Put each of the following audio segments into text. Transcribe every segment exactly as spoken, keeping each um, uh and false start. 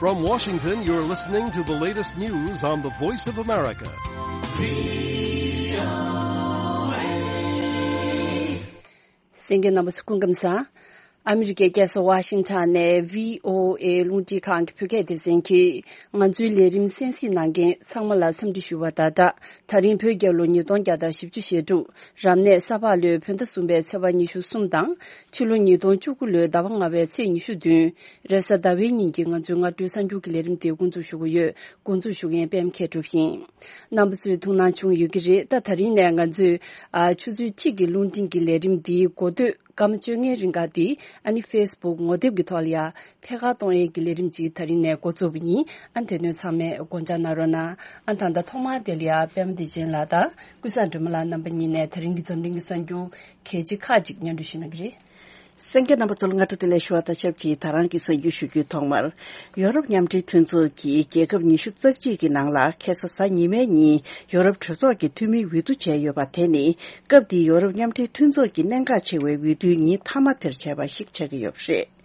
From Washington, you're listening to the latest news on the Voice of America. གསན་མཁན་རྣམ་པ་ཚོ་སྐུ་ཁམས་བཟང་། ཨ་མི་རི་ཀའི་རྒྱལ་ས་ཝ་ཤིང་ཊོན་ནས་བྷི་ཨོ་ཨེ་རླུང་འཕྲིན་ཁང་གི་བོད་སྐད་སྡེ་ཚན་གྱིས་ང་ཚོའི་ལས་རིམ་གསན་གཟིགས་གནང་མཁན་ཚང་མ་ལ་འཚམས་འདྲི་ཞུ་བ་དང་སྦྲགས། ད་རིང་བོད་རྒྱལ་ལོ་ཉིས་སྟོང་བརྒྱ་དང་བཞི་བཅུ་ཞེ་དྲུག་རབ་གནས་ས་ཕག་ལོའི་བོད་ཟླ་གསུམ་པའི་ཚེས་པ་ཉི་ཤུ་གསུམ་དང་། ཕྱི་ལོ་ཉིས་སྟོང་བཅུ་དགུ་ལོའི་ཟླ་བ་ལྔ་པའི་ཚེས་ཉི་ཤུ་བདུན། རེས་གཟའ་ཟླ་བའི་ཉིན་གྱི་ང་ཚོའི་སྔ་དྲོའི་གསར་འགྱུར་གྱི་ལས་རིམ་དེ་འགོ་འཛུགས་ཞུ་གི་ཡོད། འགོ་འཛུགས་ཞུ་མཁན་པད་མ་མཁས་གྲུབ་ཡིན། རྣམ་པ་ཚོས་ཐུགས་སྣང་བྱུང་ཡོད་ཀྱི་རེད། ད་ད་རིང་ནས་ང་ཚོས་ཨ་ཆུ་ཚོད་གཅིག་གི་རླུང་འཕྲིན་གྱི་ལས་རིམ་འདིའི་འགོ་སྟོད་སྐར་མ་བཅོ་ལྔའི་རིང་ག་འདི་ཨ་ནི་ཕེ་སི་བུག་ངོ་དེབ་ཀྱི་ཐོག་ལ་ཡ་ཐད་ཀར་གཏོང་ཡས་ཀྱི་ལས་རིམ་ཅིག་ད་རིང་ནས་འགོ་བཙུགས་པ་ཡིན། ཨ་དེ་དོན་ཚང་མས་དགོངས་འཇགས་གནང་རོགས་གནང་། ཨ་ད་ལྟ་ཐོག་མར་དེ་ལ་ཡ་པད་མ་བདེ་ཆེན་ལགས་དང་ཀུན་བཟང་སྒྲོལ་མ་ལགས་རྣམ་པ་གཉིས་ནས་ད་རིང་གི་འཛམ་གླིང་གི་གསར་འགྱུར་གལ་ཆེ་ཁག་ཅིག་སྙན་སྒྲོན་ཞུ་གནང་གི་རེད། གསན་མཁན་རྣམ་པ་ཚོ་ལ་སྔ་དྲོ་བདེ་ལེགས་ཞུ་བ་དང་ཆབས་ཅིག་ད་རང་གི་གསར་འགྱུར་ཞུ་རྒྱུའི་ཐོག་མར། ཡོ་རོབ་མཉམ་འབྲེལ་མཐུན་ཚོགས་ཀྱི་རྒྱལ་ཁབ་ཉི་ཤུ་རྩ་གཅིག་གི་ནང་ལ་ཁ་སང་གཟའ་ཉི་མའི་ཉིན་ཡོ་རོབ་གྲོས་ཚོགས་ཀྱི་འཐུས་མིའི་འོས་བསྡུ་བྱས་ཡོད་པ་དེ་ནི་སྐབས་འདིའི་ཡོ་རོབ་མཉམ་འབྲེལ་མཐུན་ཚོགས་ཀྱི་གནད་འགག་ཆེ་བའི་འོས་བསྡུའི་ཉིན་མཐའ་མ་དེར་བྱས་པ་ཞིག་ཆགས་ཀྱི་ཡོད་པ་རེད།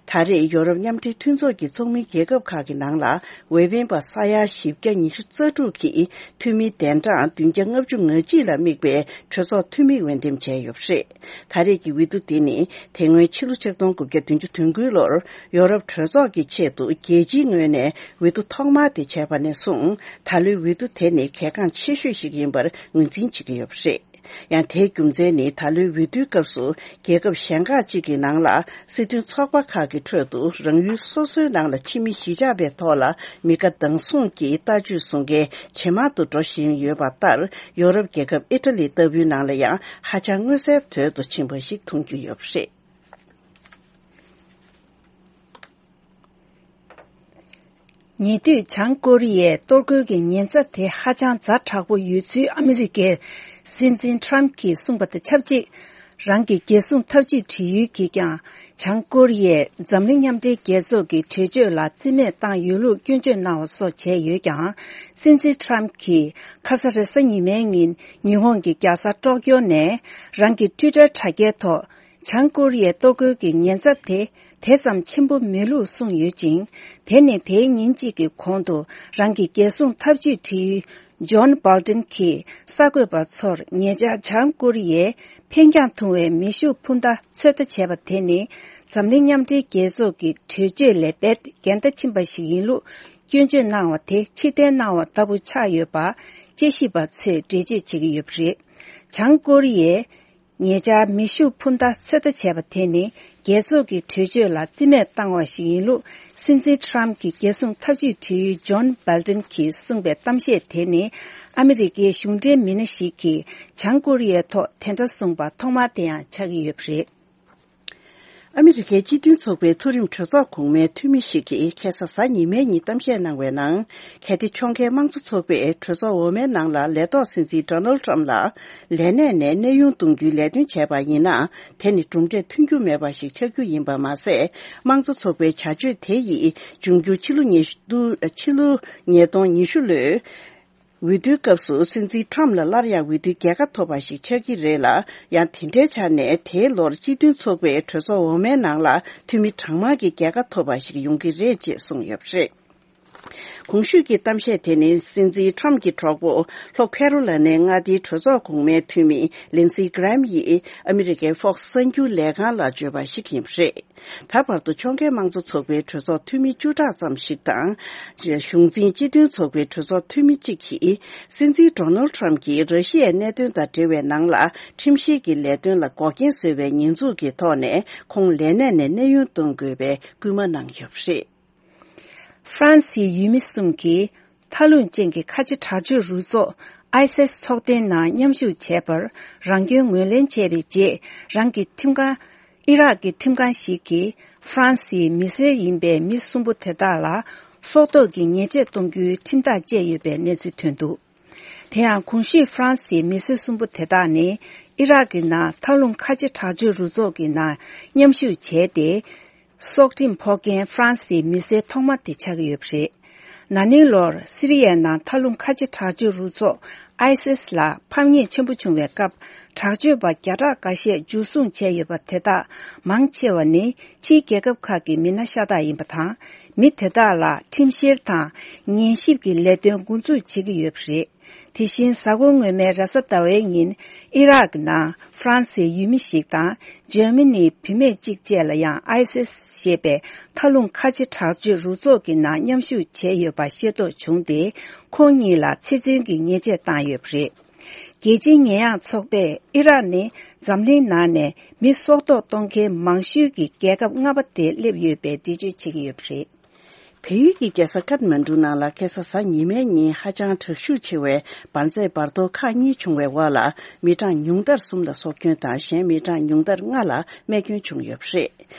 ད་རེས་ཡོ་རོབ་མཉམ་འབྲེལ་མཐུན་ཚོགས་ཀྱི་ཚོགས་མི་རྒྱལ་ཁབ་ཁག་གི་ནང་ལ་འོས་འཕེན་པ་ས་ཡ་བཞི་བརྒྱ་ཉི་ཤུ་རྩ་དྲུག་གིས་འཐུས་མི་གདན་གྲངས་བདུན་བརྒྱ་ལྔ་བཅུ་ང་གཅིག་ལ་དམིགས་པའི་གྲོས་ཚོགས་འཐུས་མི་འོས་འདེམས་བྱས་ཡོད་པ་རེད། ད་རེས་ཀྱི་འོས་བསྡུ་དེ་ནི་དེ་སྔོན་ཕྱི་ལོ་ཆིག་སྟོང་དགུ་བརྒྱ་བདུན་ཅུ་དོན་དགུའི་ལོར་ཡོ་རོབ་གྲོས་ཚོགས་ཀྱི་ཆེད་དུ་རྒྱལ་སྤྱིའི་ངོས་ནས་འོས་བསྡུ་ཐོག་མ་དེ་བྱས་པ་ནས་བཟུང་ད་ལོའི་འོས་བསྡུ་དེ་ནི་གལ་འགངས་ཆེ་ཤོས་ཤིག་ཡིན་པར་ངོས་འཛིན་བྱེད་ཀྱི་ཡོད་པ་རེད། ཡང་དེའི་རྒྱུ་མཚན་ནི་ད་ལོའི་འོས་བསྡུའི་སྐབས་སུ་རྒྱལ་ཁབ་གཞན་ཁག་ཅིག་གི་ནང་ལ་སྲིད་དོན་ཚོགས་པ་ཁག་གི་ཁྲོད་དུ་རང་ཡུལ་སོ་སོའི་ནང་ལ་ཕྱི་མི་གཞིས་ཆགས་པའི་ཐོག་ལ་མི་དགའ་སྡང་ཟུང་གི་ལྟ་སྤྱོད་བཟུང་མཁན་ཇེ་མང་དུ་འགྲོ་བཞིན་ཡོད་པ་ལྟར་ཡོ་རོབ་རྒྱལ་ཁབ་ཨི་ཊ་ལི་ལྟ་བུའི་ནང་ལ་ཡང་ཧ་ཅང་མངོན་གསལ་དོད་དུ་ཕྱིན་པ་ཞིག་མཐོང་རྒྱུ་ཡོད་པ་རེད། ཉེ་དུས་བྱང་ཀོ་རི་ཡའི་གཏོར་རྒོལ་གྱི་ཉེན་ཚབས་དེ་ཧ་ཅང་ཛ་དྲག་པོ་ཡོད་ཚུལ་ཨ་མི་རི་ཀའི་སྲིད་འཛིན་ཊམ་གྱིས་གསུངས་པ་དང་ཆབས་ཅིག་རང་གི་རྒྱལ་སྲུང་འཐབ་ཇུས་བྲིས་ཡུལ་གྱིས་ཀྱང་བྱང་ཀོ་རི་ཡས་འཛམ་གླིང་མཉམ་འབྲེལ་རྒྱལ་ཚོགས་ཀྱི་གྲོས་ཆོད་ལ་རྩིས་མེད་བཏང་ཡོད་ལུགས་སྐྱོན་བརྗོད་གནང་བ་སོགས་བྱས་ཡོད་ཀྱང་། སྲིད་འཛིན་ཊམ་གྱིས་ཁ་ས་རེས་གཟའ་ཉི་མའི་ཉིན་ཉི་ཧོང་གི་རྒྱལ་ས་ཀྲོག་ཀྱོ་ནས་རང་གི་ཊུའི་ཊར་དྲ་རྒྱའི་ཐོག་བྱང་ཀོ་རི་ཡའི་གཏོར་རྒོལ་གྱི་ཉེན་ཚབས་དེ་དེ་ཙམ་ཆེན་པོ་མེད་ལུགས་གསུངས་ཡོད་ཅིང་། དེ་ནི་དེའི་ཉིན་གཅིག་གི་གོང་དུ་རང་གི་རྒྱལ་སྲུང་འཐབ་ཇུས་བྲིས་ཡུལ་ཇོན་སྦལ་ཏན་གྱིས་གསར་འགོད་པ་ཚོར་ཉེ་ཆར་བྱང་ཀོ་རི་ཡས་འཕེན་རྒྱང་ཐུང་བའི་མེ་ཤུགས་འཕུར་མདའ་ཚོད་ལྟ་བྱས་པ་དེ་ནི་འཛམ་གླིང་མཉམ་འབྲེལ་རྒྱལ་ཚོགས་ཀྱི་གྲོས་ཆོད་ལས་རྦད་འགལ་ཟླ་ཕྱིན་པ་ཞིག་ཡིན་ལུགས་སྐྱོན་བརྗོད་གནང་བ་དེ་ཕྱིར་འཐེན་གནང་བ་ལྟ་བུ་ཆགས་ཡོད་པ་དཔྱད་ཞིབ་པ་ཚོས་འགྲེལ་བརྗོད་བྱེད་ཀྱི་ཡོད་པ་རེད། བྱང་ཀོ་རི་ཡས་ཉེ་ཆར་མེ་ཤུགས་འཕུར་མདའ་ཚོད་ལྟ་བྱས་པ་དེ་ནི་རྒྱལ་ཚོགས་ཀྱི་གྲོས་ཆོད་ལ་རྩིས་མེད་བཏང་བ་ཞིག་ཡིན་ལུགས་སྲིད་འཛིན་ཊམ་གྱི་རྒྱལ་སྲུང་འཐབ་ཇུས་བྲིས་ཡུལ་ཇོན་སྦལ་ཏན་གྱིས་གསུངས་པའི་གཏམ་བཤད་དེ་ནི་ཨ་མི་རི་ཀའི་གཞུང་འབྲེལ་མི་སྣ་ཞིག་གིས་བྱང་ཀོ་རི་ཡའི་ཐོག་དེ་འདྲ་གསུངས་པ་ཐོག་མ་དེ་ཡང་ཆགས་ཀྱི་ཡོད་པ་རེད། ཨ་མི་རི་ཀའི་སྤྱི་མཐུན་ཚོགས་པའི་མཐོ་རིམ་གྲོས་ཚོགས་གོང་མའི་འཐུས་མི་ཞིག་གིས་ཁ་སང་གཟའ་ཉི་མའི་ཉིན་གཏམ་བཤད་གནང་བའི་ནང་། གལ་ཏེ་ཕྱོགས་འགལ་དམངས་གཙོ་ཚོགས་པས་གྲོས་ཚོགས་འོག་མའི་ནང་ལ་ལས་ཐོག་སྲིད་འཛིན་ཌོ་ནལ་ཊམ་ལ་ལས་གནས་ནས་གནས་དབྱུང་གཏོང་རྒྱུའི་ལས་དོན་བྱས་པ་ཡིན་ན། དེ་ནི་གྲུབ་འབྲས་ཐོན་རྒྱུ་མེད་པ་ཞིག་ཆགས་རྒྱུ་ཡིན་པ་མ་ཟད། དམངས་གཙོ་ཚོགས་པའི་བྱ་སྤྱོད་དེ་ཡིས་འབྱུང་འགྱུར་ཕྱི་ལོ་ཉིས་སྟོང་ཕྱི་ལོ་ཉིས་སྟོང་ཉི་ཤུ་ལོའི་འོས་བསྡུའི་སྐབས་སུ་སྲིད་འཛིན་ཊམ་ལ་སླར་ཡང་འོས་བསྡུའི་རྒྱལ་ཁ་ཐོབ་པ་ཞིག་ཆགས་ཀྱི་རེད་ལ། ཡང་དེ་འདྲའི་ཆ་ནས་དེའི་ལོར་སྤྱི་མཐུན་ཚོགས་པའི་གྲོས་ཚོགས་འོག་མའི་ནང་ལ་འཐུས་མི་གྲངས་མང་གི་རྒྱལ་ཁ་ཐོབ་པ་ཞིག་ཡོང་གི་རེད་ཅེས་གསུངས་ཡོད་པ་རེད། གོང་ཞུས་ཀྱི་གཏམ་བཤད་དེ་ནི་སྲིད་འཛིན་ཊམ་གྱི་གྲོགས་པོ་ལྷོ་ཁེ་རོ་ལ་ནའི་མངའ་སྡེའི་གྲོས་ཚོགས་གོང་མའི་འཐུས་མི་ལིན་སི་གྷི་རེམ་ཡིས་ཨ་མི་རི་ཀའི་ཧྥོག་སི་གསར་འགྱུར་ལས་ཁང་ལ་བརྗོད་པ་ཞིག་ཡིན་པ་རེད། ད་བར་དུ་ཕྱོགས་འགལ་དམངས་གཙོ་ཚོགས་པའི་གྲོས་ཚོགས་འཐུས་མི་བཅུ་ཕྲག་ཙམ་ཞིག་དང་། གཞུང་འཛིན་སྤྱི་མཐུན་ཚོགས་པའི་གྲོས་ཚོགས་འཐུས་མི་གཅིག་གིས། སྲིད་འཛིན་ཌོ་ནལ་ཊམ་གྱིས་ར་ཤི་ཡའི་གནད་དོན་དང་འབྲེལ་བའི་ནང་ལ་ཁྲིམས་བཤེར་གྱི་ལས་དོན་ལ་འགོག་རྐྱེན་བཟོས་པའི་ཉེས་འཛུགས་ཀྱི་ཐོག་ནས་ཁོང་ལས་གནས་ནས་གནས་དབྱུང་གཏོང་དགོས་པའི་སྐུལ་མ་གནང་ཡོད་པ་རེད། ཧྥ་རན་སིའི་ཡུལ་མི་གསུམ་གྱིས། མཐའ་རླུང་ཅན་གྱི་ཁ་ཆེ་དྲག་སྤྱོད་རུ་ཚོགས་ཨའི་སི་ཨེས་ཚོགས་ཐེངས་ནང་མཉམ་ཞུགས་བྱས་པར་རང་སྐྱོན་ངོས་ལེན་བྱས་པའི་རྗེས། རང་གི་ཁྲིམས་ཁང་། ཨི་རག་གི་ཁྲིམས་ཁང་ཞིག་གིས་ཧྥ་རན་སིའི་མི་སེར་ཡིན་པའི་མི་གསུམ་པོ་དེ་དག་ལ་སྲོག་ཐོག་གི་ཉེས་ཆད་གཏོང་རྒྱུའི་ཁྲིམས་ཐག་བཅད་ཡོད་པའི་གནས་ཚུལ་ཐོན་འདུག་དེ་ཡང་གོང་ཞུས་ཧྥ་རན་སིའི་མི་སེར་གསུམ་པོ་དེ་དག་ནི་ཨི་རག་གི་ནང་མཐའ་རླུང་ཁ་ཆེ་དྲག་སྤྱོད་རུ་ཚོགས་ཀྱི་ནང་མཉམ་ཞུགས་བྱས་ཏེ། སྲོག་ཁྲིམས་ཕོག་མཁན་ཧྥ་རན་སིའི་མི་སེར་ཐོག་མ་དེ་ཆགས་ཀྱི་ཡོད་པ་རེད། ན་ནིང་ལོར་སི་རི་ཡའི་ནང་མཐའ་རླུང་ཁ་ཆེ་དྲག་སྤྱོད་རུ་ཚོགས་ ཨའི་སིས་ལ་ཕམ་ཉེས་ཆེན་པོ་བྱུང་བའི་སྐབས། དྲག་སྤྱོད་པ་བརྒྱ་ཕྲག་འགའ་ཤས་འཇུ་བཟུང་བྱས་ཡོད་པ་དེ་དག་མང་ཆེ་བ་ནི་ཕྱིའི་རྒྱལ་ཁབ་ཁག་གི་མི་སྣ་ཤ་སྟག་ཡིན་པ་དང་། མི་དེ་དག་ལ་ཁྲིམས་བཤེར་དང་ཉན་ཞིབ་ཀྱི་ལས་དོན་འགོ་འཛུགས་བྱེད་ཀྱི་ཡོད་པ་རེད། དེ་བཞིན་གཟའ་འཁོར་སྔོན་མའི་རེས་གཟའ་ཟླ་བའི་ཉིན་ཨི་རག་གི་ནང་ཧྥ་རན་སིའི་ཡུལ་མི་ཞིག་དང་འཇར་མ་ནིའི་བུད་མེད་གཅིག་བཅས་ལ་ཡང་ཨའི་སིས་ཞེས་པའི་མཐའ་ལྷུང་ཁ་ཆེ་དྲག་སྤྱོད་རུ་ཚོགས་ཀྱི་ནང་མཉམ་ཞུགས་བྱས་ཡོད་པ་ཤེས་རྟོགས་བྱུང་སྟེ། ཁོང་གཉིས་ལ་ཚེ་བཙོན་གྱི་ཉེས་ཆད་བཏང་ཡོད་པ་རེད། རྒྱལ་སྤྱིའི་ཉེས་ཡངས་ཚོགས་པས་ཨི་རག་ནི་འཛམ་གླིང་ནང་ནས་མི་སྲོག་ཐོག་གཏོང་མཁན་མང་ཤོས་ཀྱི་རྒྱལ་ཁབ་ལྔ་པ་དེ་སླེབས་ཡོད་པའི་འགྲེལ་བརྗོད་བྱེད་ཀྱི་ཡོད་པ་རེད། བལ་ཡུལ་གྱི་རྒྱལ་ས་ཀཏ་མན་གྲུ་ནང་ལ་ཁ་སང་གཟའ་ཉི་མའི་ཉིན་ཧ་ཅང་དྲག་ཤུགས་ཆེ་བའི་འབར་རྫས་འབར་གཏོར་ཁག་གཉིས་བྱུང་བའི་འོག་ལ། མི་གྲངས་ཉུང་མཐར་གསུམ་ལ་སྲོག་སྐྱོན་དང་གཞན་མི་གྲངས་ཉུང་མཐར་ལྔ་ལ་རྨས་སྐྱོན་བྱུང་ཡོད་པ་རེད།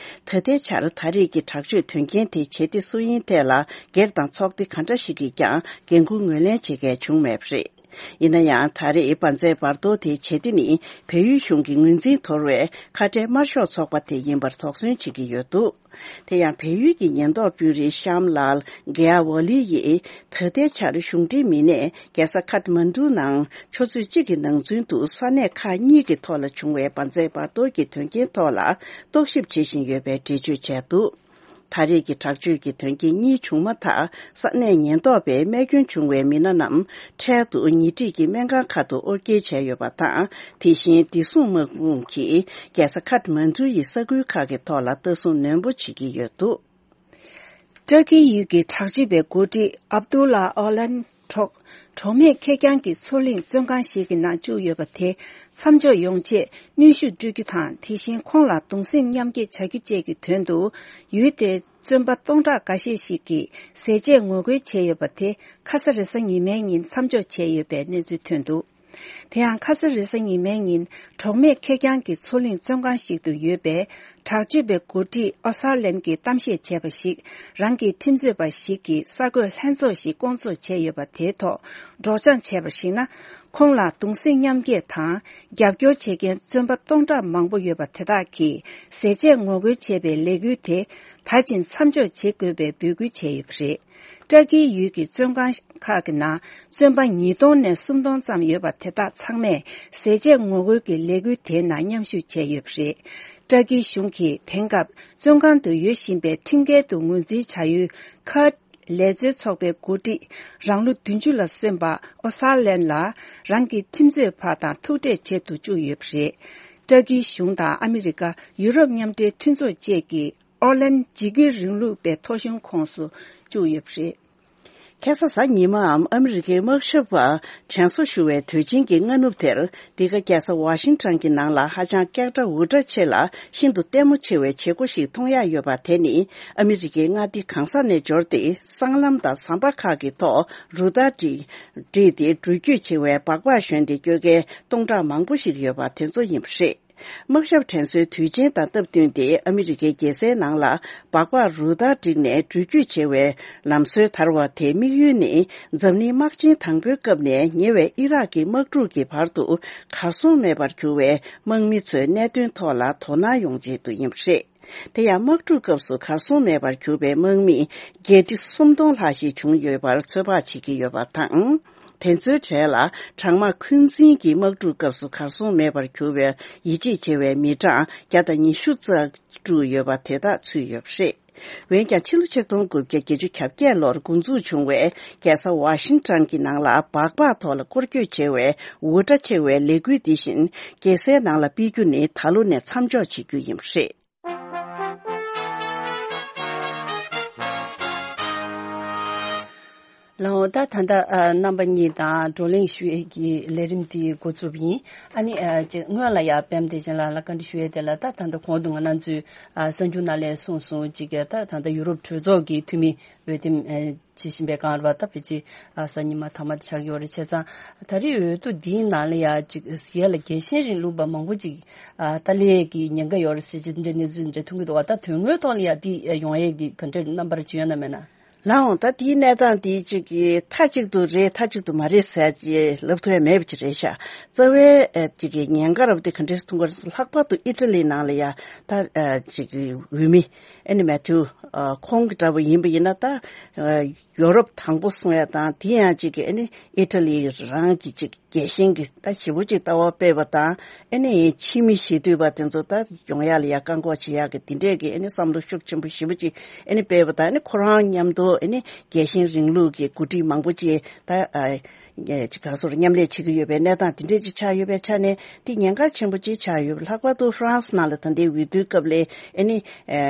ད་ལྟའི་ཆར་ད་རེས་ཀྱི་དྲག་སྤྱོད་དོན་རྐྱེན་དེ་བྱེད་གཏེ་སུ་ཡིན་ཐད་ལ་སྒེར་དང་ཚོགས་སྡེ་ག་འདྲ་ཞིག་གིས་ཀྱང་འགན་འཁུར་ངོས་ལེན་བྱེད་མཁན་བྱུང་མེད་པ་རེད། ཡིན་ན་ཡང་། ད་རེས་འབར་རྫས་འབར་གཏོར་དེའི་བྱེད་གཏེ་ནི་བལ་ཡུལ་གཞུང་གི་ངོས་འཛིན་དོར་བའི་ཁ་བྲལ་དམར་ཤོག་ཚོགས་པ་དེ་ཡིན་པར་དོགས་ཟོན་བྱེད་ཀྱི་ཡོད་འདུག་དེ་ཡང་བལ་ཡུལ་གྱི་ཉེན་རྟོག་དཔོན་རིགས་ཤམ་ལཱལ་གེ་ཨ་ཝ་ལི་ཡིས་ད་ལྟའི་ཆར་གཞུང་འབྲེལ་མི་སྣས་རྒྱལ་ས་ཁཐ་མན་གྲུ་ནང་ཆུ་ཚོད་གཅིག་གི་ནང་ཚུན་དུ་ས་གནས་ཁག་གཉིས་ཀྱི་ཐོག་ལ་བྱུང་བའི་འབར་རྫས་འབར་གཏོར་གྱི་དོན་རྐྱེན་ཐོག་ལ་རྟོག་ཞིབ་བྱེད་བཞིན་ཡོད་པའི་འགྲེལ་བརྗོད་བྱས་འདུག་ད་རེས་ཀྱི་དྲག་སྤྱོད་ཀྱི་དོན་རྐྱེན་གཉིས་བྱུང་མ་ཐག་ས་གནས་ཉེན་རྟོག་པས་རྨས་སྐྱོན་བྱུང་བའི་མི་སྣ་རྣམས་འཕྲལ་དུ་ཉེ་འཁྲིས་ཀྱི་སྨན་ཁང་ཁག་ཏུ་དབོར་སྐྱེལ་བྱས་ཡོད་པ་དང་། དེ་བཞིན་བདེ་སྲུང་དམག་དཔུང་གིས་རྒྱལ་ས་ཁཐ་མན་གྲུ་ཡི་ས་ཁུལ་ཁག་གི་ཐོག་ལ་ལྟ་སྲུང་ནན་པོ་བྱེད་ཀྱི་ཡོད་འདུག་ཏུར་ཀི་ཡུལ་གྱི་དྲག་སྤྱོད་པའི་འགོ་ཁྲིད་ཨབ་དུ་ལ་ཨོ་ལན་གྲོགས། གྲོགས་མེད་ཁེར་རྐྱང་གི་མཚོ་གླིང་བཙོན་ཁང་ཞིག་གི་ནང་བཅུག་ཡོད་པ་དེ་མཚམས་འཇོག་ཡོང་ཆེད་གནོན་ཤུགས་སྤྲོད་རྒྱུ་དང་། དེ་བཞིན་ཁོང་ལ་གདུང་སེམས་མཉམ་སྐྱེད་བྱ་རྒྱུ་བཅས་ཀྱི་དོན་དུ་ཡུལ་དེའི་བཙོན་པ་སྟོང་ཕྲག་འགའ་ཤས་ཤིག་གིས་ཟས་བཅད་ངོ་རྒོལ་བྱས་ཡོད་པ་དེ་ཁ་ས་རེས་གཟའ་ཉི་མའི་ཉིན་མཚམས་འཇོག་བྱས་ཡོད་པའི་གནས་ཚུལ་ཐོན་འདུག་དེ་ཡང་ཁ་སང་རེས་གཟའ་ཉི་མའི་ཉིན་གྲོགས་མེད་ཁེར་རྐྱང་གི་མཚོ་གླིང་བཙོན་ཁང་ཞིག་ཏུ་ཡོད་པའི་དྲག་སྤྱོད་པའི་འགོ་ཁྲིད་ཨོ་སཱ་ལན་གྱིས་གཏམ་བཤད་བྱས་པ་ཞིག་རང་གི་ཁྲིམས་རྩོད་པ་ཞིག་གིས་གསར་འགོད་ལྷན་ཚོགས་ཤིག་བསྐོང་ཚོགས་བྱས་ཡོད་པ་དེའི་ཐོག་སྒྲོག་སྦྱང་བྱས་པར་གཞིགས་ན། ཁོང་ལ་གདུང་སེམས་མཉམ་སྐྱེད་དང་རྒྱབ་སྐྱོར་བྱེད་མཁན་བཙོན་པ་སྟོང་ཕྲག་མང་པོ་ཡོད་པ་དེ་དག་གིས་ཟས་བཅད་ངོ་རྒོལ་བྱས་པའི་ལས་འགུལ་དེ་ད་ཕྱིན་མཚམས་འཇོག་བྱེད་དགོས་པའི་འབོད་སྐུལ་བྱས་ཡོད་པ་རེད། ཏུར་ཀིའི་ཡུལ་གྱི་བཙོན་ཁང་ཁག་གི་ནང་བཙོན་པ་ཉིས་སྟོང་ནས་སུམ་སྟོང་ཙམ་ཡོད་པ་དེ་དག་ཚང་མས་ཟས་བཅད་ངོ་རྒོལ་གྱི་ལས་འགུལ་དེའི་ནང་མཉམ་ཞུགས་བྱས་ཡོད་པ་རེད། ཏུར་ཀིའི་གཞུང་གིས་དེང་སྐབས་བཙོན་ཁང་དུ་ཡོད་བཞིན་པའི་ཁྲིམས་འགལ་དུ་ངོས་འཛིན་བྱ་ཡུལ་ཁར་ལས་བཟོའི་ཚོགས་པའི་འགོ་ཁྲིད་རང་ལོ་བདུན་ཅུ་ལ་སོན་པ་ཨོ་སཱ་ལན་ལ་རང་གི་ཁྲིམས་རྩོད་པ་དང་ཐུག་འཕྲད་བྱེད་དུ་བཅུག་ཡོད་པ་རེད། ཏུར་ཀིའི་གཞུང་དང་ཨ་མི་རི་ཀ། ཡུ་རོབ་མཉམ་འབྲེལ་མཐུན་ཚོགས་བཅས་ཀྱིས་ཨོ་ལན་འཇིགས་སྐུལ་རིང་ལུགས་པའི་ཐོ་གཞུང་ཁོངས་སུ་བཅུག་ཡོད་པ་རེད། ཁ་སང་གཟའ་ཉི་མའམ་ཨ་མི་རི་ཀའི་དམག་ཞབས་པ་དྲན་གསོ་ཞུ་བའི་དུས་ཆེན་གྱི་སྔ་ནུབ་དེར། འདི་ག་རྒྱལ་ས་ཝ་ཤིང་ཊོན་གྱི་ནང་ལ་ཧ་ཅང་སྐད་གྲགས་འུར་སྒྲ་ཆེ་ལ་ཤིན་ཏུ་ལྟད་མོ་ཆེ་བའི་བྱེད་སྒོ་ཞིག་མཐོང་ཡག་ཡོད་པ་དེ་ནི། ཨ་མི་རི་ཀའི་མངའ་སྡེ་གང་ས་ནས་འབྱོར་ཏེ། སྲང་ལམ་དང་ཟམ་པ་ཁག་གི་ཐོག་རུ་སྟར་བསྒྲིགས་ཏེ། འགྲུལ་སྐྱོད་བྱེད་པའི་སྦག་སྦག་ཞོན་ཏེ་སྐྱོད་མཁན་སྟོང་ཕྲག་མང་པོ་ཞིག་ཡོད་པ་དེ་ཚོ་ཡིན་པ་རེད། དམག་ཞབས་དྲན་གསོའི་དུས་ཆེན་དང་སྟབས་བསྟུན་ཏེ། ཨ་མི་རི་ཀའི་རྒྱལ་སའི་ནང་ལ་སྦག་སྦག་རུ་སྟར་བསྒྲིགས་ནས་འགྲུལ་སྐྱོད་བྱེད་པའི་ལམ་སྲོལ་དར་བ་དེའི་དམིགས་ཡུལ་ནི། འཛམ་གླིང་དམག་ཆེན་དང་པོའི་སྐབས་ནས་ཉེ་བའི་ཨི་རག་གི་དམག་འཁྲུག་གི་བར་དུ་གར་སོང་མེད་པར་གྱུར་བའི་དམག་མི་ཚོའི་གནད་དོན་ཐོག་ལ་དོ་སྣང་ཡོང་ཆེད་དུ་ཡིན་པ་རེད། དེ་ཡང་དམག་འཁྲུག་སྐབས་སུ་གར་སོང་མེད་པར་གྱུར་པའི་དམག་མི་བརྒྱད་ཁྲི་སུམ་སྟོང་ལྷག་ཞིག་བྱུང་ཡོད་པར་ཚོད་དཔག་བྱེད་ཀྱི་ཡོད་པ་དང་། དེ་ཚོའི་གྲས་ལ་གྲང་དམག་འཁོན་འཛིན་གྱི་དམག་འཁྲུག་སྐབས་སུ་གར་སོང་མེད་པར་གྱུར་བའི་ཡིད་ཆེས་བྱེད་པའི་མི་གྲངས་བརྒྱ་དང་ཉི་ཤུ་རྩ་དྲུག་ཡོད་པ་དེ་དག་ཚུད་ཡོད་པ་རེད། འོན་ཀྱང་ཕྱི་ལོ་ཆིག་སྟོང་དགུ་བརྒྱ་བརྒྱད་ཅུ་གྱ་བརྒྱད་ལོར་འགོ་འཛུགས་བྱུང་བའི་རྒྱལ་ས་ཝ་ཤིང་ཊོན་གྱི་ནང་ལ་སྦག་སྦག་ཐོག་ལ་སྐོར་སྐྱོད་བྱེད་པའི་འུར་སྒྲ་ཆེ་བའི་ལས་འགུལ་འདི་བཞིན་རྒྱལ་སའི་ནང་ལ་སྤེལ་རྒྱུ་ནི་ད་ལོ་ནས་མཚམས་འཇོག་བྱེད་རྒྱུ་ཡིན་པ་རེད། ལགས་འོང་། ད་ད་ལྟ་ཨ་རྣམ་པ་གཉིས་དང་བགྲོ་གླེང་ཞུ་ཡས་ཀྱི་ལས་རིམ་དེ་འགོ་བཙུགས་པ་ཡིན། ཨ་ནི་ཨ་ཅིག་སྔོན་ལ་ཡ་པད་མ་བདེ་ཆེན་ལགས་ལ་བཀའ་འདྲི་ཞུ་ཡས་དེ་ལ། ད་ད་ལྟ་གོང་དུ་ང་རང་ཚོས་ཨ་གསར་འགྱུར་ནང་ལ་གསུངས་སོང་། ཅིག་ད་ད་ལྟ་ཡུ་རོབ་གྲོས་ཚོགས་ཀྱི་འཐུས་མི་འོས་འདེམས་ཨ་བྱེད་བཞིན་པའི་སྒང་རེད་པ། ད་ཕལ་ཆེར་ཨ་གཟའ་ཉི་མ་མཐའ་མ་དེ་ཆགས་ཡོད་རེད། བྱས་ཙང་ད་རེས་འོས་བསྡུ་འདིའི་ནང་ལ་ཡ་ཅིག་ཡ་ལ་རྒྱལ་ཞེན་རིང་ལུགས་པ་མང་པོ་ཅིག་ཨ་ཏཱ་ལའི་གི་ཉེན་ཁ་ཡོད་རེད་ཟེར་གྱི་འདྲ་གནས་ཚུལ་འདྲ་མཐོང་གི་འདུག་པ། ད་དོན་དངོས་ཐོག་ལ་ཡ་འདི་ཡོང་ཡས་ཀྱི་ག་འདྲ་རྣམ་པར་ཅིག་ཡོད་ན་མེད་ན། ལགས་འོང་། ད་དེའི་གནས་སྟངས་དེ་ཅིག་གི་མཐའ་གཅིག་ཏུ་རེད་མཐའ་གཅིག་ཏུ་མ་རེད་ཟེར་ཅིག་ལབ་ཐུབ་ཡ་མེད་པ་ཅིག་རེད་ཤག་རྩ་བའི་ཨ་ཅིག་གི་ཉེན་ཁ་རབ་དེ་ག་འདྲས་མཐོང་གི་རེད་ཟེར། ལྷག་པར་དུ་ཨི་ཊ་ལི་ནང་ལ་ཡ་ད་ཨ་ཅིག་གི་འོས་མི་ཨ་ནི་མེ་ཐིའུ་ ཨ་ཁོང་གི་འདྲ་པོ་ཡིན་པ་ཡིན་ན་ད་ཨ་ཡོ་རོབ་དང་པོ་གསུང་ཡ་དང་དེ་ཡང་གཅིག་གི་ཨ་ནི་ཨི་ཊ་ལི་རང་གི་གཅིག་རྒྱལ་ཞེན་གྱི་ད་ཞེ་པོ་ཅིག་ལྟ་བ་སྤེལ་བ་དང་ཨ་ནི་ཕྱི་མི་ཞེ་འདོད་པ་དེ་ཚོ་ད་ཡོང་ཡ་ལ་ཡ་བཀག་འགོག་བྱེད་ཡ་གི་དེ་འདྲས་ཀྱི་ཨ་ནི་བསམ་བློ་ཤུགས་ཆེན་པོ་ཞེ་པོ་ཅིག་ཨ་ནི་སྤེལ་བ་དང་ཨ་ནི་ཁོ་རང་མཉམ་དུ་ཨ་ནི་རྒྱལ་ཞེན་རིང་ལུགས་ཀྱི་འགོ་ཁྲིད་མང་པོ་ཅིག་ད་ཨ་ཅིག་ག་སོར་མཉམ་ལས་བྱེད་ཀྱི་ཡོད་པའི་གནས་སྟངས་དེ་འདྲས་ཅིག་ཆགས་ཡོད་པའི་ཆ་ནས་དེ་ཉེན་ཁ་ཆེན་པོ་ཅིག་ཆགས་ཡོད་པ། ལྷག་པར་དུ་ཧྥ་རན་སི་ནང་ལ་ད་ལྟའི་འོས་བསྡུའི་སྐབས་ལ་ཨ་ནི་ཨ་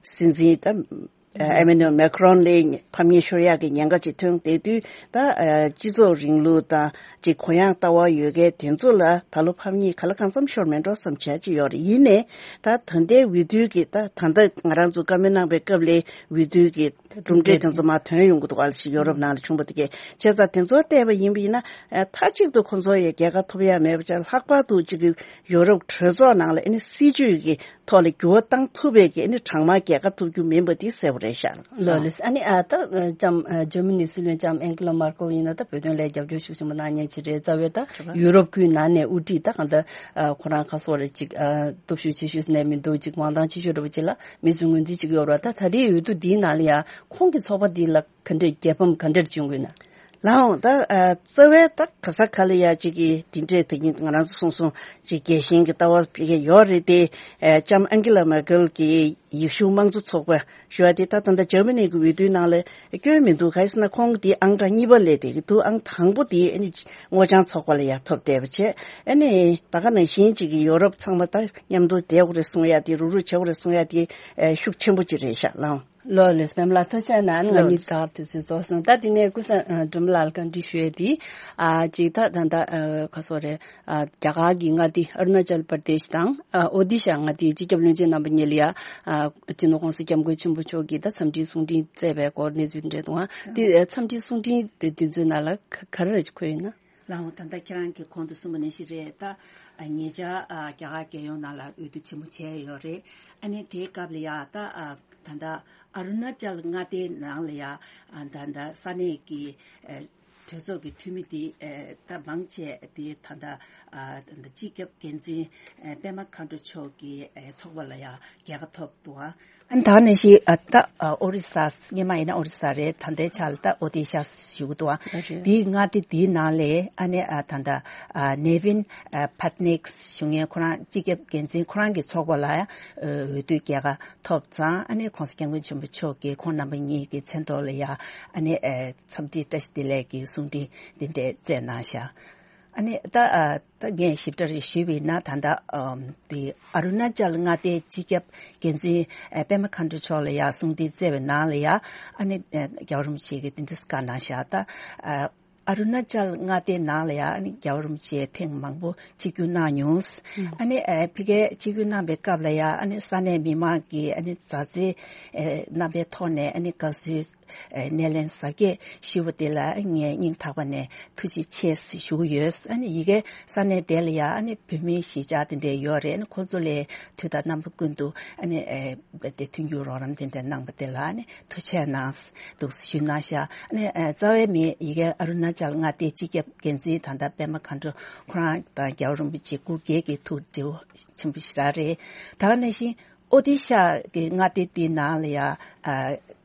སྲིད་འཛིན་ད་ཨེ་མེ་ནུ་མེ་ཁ་རོན་ལ་ཕམ་ཉེས་ཤོར་ཡག་གི་ཉེན་ཁ་ཅིག་ཐོན་བསྡད་དུས་ད་ཨ་སྤྱི་ཚོགས་རིང་ལུགས་དང་ཅིག་གུ་ཡངས་ལྟ་བ་ཡོད་མཁན་དེ་ཚོ་ལ་ད་ལོ་ཕམ་ཉེས་ག་ལ་གང་འཚམ་ཤོར་མེད་འགྲོ་བསམ་བྱས་ཅིག་ཡོད་རེད། ཡིན་ནའི་ད་ད་ལྟའི་འོས་བསྡུའི་གི་ད་ད་ལྟ་ང་རང་ཚོ་བཀའ་མོལ་གནང་པའི་སྐབས་ལ་འོས་བསྡུའི་གི་གྲུབ་འབྲས་དེ་ཚོ་མར་ཐོན་ཡོང་གི་འདུག་ག་ལ་ཞིག་ཡོ་རོབ་ནང་ལ་བྱུང་བ་དེ་གས་བྱས་ཙང་དེ་ཚོ་བལྟས་པ་ཡིན་པ་ཡིན་ན་ཨ་མཐའ་གཅིག་ཏུ་ཁོང་ཚོ་ཡི་རྒྱལ་ཁ་ཐོབ་ཡ་མེད་པ་བྱས། ལྷག་པར་དུ་ཅིག་གི་ཡོ་རོབ་གྲོས་ཚོགས་ནང་ལ་ཨ་ནི་སྲིད་ཇུས་ཀྱི་ཐོག་ལ་འགྱུར་བ་བཏང་ཐུབ་པའི་གི་ཨ་ནི་གྲངས་མང་རྒྱལ་ཁ་ཐོབ་རྒྱུ་མིན་པ་དེ་གསལ་པོ་རེད་ཤག་ལགས། ལགས་ལགས། ཨ་ནི་ཨ་ད་ཨ་ལྕམ་ཨ་འཇར་མ་ནི་སྲིད་བློན་ལྕམ་ཨན་ཀི་ལ་མར་ཀལ་ཡིན་ན་ད་བོད་དོན་ལ་རྒྱབ་སྐྱོར་ཤུགས་ཆེན་པོ་གནང་མཁན་ཅིག་རེད། རྩ་བའི་ད་ཡུ་རོབ་ཁུལ་ནང་ནས་དབུ་ཁྲིད་ད་གང་ལྟར་ཨ་ཁོ་རང་ཁ་སོ་རེ་ཅིག་ཨ་སྟོབས་ཤུགས་ཆེ་ཤོས་ནས་མི་འདུག་ཅིག་མང་ཐང་ཆེ་ཤོས་འདྲ་པོ་ཅིག་ལ་མི་ཚོས་ངོས་འཛིན་བྱེད་ཀྱི་ཡོད་རེད་བ། ད་ད་ལྟའི་འོས་བསྡུ་འདིའི་ནང་ལ་ཡང་ཁོང་གི་ཚོགས་པ་འདི་ལ་ག་འདྲས་རྒྱལ་ཕམ་ག་འདྲས་བྱུང་དགོས་ན། ལགས་འོང་། ད་ཨ་རྩ་བའི་ད་ག་ས་ག་ལ་ཡ་གཅིག་གི་དེ་འདྲས་དེ་ཉིད་ང་རང་ཚོ་སོང་སོང་ཅིག་རྒྱལ་ཞེན་གྱི་ལྟ་བ་སྤེལ་མཁན་ཡོད་རེད་དེ། ཨ་ལྕམ་ཨན་ཀི་ལ་མེར་ཀེལ་གྱིས་ཡེ་ཤུ་དམངས་གཙོ་ཚོགས་པ་ཞུ་བ་དེ་ད་ད་ལྟ་འཇར་མ་ནི་གི་འོས་བསྡུའི་ནང་ལ་སྐྱོན་མི་འདུག་ག་རེ་ཟེར་ན་ཁོང་དེ་ཨང་གྲངས་གཉིས་པ་སླེབས་བསྡད་ཀྱི་འདུག་ཨང་དང་པོ་དེ་ཨ་ནི་སྔོ་ལྗང་ཚོགས་པ་ལ་ཡ་ཐོབ་བསྡད་པ་བྱས། ཨ་ནི་ད་ག་ནང་བཞིན་གཅིག་གི་ཡོ་རོབ་ཚང་མ་ད་མཉམ་དུ་བསྡད་དགོས་རེད་གསུང་ཡ་དེ་རུག་རུག་བྱེད་དགོས་རེད་གསུང་ཡ་དེ་ཨ་ཤུགས་ཆེན་པོ་ཅིག་རེད་ཤག་ལགས་འོང་། ལགས་ལགས། པད་མ་ལགས་ཐུགས་རྗེ་གནང་། ང་གཉིས་ལགས། ད་དུས་ཚོད་རྫོགས་སོང་། ད་དེ་ནས་ཀུན་བཟང་ཨ་སྒྲོལ་མ་ལགས་ལ་བཀའ་འདྲི་ཞུ་ཡས་དེ་ཨ་གཅིག་ད་ད་ད་ཨ་ག་སོ་རེད། ཨ་རྒྱ་གར་གྱི་མངའ་སྡེ་ཨ་རུ་ན་ཅལ་པར་དེཤ་དང་ཨ་ཨོ་དི་ཤ་མངའ་སྡེའི་སྤྱི་ཁྱབ་བློན་ཆེན་རྣམ་པ་གཉིས་ལ་ཡ་ཨ་སྤྱི་ནོར་༸གོང་ས་༸སྐྱབས་མགོན་ཆེན་པོ་མཆོག་གིས་ད་འཚམས་འདྲིའི་གསུང་འཕྲིན་བསྩལ་བའི་སྐོར་གནས་ཚུལ་འདྲ་འདུག་ཨ། དེ་ཨ་འཚམས་འདྲིའི་གསུང་འཕྲིན་དེ་དུས་ཚོད་ནང་ལ་ག་ག་རེ་རེ་འཁོད་ཡོད་ན། ལགས་འོང་། ད་ལྟ་ཁྱེད་རང་གིས་གོང་དུ་གསུངས་པ་ནང་བཞིན་རེད། ད་ཨ་ཉེ་ཆར་ཨ་རྒྱ་གར་རྒྱལ་ཡོངས་ནང་ལ་འོས་བསྡུ་ཆེན་མོ་བྱས་ཡོད་རེད། ཨ་ནི་དེའི་སྐབས་ལ་ཡ་ད་ཨ་ད་ལྟ་ཨ་རུ་ན་ཅལ་མངའ་སྡེའི་ནང་ལ་ཡ་ཨ་ད་ལྟ་ས་གནས་ཀྱི་ཨ་གྲོས་ཚོགས་ཀྱི་འཐུས་མི་དེ་ཨ་ད་མང་ཆེ་དེ་ད་ལྟ་ཨ་ད་ལྟ་སྤྱི་ཁྱབ་འགན་འཛིན་ཨ་པད་མ་མཁའ་འགྲོ་མཆོག་གི་ཨ་ཚོགས་པ་ལ་ཡ་རྒྱལ་ཁ་ཐོབ་འདུག་ཨ། ཨ་ནི་ད་ནང་བཞིན་ཨ་ད་ཨ་ཨོ་རི་ས། སྔོན་མ་ཡིན་ན་ཨོ་རི་ས་རེད། ད་ལྟའི་ཆ་ལ་ད་ཨོ་དི་ཤ་ཞུ་གི་འདུག་ཨ། རེད། དེའི་མངའ་སྡེ་དེའི་ནང་ལས་ཨ་ནི་ཨ་ད་ལྟ་ཨ་ནེ་ཝིན་ཨ་པད་ནེག་ཞུ་མཁན་ཁོ་རང་སྤྱི་ཁྱབ་འགན་འཛིན་ཁོ་རང་གི་ཚོགས་པ་ལ་ཡ་འོས་བསྡུའི་རྒྱལ་ཁ་ཐོབ་ཙང་ཨ་ནི་༸གོང་ས་༸སྐྱབས་མགོན་ཆེན་པོ་མཆོག་གིས་ཁོང་རྣམ་པ་གཉིས་ཀྱི་མཚན་ཐོག་ལ་ཡ་ཨ་ནི་ཨ་འཚམས་འདྲི་བཀྲ་ཤིས་བདེ་ལེགས་ཀྱི་གསུང་འཕྲིན་འདི་འདྲས་བསྩལ་གནང་ཤག་ཨ་ནི་ད་ཨ་ད་ངས་ཞིབ་ཕྲ་རེ་ཞུས་པ་ཡིན་ན་ད་ལྟ་ཨམ་དེ་ཨ་རུ་ན་ཅལ་མངའ་སྡེའི་སྤྱི་ཁྱབ་འགན་འཛིན་ཨ་པད་མ་མཁའ་འགྲོ་མཆོག་ལ་ཡ་གསུང་འཕྲིན་བསྩལ་བའི་ནང་ལ་ཡ་ཨ་ནི་ཨ་རྒྱལ་བ་རིན་པོ་ཆེ་གིས་འདི་འདྲས་བཀའ་གནང་ཤག་ད་ཨ་ཨ་རུ་ན་ཅལ་མངའ་སྡེའི་ནང་ལ་ཡ་ཨ་ནི་རྒྱལ་བ་རིན་པོ་ཆེ་ཐེངས་མང་པོ་ཆིབས་བསྒྱུར་གནང་མྱོང་། ཨ་ནི་ཨ་ཕ་གིར་ཆིབས་བསྒྱུར་གནང་པའི་སྐབས་ལ་ཡ་ཨ་ནི་ས་གནས་མི་མང་གིས་ཨ་ནི་མཛའ་བརྩེ་ཨ་རྣམ་པའི་ཐོག་ནས་ཨ་ནི་དགའ་བསུའི་ཨེ་སྣེ་ལེན་གཟབ་རྒྱས་ཞུས་པ་དེ་ལ་ངས་སྙིང་ཐག་པ་ནས་ཐུགས་རྗེ་ཆེ་ཞུ་གི་ཡོད། ཨ་ནི་ཡ་གིའི་ས་གནས་དེ་ལ་ཡ་ཨ་ནི་བོད་མི་གཞིས་ཆགས་དེ་འདྲས་ཡོད་རེད། ཨ་ནི་ཁོང་ཚོ་ལ་དུས་དང་རྣམ་པ་ཀུན་ཏུ་ཨ་ནི་ཨེ་དེ་མཐུན་འགྱུར་རོགས་རམ་དེ་འདྲས་གནང་པ་དེ་ལ་ཨ་ནི་ཐུགས་རྗེ་ཆེ་གནང་འདུག་ཞུས་གནང་ཤག་ཨ་ནི་ཨེ་རྩ་བའི་མི་ཡ་གིའི་ཨ་རུ་ན་ཅལ་མངའ་སྡེའི་སྤྱི་ཁྱབ་འགན་འཛིན་ད་ལྟ་པད་མ་མཁའ་འགྲོ་ཁོ་རང་དང་རྒྱལ་བ་རིན་པོ་ཆེ་སྐུ་སྒེར་གྱི་ཐུགས་འདྲི་བ་ཆེན་པོ་ཞེ་དྲག་རེད། ད་ག་ནང་བཞིན། ཨོ་ཏི་ཤ་གི་མངའ་སྡེ་དེའི་ནང་ལ་ཡ་ཨ་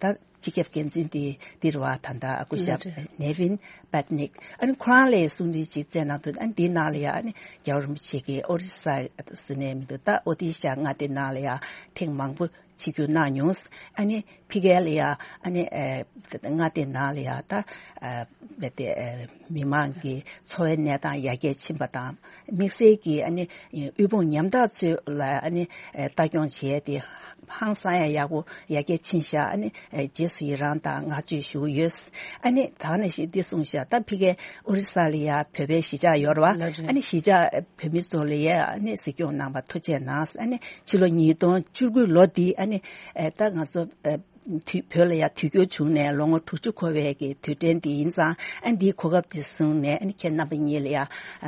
ད་སྤྱི་ཁྱབ་འགན་འཛིན་དེ་འདིར་བ་ད་ལྟ་སྐུ་ཞབས་ནེ་ཝིན་པད་ནིག་ཨ་ནི་ཁོ་རང་ལ་གསུང་འཕྲིན་ཅིག་བསྩལ་གནང་འདུག་ཨ་ནི་འདིའི་ནང་ལ་ཡ་ཨ་ནི་རྒྱལ་བ་རིན་པོ་ཆེ་གིས་ཨོ་རི་ས་ཟེར་ནས་མི་འདུག་ད་ཨོ་ཏི་ཤ་མངའ་སྡེ་ནང་ལ་ཡ་ཐེངས་མང་པོ་ཆིབས་བསྒྱུར་གནང་མྱོང་། ཨ་ནི་ཕ་གི་ལ་ཡ་ཨ་ནི་ཨ་མངའ་སྡེ་ནང་ལ་ཡ་ད་ཨ་རྦད་དེ་ཨ་མི་མང་གི་འཚོ་བའི་གནས་སྟངས་ཡར་རྒྱས་ཕྱིན་པ་དང་། དམིགས་བསལ་གྱིས་ཨ་ནི་དབུལ་ཕོངས་ཉམ་ཐག་ཚོ་ལ་ཨ་ནི་ལྟ་སྐྱོང་བྱས་ཏེ་ཧང་སང་ཡ་ཡག་པོ་ཡར་རྒྱས་ཕྱིན་ཤག་ཨ་ནི་རྗེས་སུ་ཡི་རང་དང་བསྔགས་བརྗོད་ཞུ་གི་ཡོད། ཨ་ནི་ད་ནི་ཞིག་འདི་གསུངས་ཤག་ད་ཕ་གིའི་ཨོ་རི་ས་ལ་ཡ་བོད་པའི་གཞིས་ཆགས་ཡོད་རེད་བ། ཨ་ནི་གཞིས་ཆགས་བོད་མི་ཚོ་ལ་ཡ་ཨ་ནི་གཟིགས་སྐྱོང་གནང་བ་ཐུགས་རྗེ་གནང་། ཨ་ནི་ཕྱི་ལོ་ཉིས་སྟོང་བཅུ་དགུ་ལོ་འདི་ཨ་ནི་ད་ང་ཚོ། དུས་བོད་ལ་ཡ་དུས་འགྱུར་བྱུང་ནས་ལོ་ངོ་དྲུག་ཅུ་འཁོར་བའི་གི་དུས་དྲན་འདི་ཡིན་ཙང་ཨ་འདིའི་གོ་སྐབས་འདི་བཟུང་ནས་ཨ་ནི་ཁྱེད་རྣམ་པ་གཉིས་ལ་ཡ་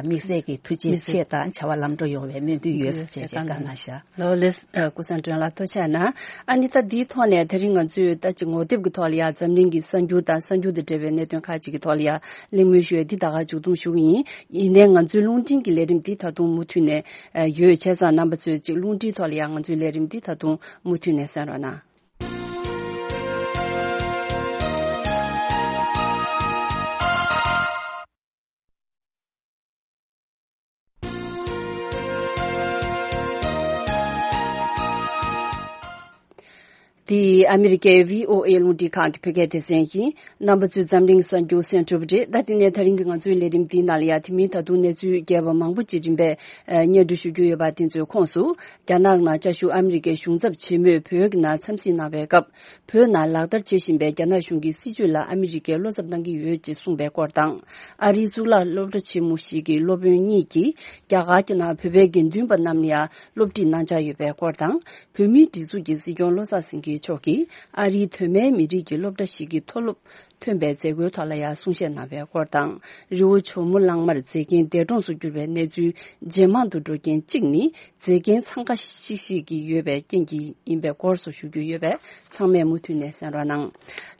དམིགས་བསལ་གྱི་ཐུགས་རྗེ་ཆེ་དང་བྱ་བ་ལམ་འགྲོ་ཡོང་བའི་སྨོན་འདུན་ཡོད་ཟེར་བྱས་བཀའ་གནང་ཤག་ལགས་ལགས། ཀུན་བཟང་སྒྲོལ་ལགས་ཐུགས་རྗེ་གནང་། ཨ་ནི་ད་འདིའི་ཐོག་ནས་ད་རིང་ང་ཚོས་ད་ཅིག་ངོ་དེབ་ཀྱི་ཐོག་ལ་ཡ་འཛམ་གླིང་གི་གསར་འགྱུར་དང་གསར་འགྱུར་དང་འབྲེལ་བའི་གནད་དོན་ཁག་ཅིག་གི་ཐོག་ལ་ཡ་གླེང་མོལ་ཞུ་ཡ་འདི་ད་ག་མཇུག་བསྡོམས་ཞུ་གི་ཡིན། ཡིན་ནའི་ང་ཚོའི་རླུང་འཕྲིན་གྱི་ལས་རིམ་འདི་ད་དུང་མུ་མཐུད་ནས་ཡོད། བྱས་ཙང་རྣམ་པ་ཚོས་ཅིག་རླུང་འཕྲིན་ཐོག་ལ་ཡ་ང་ཚོའི་ལས་རིམ་འདི་ད་དུང་མུ་མཐུད་ནས་གསན་རོགས་གནང་། འདི་ཨ་མི་རི་ཀའི་བྷི་ཨོ་ཨེ་རླུང་འཕྲིན་ཁང་གི་བོད་སྐད་སྡེ་ཚན་ཡིན། རྣམ་པ་ཚོས་འཛམ་གླིང་གསར་འགྱུར་གསན་གྲུབ་རེད། ད་དེ་ནས་ད་རིང་གི་ང་ཚོའི་ལས་རིམ་འདིའི་ནང་ལ་ཡ་དེ་མིན་ད་དུང་གནས་ཚུལ་རྒྱས་པ་མང་པོ་ཅིག་རིམ་པས་སྙན་སྒྲོན་ཞུ་རྒྱུ་ཡོད་པ། དེ་ཚོའི་ཁོངས་སུ། རྒྱ་ནག་ནང་བཅའ་བཞུགས་ཨ་མི་རི་ཀའི་གཞུང་ཚབ་ཆེན་མོས་བོད་ཀྱི་ནང་འཚམས་གཟིགས་གནང་བའི་སྐབས། བོད་ནང་ལག་བསྟར་བྱེད་བཞིན་པའི་རྒྱ་ནག་གཞུང་གི་སྲིད་བྱུས་ལ་ཨ་མི་རི་ཀས་བློ་འཚབ་གནང་གི་ཡོད་ཅེས་གསུངས་པའི་སྐོར་དང་། ཨ་རིའི་གཙུག་ལག་སློབ་གྲྭ་ཆེན་མོ་ཞིག་གི་སློབ་དཔོན་གཉིས་ཀྱིས་རྒྱ་གར་གྱི་ནང་བོད་པའི་དགེ་འདུན་པ་རྣམས་ལ་ཡང་སློབ་ཁྲིད་གནང་འཆར་ཡོད་པའི་སྐོར་དང་། བོད་མིའི་སྒྲིག་འཛུགས་ཀྱི་སྲིད་སྐྱོང་བློ་བཟང་སེང་གེ་མཆོག་གིས་ཨ་རིའི་གདོད་མའི་མི་རིགས་ཀྱི་སློབ་གྲྭ་ཞིག་གི་མཐོ་སློབ་ཐོན་པའི་མཛད་སྒོའི་ཐོག་ལ་ཡང་གསུང་བཤད་གནང་བའི་སྐོར་དང་། རི་བོ་ཇོ་མོ་གླང་མར་མཛེས་རྒྱན་འདས་གྲོངས་སུ་གྱུར་བའི་གནས་ཚུལ་ཇེ་མང་དུ་འགྲོ་རྐྱེན་གཅིག་ནི། མཛེས་རྒྱན་འཚང་ཁ་ཤིག་ཤིག་གི་ཡོད་པའི་རྐྱེན་གྱིས་ཡིན་པའི་སྐོར་སོགས་ཞུ་རྒྱུ་ཡོད་པས། ཚང་མས་མུ་མཐུད་ནས་གསན་རོགས་གནང་།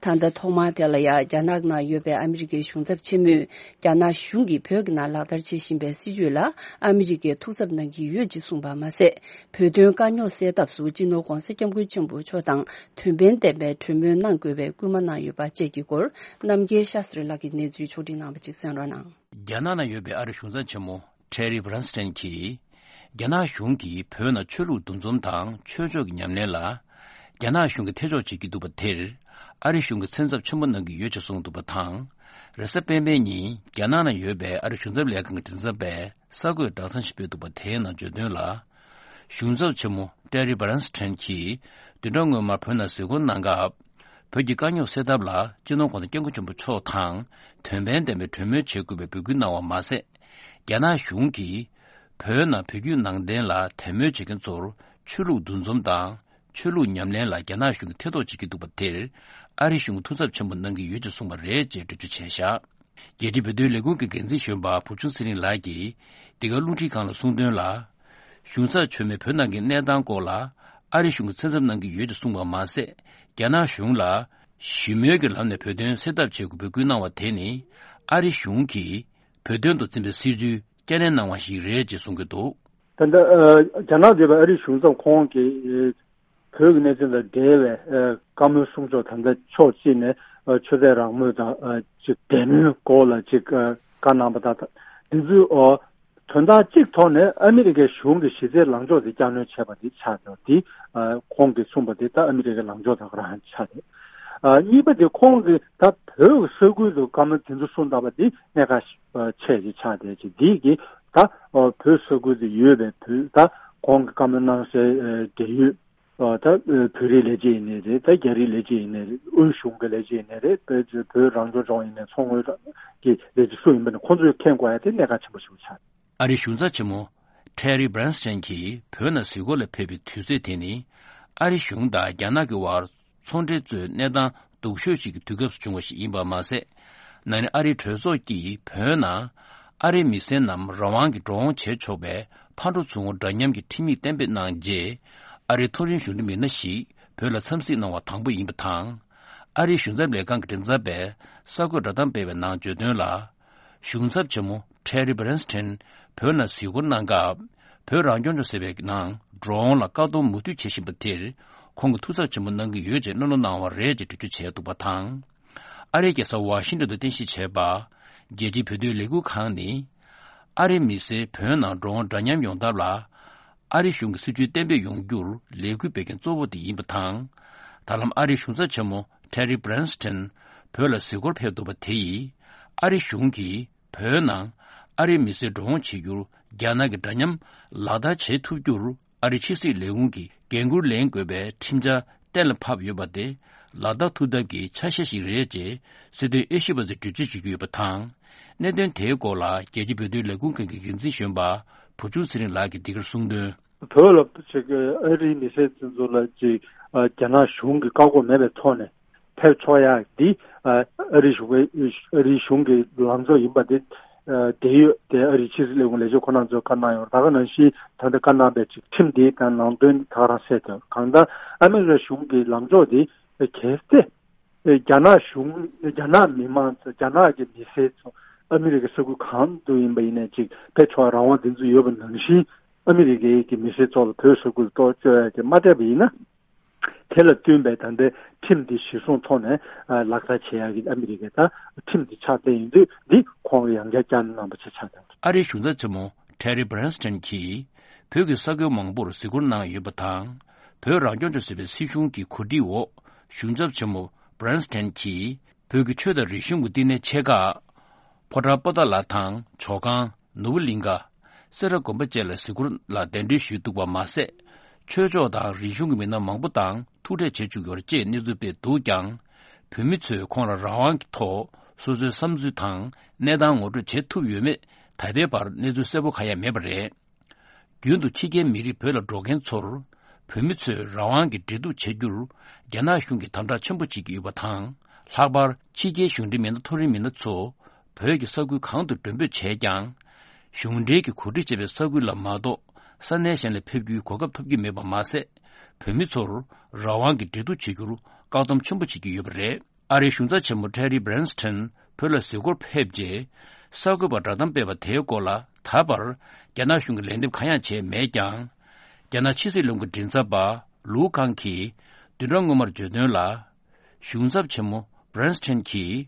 ད་ལྟ་ཐོག་མར་དེ་ལ་ཡ་རྒྱ་ནག་ནང་ཡོད་པའི་ཨ་མི་རི་ཀའི་གཞུང་ཚབ་ཆེན་མོས། རྒྱ་ནག་གཞུང་གིས་བོད་ཀྱི་ནང་ལག་བསྟར་བྱེད་བཞིན་པའི་སྲིད་བྱུས་ལ་ཨ་མི་རི་ཀས་ཐུགས་འཚབ་གནང་གི་ཡོད་ཅེས་གསུངས་པ་མ་ཟད། བོད་དོན་དཀའ་རྙོག་སེལ་ཐབས་སུ་སྤྱི་ནོར་༧གོང་ས་༧སྐྱབས་མགོན་ཆེན་པོ་མཆོག་དང་དོན་ཕན་ལྡན་པའི་གྲོས་མོལ་གནང་དགོས་པའི་སྐུལ་མ་གནང་ཡོད་པ་བཅས་ཀྱི་སྐོར། རྣམ་རྒྱལ་ཤཱ་སྟྲི་ལགས་ཀྱིས་གནས་ཚུལ་ཕྱོགས་སྒྲིག་གནང་བ་ཅིག་གསན་རོགས་གནང་། རྒྱ་ནག་ནང་ཡོད་པའི་ཨ་རིའི་གཞུང་ཚབ་ཆེན་མོ་ཊེ་རི་བྷི་རན་སི་ཊན་གྱིས། རྒྱ་ནག་གཞུང་གིས་བོད་ནང་ཆོས་ལུགས་འདུ་འཛོམས་དང་ཆོས་ཕྱོགས་ཀྱི་ཉམས་ལེན་ལ། རྒྱ་ནག་གཞུང་གིས་ཐེ་གཏོགས་བྱེད་ཀྱི་འདུག་པ་དེར། ཨ་རི་གཞུང་གིས་སེམས་འཚབ་ཆེན་པོ་གནང་གི་ཡོད་ཅེས་གསུངས་འདུག་པ་དང་། རེས་གཟའ་སྤེན་པའི་ཉིན་རྒྱ་ནག་ནང་ཡོད་པའི་ཨ་རི་གཞུང་ཚབ་ལས་ཁང་གི་མགྲིན་ཚབ་པས་གསར་འགོད་བསྒྲགས་གཏམ་ཞིག་སྤེལ་འདུག་པ་དེའི་ནང་བརྗོད་དོན་ལ། གཞུང་ཚབ་ཆེན་མོ་ཊེ་རི་བྷི་རན་སི་ཊན་གྱིས་བདུན་ཕྲག་སྔོན་མར་བོད་ནང་གཟིགས་སྐོར་གནང་སྐབས། བོད་ཀྱི་དཀའ་རྙོག་སེལ་ཐབས་ལ་སྤྱི་ནོར་༧གོང་ས་༧སྐྱབས་མགོན་ཆེན་པོ་མཆོག་དང་དོན་ཕན་ལྡན་པའི་གྲོས་མོལ་བྱེད་དགོས་པའི་འབོད་སྐུལ་གནང་བ་མ་ཟད། རྒྱ་ནག་གཞུང་གིས་བོད་ནང་བོད་བརྒྱུད་ནང་བསྟན་ལ་དད་མོས་བྱེད་མཁན་ཚོར་ཆོས་ལུགས་འདུ་འཛོམས་དང་ཆོས་ལུགས་ཉམས་ལེན་ལ་རྒྱ་ནག་གཞུང་གིས་ཐེ་གཏོགས་བྱེད་ཀྱི་འདུག་པ་དེར། ཨ་རི་གཞུང་གིས་ཐུགས་འཚབ་ཆེན་པོ་གནང་གི་ཡོད་ཅེས་གསུངས་པ་རེད་ཅེས་འགྲེལ་བརྗོད་བྱས་བཞག་རྒྱལ་སྤྱིའི་བོད་དོན་ལས་ཁུངས་ཀྱི་འགན་འཛིན་གཞོན་པ་བུ་ཆུང་ཚེ་རིང་ལགས་ཀྱིས་འདི་ག་རླུང་འཕྲིན་ཁང་ལ་གསུངས་དོན་ལ། གཞུང་ཚབ་མཆོག་མས་བོད་ནང་གི་གནས་སྟངས་སྐོར་ལ་ཨ་རི་གཞུང་གིས་སེམས་འཚབ་གནང་གི་ཡོད་ཅེས་གསུངས་པ་མ་ཟད། རྒྱ་ནག་གཞུང་ལ་ཞི་མོལ་གྱི་ལམ་ནས་བོད་དོན་སེལ་ཐབས་བྱེད་དགོས་པའི་འབོད་སྐུལ་གནང་བ་དེ་ནི་ཨ་རི་གཞུང་གིས་བོད་དོན་དུ་འཛིན་པའི་སྲིད་བྱུས་བསྐྱར་ནན་གནང་བ་ཞིག་རེད་ཅེས་གསུང་གི་འདུག་ད་ལྟ་ཨ་རྒྱ་ནག་འདས་པའི་ཨ་རིའི་གཞུང་ཚབ་ཁོང་གིས་བོད་ཀྱི་གནས་ཚུལ་དང་འབྲེལ་བའི་ཨ་བཀའ་མོལ་གསུང་ཕྱོགས། ད་ལྟ་ཕྱོགས་གཅིག་ནས་ཨ་ཆོས་དད་རང་མོས་དང་ཨ་ཅིག་དད་མོས་སྐོར་ལ་ཅིག་ཨ་བཀའ་གནང་བ་དང་། འདི་ཚོའི་ཨ་དོན་དག་གཅིག་ཐོག་ནས་ཨ་མི་རི་ཀའི་གཞུང་གི་གཞི་རྩའི་ལངས་ཕྱོགས་དེ་བསྐྱར་སྣོན་བྱས་པ་འདི་ཆགས་ཡོད། འདི་ཨ་ཁོང་གིས་གསུངས་པ་འདི་ད་ཨ་མི་རི་ཀའི་ལངས་ཕྱོགས་དང་རང་ཆགས་ཏེ། ཨ་གཉིས་པ་དེ་ཁོང་གིས་ད་བོད་ཀྱི་ས་ཁུལ་དུ་བཀའ་མོལ་དེ་ཚོ་གསུངས་བསྡད་པ་འདི་གནད་འགག་ཆེ་ཞིག་ཆགས་བསྡད་ཅིག་འདི་གིས་ད་ཨ་བོད་ས་ཁུལ་དུ་ཡོད་པའི་བོད་ད་ཁོང་གིས་བཀའ་མོལ་གནང་སའི་ཨ་འབྲེལ་ཡོད། ཨ་ད་བོད་རིགས་ལས་བྱེད་ཡིན་ནའི་རེད། ད་རྒྱ་རིགས་ལས་བྱེད་ཡིན་ནའི་རེད། དབུས་གཞུང་གི་ལས་བྱེད་ཡིན་ནའི་རེད། བོད་བོད་རང་སྐྱོང་ལྗོངས་ཡིན་ནའི་མཚོ་སྔོན་གྱི་ལས་བྱེད་སུ་ཡིན་པ་ནི་ཁོང་ཚོས་མཁྱེན་དགོས་ཡ་དེ་གནད་འགག་ཆེན་པོ་ཞིག་ཆགས། ཨ་རིའི་གཞུང་ཚབ་ཆེན་མོ་ཊེ་རི་བྷི་རན་སི་ཊན་གྱིས་བོད་ནང་གཟིགས་སྐོར་ལ་ཕེབས་པའི་དུས་ཚོད་དེ་ནི་ཨ་རི་གཞུང་དང་རྒྱ་ནག་གི་དབར་ཚོང་འབྲེལ་གཙོས་གནས་སྟངས་སྡུག་ཤོས་ཤིག་གི་དུས་སྐབས་སུ་བྱུང་བ་ཞིག་ཡིན་པ་མ་ཟད། ན་ནིང་ཨ་རིའི་གྲོས་ཚོགས་ཀྱིས་བོད་ནང་ཨ་རིའི་མི་སེར་རྣམས་རང་དབང་གིས་འགྲོ་འོང་བྱེད་ཆོག་པའི་ཕར་འགྲོ་ཚུར་འོང་འདྲ་མཉམ་གྱི་ཁྲིམས་ཡིག་གཏན་འབེབས་གནང་རྗེས། ཨ་རིའི་མཐོ་རིམ་གཞུང་འབྲེལ་མི་སྣ་ཞིག་བོད་ལ་འཚམས་གཟིགས་གནང་བ་དང་པོ་ཡིན་པ་དང་། ཨ་རིའི་གཞུང་ཚབ་ལས་ཁང་གི་མགྲིན་ཚབ་པས་གསར་འགོད་བསྒྲགས་གཏམ་སྤེལ་བའི་ནང་བརྗོད་དོན་ལ། གཞུང་ཚབ་ཆེན་མོ་ཊེ་རི་བྷི་རན་སི་ཊན་བོད་ནང་གཟིགས་སྐོར་གནང་སྐབས། བོད་རང་སྐྱོང་ལྗོངས་ཟེར་བའི་ནང་འགྲོ་འོང་ལ་བཀག་སྡོམ་མུ་མཐུད་བྱེད་བཞིན་པ་དེར་ཁོང་གིས་ཐུགས་འཚབ་ཆེན་པོ་གནང་གི་ཡོད་ཅེས་གླེང་སློང་གནང་བ་རེད་ཅེས་འགྲེལ་བརྗོད་བྱས་འདུག་པ་དང་། ཨ་རིའི་རྒྱལ་ས་ཝ་ཤིང་ཏོན་དུ་རྟེན་གཞི་བྱས་པ། རྒྱལ་སྤྱིའི་བོད་དོན་ལས་འགུལ་ཁང་ནི། ཨ་རིའི་མི་སེར་བོད་ནང་འགྲོ་འོང་འདྲ་མཉམ་ཡོང་ཐབས་ལ། ཨ་རིའི་གཞུང་གི་སྲིད་བྱུས་གཏན་འབེབས་ཡོང་རྒྱུར་ལས་འགུལ་སྤེལ་མཁན་གཙོ་བོ་དེ་ཡིན་པ་དང་། ད་ལམ་ཨ་རིའི་གཞུང་ཚབ་ཆེན་མོ་ཊེ་རི་བྷི་རན་སི་ཊན་བོད་ལ་གཟིགས་སྐོར་ཕེབས་འདུག་པ་དེ་ཡིས། ཨ་རིའི་གཞུང་གིས་བོད་ནང་ཨ་རིའི་མི་སེར་འགྲོ་འོང་བྱེད་རྒྱུར་རྒྱ་ནག་གིས་འདྲ་མཉམ་ལག་བསྟར་བྱེད་ཐུབ་རྒྱུར། ཨ་རིའི་ཕྱི་སྲིད་ལས་ཁུངས་ཀྱིས་འགན་འཁུར་ལེན་དགོས་པའི་ཁྲིམས་འཆར་གཏན་ལ་ཕབ་ཡོད་པ་དེ་ལག་བསྟར་ཐུབ་ཐབས་ཀྱི་ཆ་ཤས་ཤིག་རེད་ཅེས་སྲིད་དོན་དབྱེ་ཞིབ་པ་ཚོས་འགྲེལ་བརྗོད་བྱེད་ཀྱི་ཡོད་པ་དང་། གནད་དོན་དེའི་སྐོར་ལ་རྒྱལ་སྤྱིའི་བོད་དོན་ལས་ཁུངས་ཁང་གི་འགན་འཛིན་གཞོན་པ་བུ་ཆུང་ཚེ་རིང་ལགས་ཀྱིས་འདི་གར་གསུངས་དོན། བོད་ལ་ཅིག་ཨ་རིའི་མི་སེར་ཚོ་ལ་ཅིག་རྒྱ་ནག་གཞུང་གིས་བཀག་འགོག་མེད་པའི་ཐོག་ནས་ཕེབས་ཆོག་ཡག་འདི་ཨ་རིའི་གཞུང་གི་ཨ་རིའི་གཞུང་གི་ལངས་ཕྱོགས་ཡིན་པ་དེ། ཨ་དེ་ཡོད་དེ་ཨ་རིའི་ཕྱི་སྲིད་ལས་ཁུངས་ལས་བྱེད་ཁོ་རང་ཚོས་བཀའ་གནང་ཡོད། ད་ག་ནང་བཞིན་ད་ལྟ་བཀའ་གནང་པའི་ཅིག་ཁྲིམས་དེ་དང་ནང་དོན་ད་ག་རང་གསལ་ཐལ། གང་ལྟར་ཨ་མི་རི་ཀ་གཞུང་གི་ལངས་ཕྱོགས་དེ་གལ་ཏེ་རྒྱ་ནག་གཞུང་རྒྱ་ནག་མི་མང་ཚོ་རྒྱ་ནག་གི་མི་སེར་ཚོ་ཨ་མི་རི་ཀའི་ས་ཁུལ་གང་དུ་ཡིན་པ་ཡིན་ནའི་ཅིག་ཕེབས་ཆོག་རང་དབང་དེ་ཚོ་ཡོད་པ་ནང་བཞིན་ཨ་མི་རི་ཀའི་གི་མི་སེར་ཚོ་ལ་བོད་ས་ཁུལ་གཏོགས་བཅོལ་ཡག་གི་མ་སྤྲད་པ་ཡིན་ན། དེ་ལ་བསྟུན་པའི་ད་ལྟའི་ཁྲིམས་འདི་གཞིར་བཟུང་ཐོག་ནས་ཨ་ལག་བསྟར་བྱེད་ཡག་གི་ཨ་མི་རི་ཀས་ད་ཁྲིམས་འདི་ཕྱག་ལས་ཡིན་དུས་འདི་ཁོང་གིས་ཡང་བསྐྱར་བསྐྱར་གནང་བ་ཆེ་ཆགས་དང་། ཨ་རིའི་གཞུང་ཚབ་ཆེན་མོ་ཊེ་རི་བྷི་རན་སི་ཊན་གྱིས་བོད་ཀྱི་ས་ཁུལ་མང་པོར་གཟིགས་སྐོར་གནང་ཡོད་པ་དང་། བོད་རང་སྐྱོང་ལྗོངས་ཟེར་བའི་སྲིད་གཞུང་གི་གོ་སྒྲིག་འོག་གཞུང་ཚབ་ཆེན་མོ་Bryanston་གྱིས་བོད་ཀྱི་ཆོས་དང་རིག་གཞུང་གི་བསྟི་གནས་ཆེ་ཁག་ཕོ་བྲང་པོ་ཏཱ་ལ་དང་ཇོ་ཁང་ནོར་བུ་གླིང་ཁ་སེ་ར་དགོན་པ་བཅས་ལ་གཟིགས་སྐོར་ལ་གདན་འདྲེན་ཞུས་འདུག་པ་མ་ཟད། ཆོས་ཕྱོགས་དང་རིག་གཞུང་གི་མི་སྣ་མང་པོ་དང་ཐུག་འཕྲད་བྱེད་བཅུག་ཡོད་ཅེས་གནས་ཚུལ་སྤེལ་འདུག་ཀྱང་། བོད་མི་ཚོས་ཁོང་ལ་རང་དབང་གི་ཐོག་སོ་སོའི་བསམ་ཚུལ་དང་གནས་སྟངས་ངོ་སྤྲོད་བྱེད་ཐུབ་ཡོད་མེད་ད་ལྟའི་བར་གནས་ཚུལ་གསལ་པོ་གང་ཡང་མེད་པ་རེད། རྒྱུན་དུ་ཕྱི་རྒྱལ་མི་རིགས་བོད་ལ་འགྲོ་མཁན་ཚོར། བོད་མི་ཚོས་རང་དབང་གི་འབྲེལ་གཏུག་བྱེད་རྒྱུར། རྒྱ་ནག་གཞུང་གིས་དམ་དྲག་ཆེན་པོ་བྱེད་ཀྱི་ཡོད་པ་དང་། ལྷག་པར་ཕྱི་རྒྱལ་གཞུང་འབྲེལ་མི་སྣ་མཐོ་རིམ་མི་སྣ་ཚོ། བོད་ཀྱི་ས་ཁུལ་གང་དུ་མགྲོན་འབོད་བྱས་ཀྱང་། གཞུང་འབྲེལ་གྱིས་གོ་སྒྲིག་བྱས་པའི་ས་ཁུལ་ལ་མ་གཏོགས། ས་གནས་གཞན་ལ་ཕེབས་རྒྱུའི་གོ་སྐབས་ཐོབ་ཀྱི་མེད་པ་མ་ཟད། བོད་མི་ཚོར་རང་དབང་གི་འབྲེལ་གཏུག་བྱེད་རྒྱུར་བཀག་སྡོམ་ཆེན་པོ་བྱེད་ཀྱི་ཡོད་པ་རེད། ཨ་རིའི་གཞུང་ཚབ་ཆེན་མོ་Terry Branstad་བོད་ལ་གཟིགས་སྐོར་ཕེབས་རྗེས། གསར་འགོད་པར་བསྒྲགས་གཏམ་སྤེལ་བ་དེའི་སྐོར་ལ་ད་བར་རྒྱ་ནག་གཞུང་གིས་ལན་འདེབས་གང་ཡང་བྱས་མེད་ཀྱང་། རྒྱ་ནག་ཕྱི་སྲིད་བློན་ཁང་མགྲིན་ཚབ་པ་ལུའུ་ཀང་གིས་བདུན་ཕྲག་སྔོན་མར་བརྗོད་དོན་ལ། གཞུང་ཚབ་ཆེན་མོ་Branstad་གྱིས་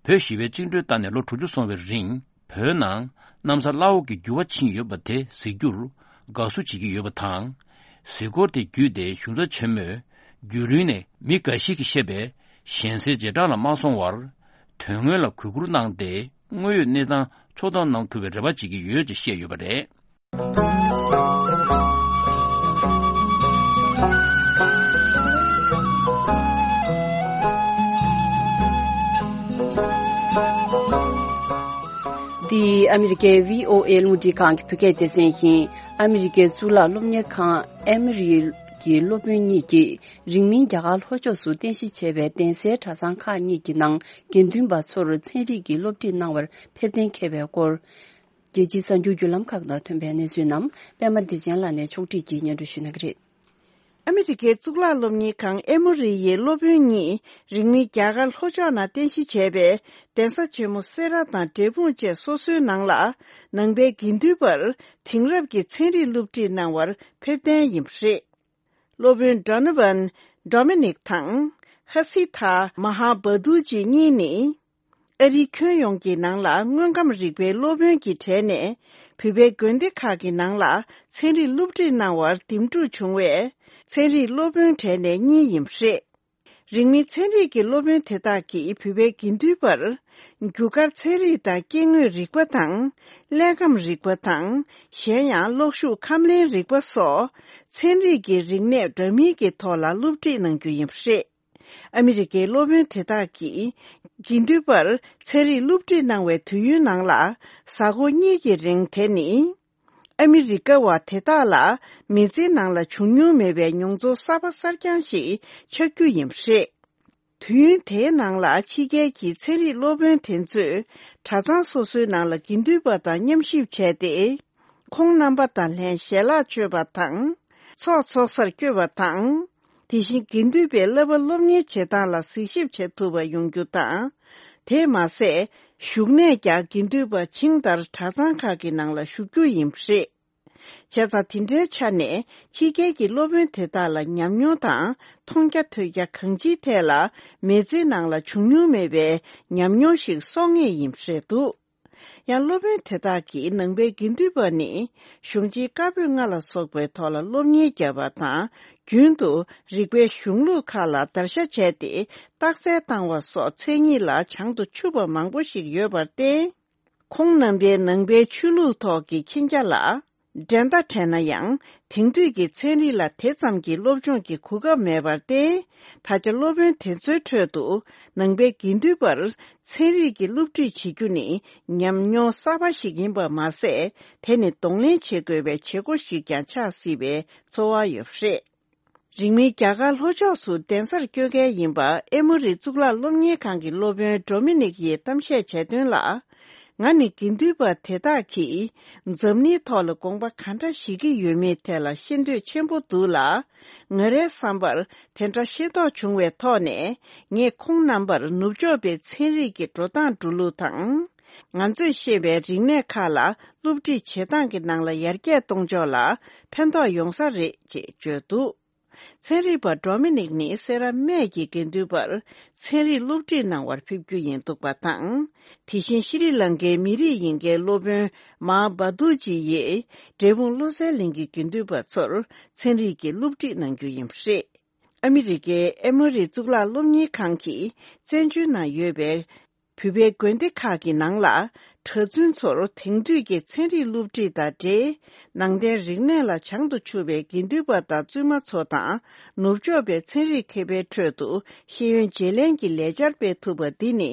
བོད་ཞི་བའི་བཅིངས་འགྲོལ་བཏང་ནས་ལོ་དྲུག་ཅུ་སོང་བའི་རིང་། བོད་ནང་གནམ་ས་བླ་འོག་གི་འགྱུར་བ་ཕྱིན་ཡོད་པ་དེ་གཟིགས་རྒྱུར་དགའ་བསུ་བྱེད་ཀྱི་ཡོད་པ་དང་། གཟིགས་སྐོར་དེ་བརྒྱུད་དེ་གཞུང་ཚབ་ཆེན་མོས་བརྒྱུད་རིམ་ནས་མི་འགའ་ཞིག་གིས་བཤད་པའི་ཞན་སའི་རྗེས་འབྲང་ལ་མ་སོང་བར། དོན་དངོས་ལ་གུས་བཀུར་གནང་སྟེ་དངོས་ཡོད་གནས་སྟངས་ཕྱོགས་བསྡོམས་གནང་ཐུབ་པའི་རེ་བ་བྱེད་ཀྱི་ཡོད་ཅེས་བཤད་ཡོད་པ་རེད། འདི་ཨ་མི་རི་ཀའི་བྷི་ཨོ་ཨེ་རླུང་འཕྲིན་ཁང་གི་བོད་སྐད་སྡེ་ཚན་ཡིན། ཨ་མི་རི་ཀའི་གཙུག་ལག་སློབ་གཉེར་ཁང་ཨེ་མོ་རི་གི་སློབ་དཔོན་གཉིས་ཀྱིས་རིང་མིན་རྒྱ་གར་ལྷོ་ཕྱོགས་སུ་རྟེན་གཞི་བྱས་པའི་གདན་སའི་གྲྭ་ཚང་ཁག་གཉིས་ཀྱི་ནང་དགེ་འདུན་པ་ཚོར་ཚན་རིག་གི་སློབ་ཁྲིད་གནང་བར་ཕེབས་གཏན་འཁེལ་བའི་སྐོར། རྒྱལ་སྤྱིའི་གསར་འགྱུར་བརྒྱུད་ལམ་ཁག་ནང་ཐོན་པའི་གནས་ཚུལ་རྣམས་པད་མ་བདེ་ཆེན་ལགས་ནས་ཕྱོགས་སྒྲིག་གིས་སྙན་སྒྲོན་ཞུ་གནང་གི་རེད། ཨ་མི་རི་ཀའི་གཙུག་ལག་སློབ་གཉེར་ཁང་ཨེ་མོ་རི་ཡི་སློབ་དཔོན་གཉིས་རིང་མིན་རྒྱ་གར་ལྷོ་ཕྱོགས་ནང་རྟེན་གཞི་བྱས་པའི་གདན་ས་ཆེན་མོ་སེ་ར་དང་འབྲས་སྤུངས་བཅས་སོ་སོའི་ནང་ལ་ནང་པའི་དགེ་འདུན་པར་དེང་རབས་ཀྱི་ཚན་རིག་སློབ་ཁྲིད་གནང་བར་ཕེབས་གཏན་ཡིན་པ་རེད། སློབ་དཔོན་Donovan Dominic་དང་ཧ་སི་ཐ་མ་ཧ་བ་དུ་ཅི་གཉིས་ནི། ཨ་རིའི་ཁྱོན་ཡོངས་ཀྱི་ནང་ལ་དངོས་ཁམས་རིག་པའི་སློབ་དཔོན་གྱི་གྲས་ནས་བོད་པའི་དགོན་སྡེ་ཁག་གི་ནང་ལ་ཚན་རིག་སློབ་ཁྲིད་གནང་བར་འདེམས་སྒྲུག་བྱུང་བས། ཚན་རིག་སློབ་དཔོན་གྲས་ནས་གཉིས་ཡིན་པ་རེད། རིང་མིན་ཚན་རིག་གི་སློབ་དཔོན་དེ་དག་གིས་བོད་པའི་དགེ་འདུན་པར་རྒྱུ་སྐར་ཚན་རིག་དང་སྐྱེ་དངོས་རིག་པ་དང་། ཀླད་ཁམས་རིག་པ་དང་། གཞན་ཡང་གློག་ཤུགས་ཁམས་ལེན་རིག་པ་སོགས་ཚན་རིག་གི་རིག་གནས་འདྲ་མིན་གྱི་ཐོག་ལ་སློབ་ཁྲིད་གནང་རྒྱུ་ཡིན་པ་རེད། ཨ་མི་རི་ཀའི་སློབ་དཔོན་དེ་དག་གིས་དགེ་འདུན་པར་ཚན་རིག་སློབ་ཁྲིད་གནང་བའི་དུས་ཡུན་ནང་ལ་གཟའ་འཁོར་གཉིས་ཀྱི་རིང་དེ་ནི། ཨ་མི་རི་ཀ་བ་དེ་དག་ལ་མི་ཚེའི་ནང་ལ་བྱུང་མྱོང་མེད་པའི་མྱོང་ཚོར་གསར་པ་གསར་རྐྱང་ཞིག་ཆགས་རྒྱུ་ཡིན་པ་རེད། དུས་ཡུན་དེའི་ནང་ལ་ཕྱི་རྒྱལ་གྱི་ཚན་རིག་སློབ་དཔོན་དེ་ཚོས་གྲྭ་ཚང་སོ་སོའི་ནང་ལ་དགེ་འདུན་པ་དང་མཉམ་གཤིབ་བྱས་ཏེ། ཁོང་རྣམ་པ་དང་ལྷན་ཞལ་ལག་མཆོད་པ་དང་། ཚོགས་འཚོགས་སར་བསྐྱོད་པ་དང་། དེ་བཞིན་དགེ་འདུན་པའི་བསླབ་པ་སློབ་གཉེར་བྱེད་སྟངས་ལ་གཟིགས་ཞིབ་བྱེད་ཐུབ་པ་ཡོང་རྒྱུ་དང་། དེས་མ་ཟད། བཞུགས་གནས་ཀྱང་དགེ་འདུན་པ་ཇི་ལྟར་གྲྭ་ཚང་ཁག་གི་ནང་ལ་བཞུགས་རྒྱུ་ཡིན་པ་རེད། བྱས་ཙང་དེ་འདྲའི་ཆ་ནས་ཕྱི་རྒྱལ་གྱི་སློབ་དཔོན་དེ་དག་ལ་ཉམས་མྱོང་དང་མཐོང་རྒྱ་ཐོས་རྒྱ་གང་ཅིའི་ཐད་ལ་མི་ཚེའི་ནང་ལ་བྱུང་མྱོང་མེད་པའི་ཉམས་མྱོང་ཞིག་གསོག་ངེས་ཡིན་པ་རེད་འདུག་ཡང་སློབ་དཔོན་དེ་དག་གིས་ནང་པའི་དགེ་འདུན་པ་ནི་གཞུང་ཆེན་བཀའ་པོད་ལྔ་ལ་སོགས་པའི་ཐོག་ལ་སློབ་གཉེར་བརྒྱབ་པ་དང་། རྒྱུན་དུ་རིག་པའི་གཞུང་ལུགས་ཁག་ལ་བརྡར་ཤ་བྱས་ཏེ་རྟགས་གསལ་བཏང་བ་སོགས་མཚན་ཉིད་ལ་བྱང་དུ་ཆུད་པ་མང་པོ་ཞིག་ཡོད་པར་བརྟེན། ཁོང་རྣམ་པའི་ནང་པའི་ཆོས་ལུགས་ཐོག་གི་མཁྱེན་རྒྱ་ལ་འགྲན་ཟླ་བྲལ་ན་ཡང་། དེང་དུས་ཀྱི་ཚན་རིག་ལ་དེ་ཙམ་གྱི་སློབ་སྦྱོང་གི་གོ་སྐབས་མེད་པར་བརྟེན། ད་ཆ་སློབ་དཔོན་དེ་ཚོའི་ཁྲོད་དུ་ནང་པའི་དགེ་འདུན་པར་ཚན་རིག་གི་སློབ་ཁྲིད་བྱེད་རྒྱུ་ནི་ཉམས་མྱོང་གསར་པ་ཞིག་ཡིན་པ་མ་ཟད། དེ་ནི་གདོང་ལེན་བྱེད་དགོས་པའི་བྱེད་སྒོ་ཞིག་ཀྱང་ཆགས་སྲིད་པའི་ཚོར་བ་ཡོད་པ་རེད། རིང་མིན་རྒྱ་གར་ལྷོ་ཕྱོགས་སུ་གདན་སར་བསྐྱོད་མཁན་ཡིན་པ་ཨེ་མོ་རི་གཙུག་ལག་སློབ་གཉེར་ཁང་གི་སློབ་དཔོན་ཌོ་མི་ནིག་ཡིས་གཏམ་བཤད་བྱས་དོན་ལ། ང་ནི་དགེ་འདུན་པ་དེ་དག་གིས་འཛམ་གླིང་ཐོག་ལ་དགོངས་པ་ག་འདྲ་བཞེས་ཀྱི་ཡོད་མེད་ཐད་ལ་ཤེས་འདོད་ཆེན་པོ་འདུག་ལ། ང་རའི་བསམ་པར་དེ་འདྲ་ཤེས་རྟོགས་བྱུང་བའི་ཐོག་ནས། ངས་ཁོང་རྣམ་པར་ནུབ་ཕྱོགས་པའི་ཚན་རིག་གི་འགྲོ་སྟངས་འགྲོ་ལུགས་དང་། ང་ཚོས་ཤེས་པའི་རིག་གནས་ཁག་ལ་སློབ་ཁྲིད་བྱེད་སྟངས་ཀྱི་ནང་ལ་ཡར་རྒྱས་གཏོང་ཕྱོགས་ལ་ཕན་ཐོགས་ཡོང་ས་རེད་ཅེས་བརྗོད་འདུག་ཚན་རིག་པ་ཌོ་མི་ནིག་ནི་སེ་ར་སྨད་ཀྱི་དགེ་འདུན་པར་ཚན་རིག་སློབ་ཁྲིད་གནང་བར་ཕེབས་རྒྱུ་ཡིན་འདུག་པ་དང་། དེ་བཞིན་ཤྲི་ལང་ཀའི་མི་རིགས་ཡིན་མཁན་སློབ་དཔོན་མཱ་བ་ཏུ་ཇི་ཡིས་འབྲས་སྤུངས་བློ་གསལ་གླིང་གི་དགེ་འདུན་པ་ཚོར་ཚན་རིག་གི་སློབ་ཁྲིད་གནང་རྒྱུ་ཡིན་པ་རེད། ཨ་མི་རི་ཀའི་ཨེ་མོ་རི་གཙུག་ལག་སློབ་གཉེར་ཁང་གིས་བཙན་བྱོལ་ནང་ཡོད་པའི་བོད་པའི་དགོན་སྡེ་ཁག་གི་ནང་ལ་གྲྭ་བཙུན་ཚོར་དེང་དུས་ཀྱི་ཚན་རིག་སློབ་ཁྲིད་དང་འབྲེལ། ནང་བསྟན་རིག་གནས་ལ་བྱང་དུ་ཆུབ་པའི་དགེ་འདུན་པ་དང་བཙུན་མ་ཚོ་དང་ནུབ་ཕྱོགས་པའི་ཚན་རིག་མཁས་པའི་ཁྲོད་དུ་ཤེས་ཡོན་བརྗེ་ལེན་གྱི་ལས་འཆར་སྤེལ་ཐུབ་པ་འདི་ནི།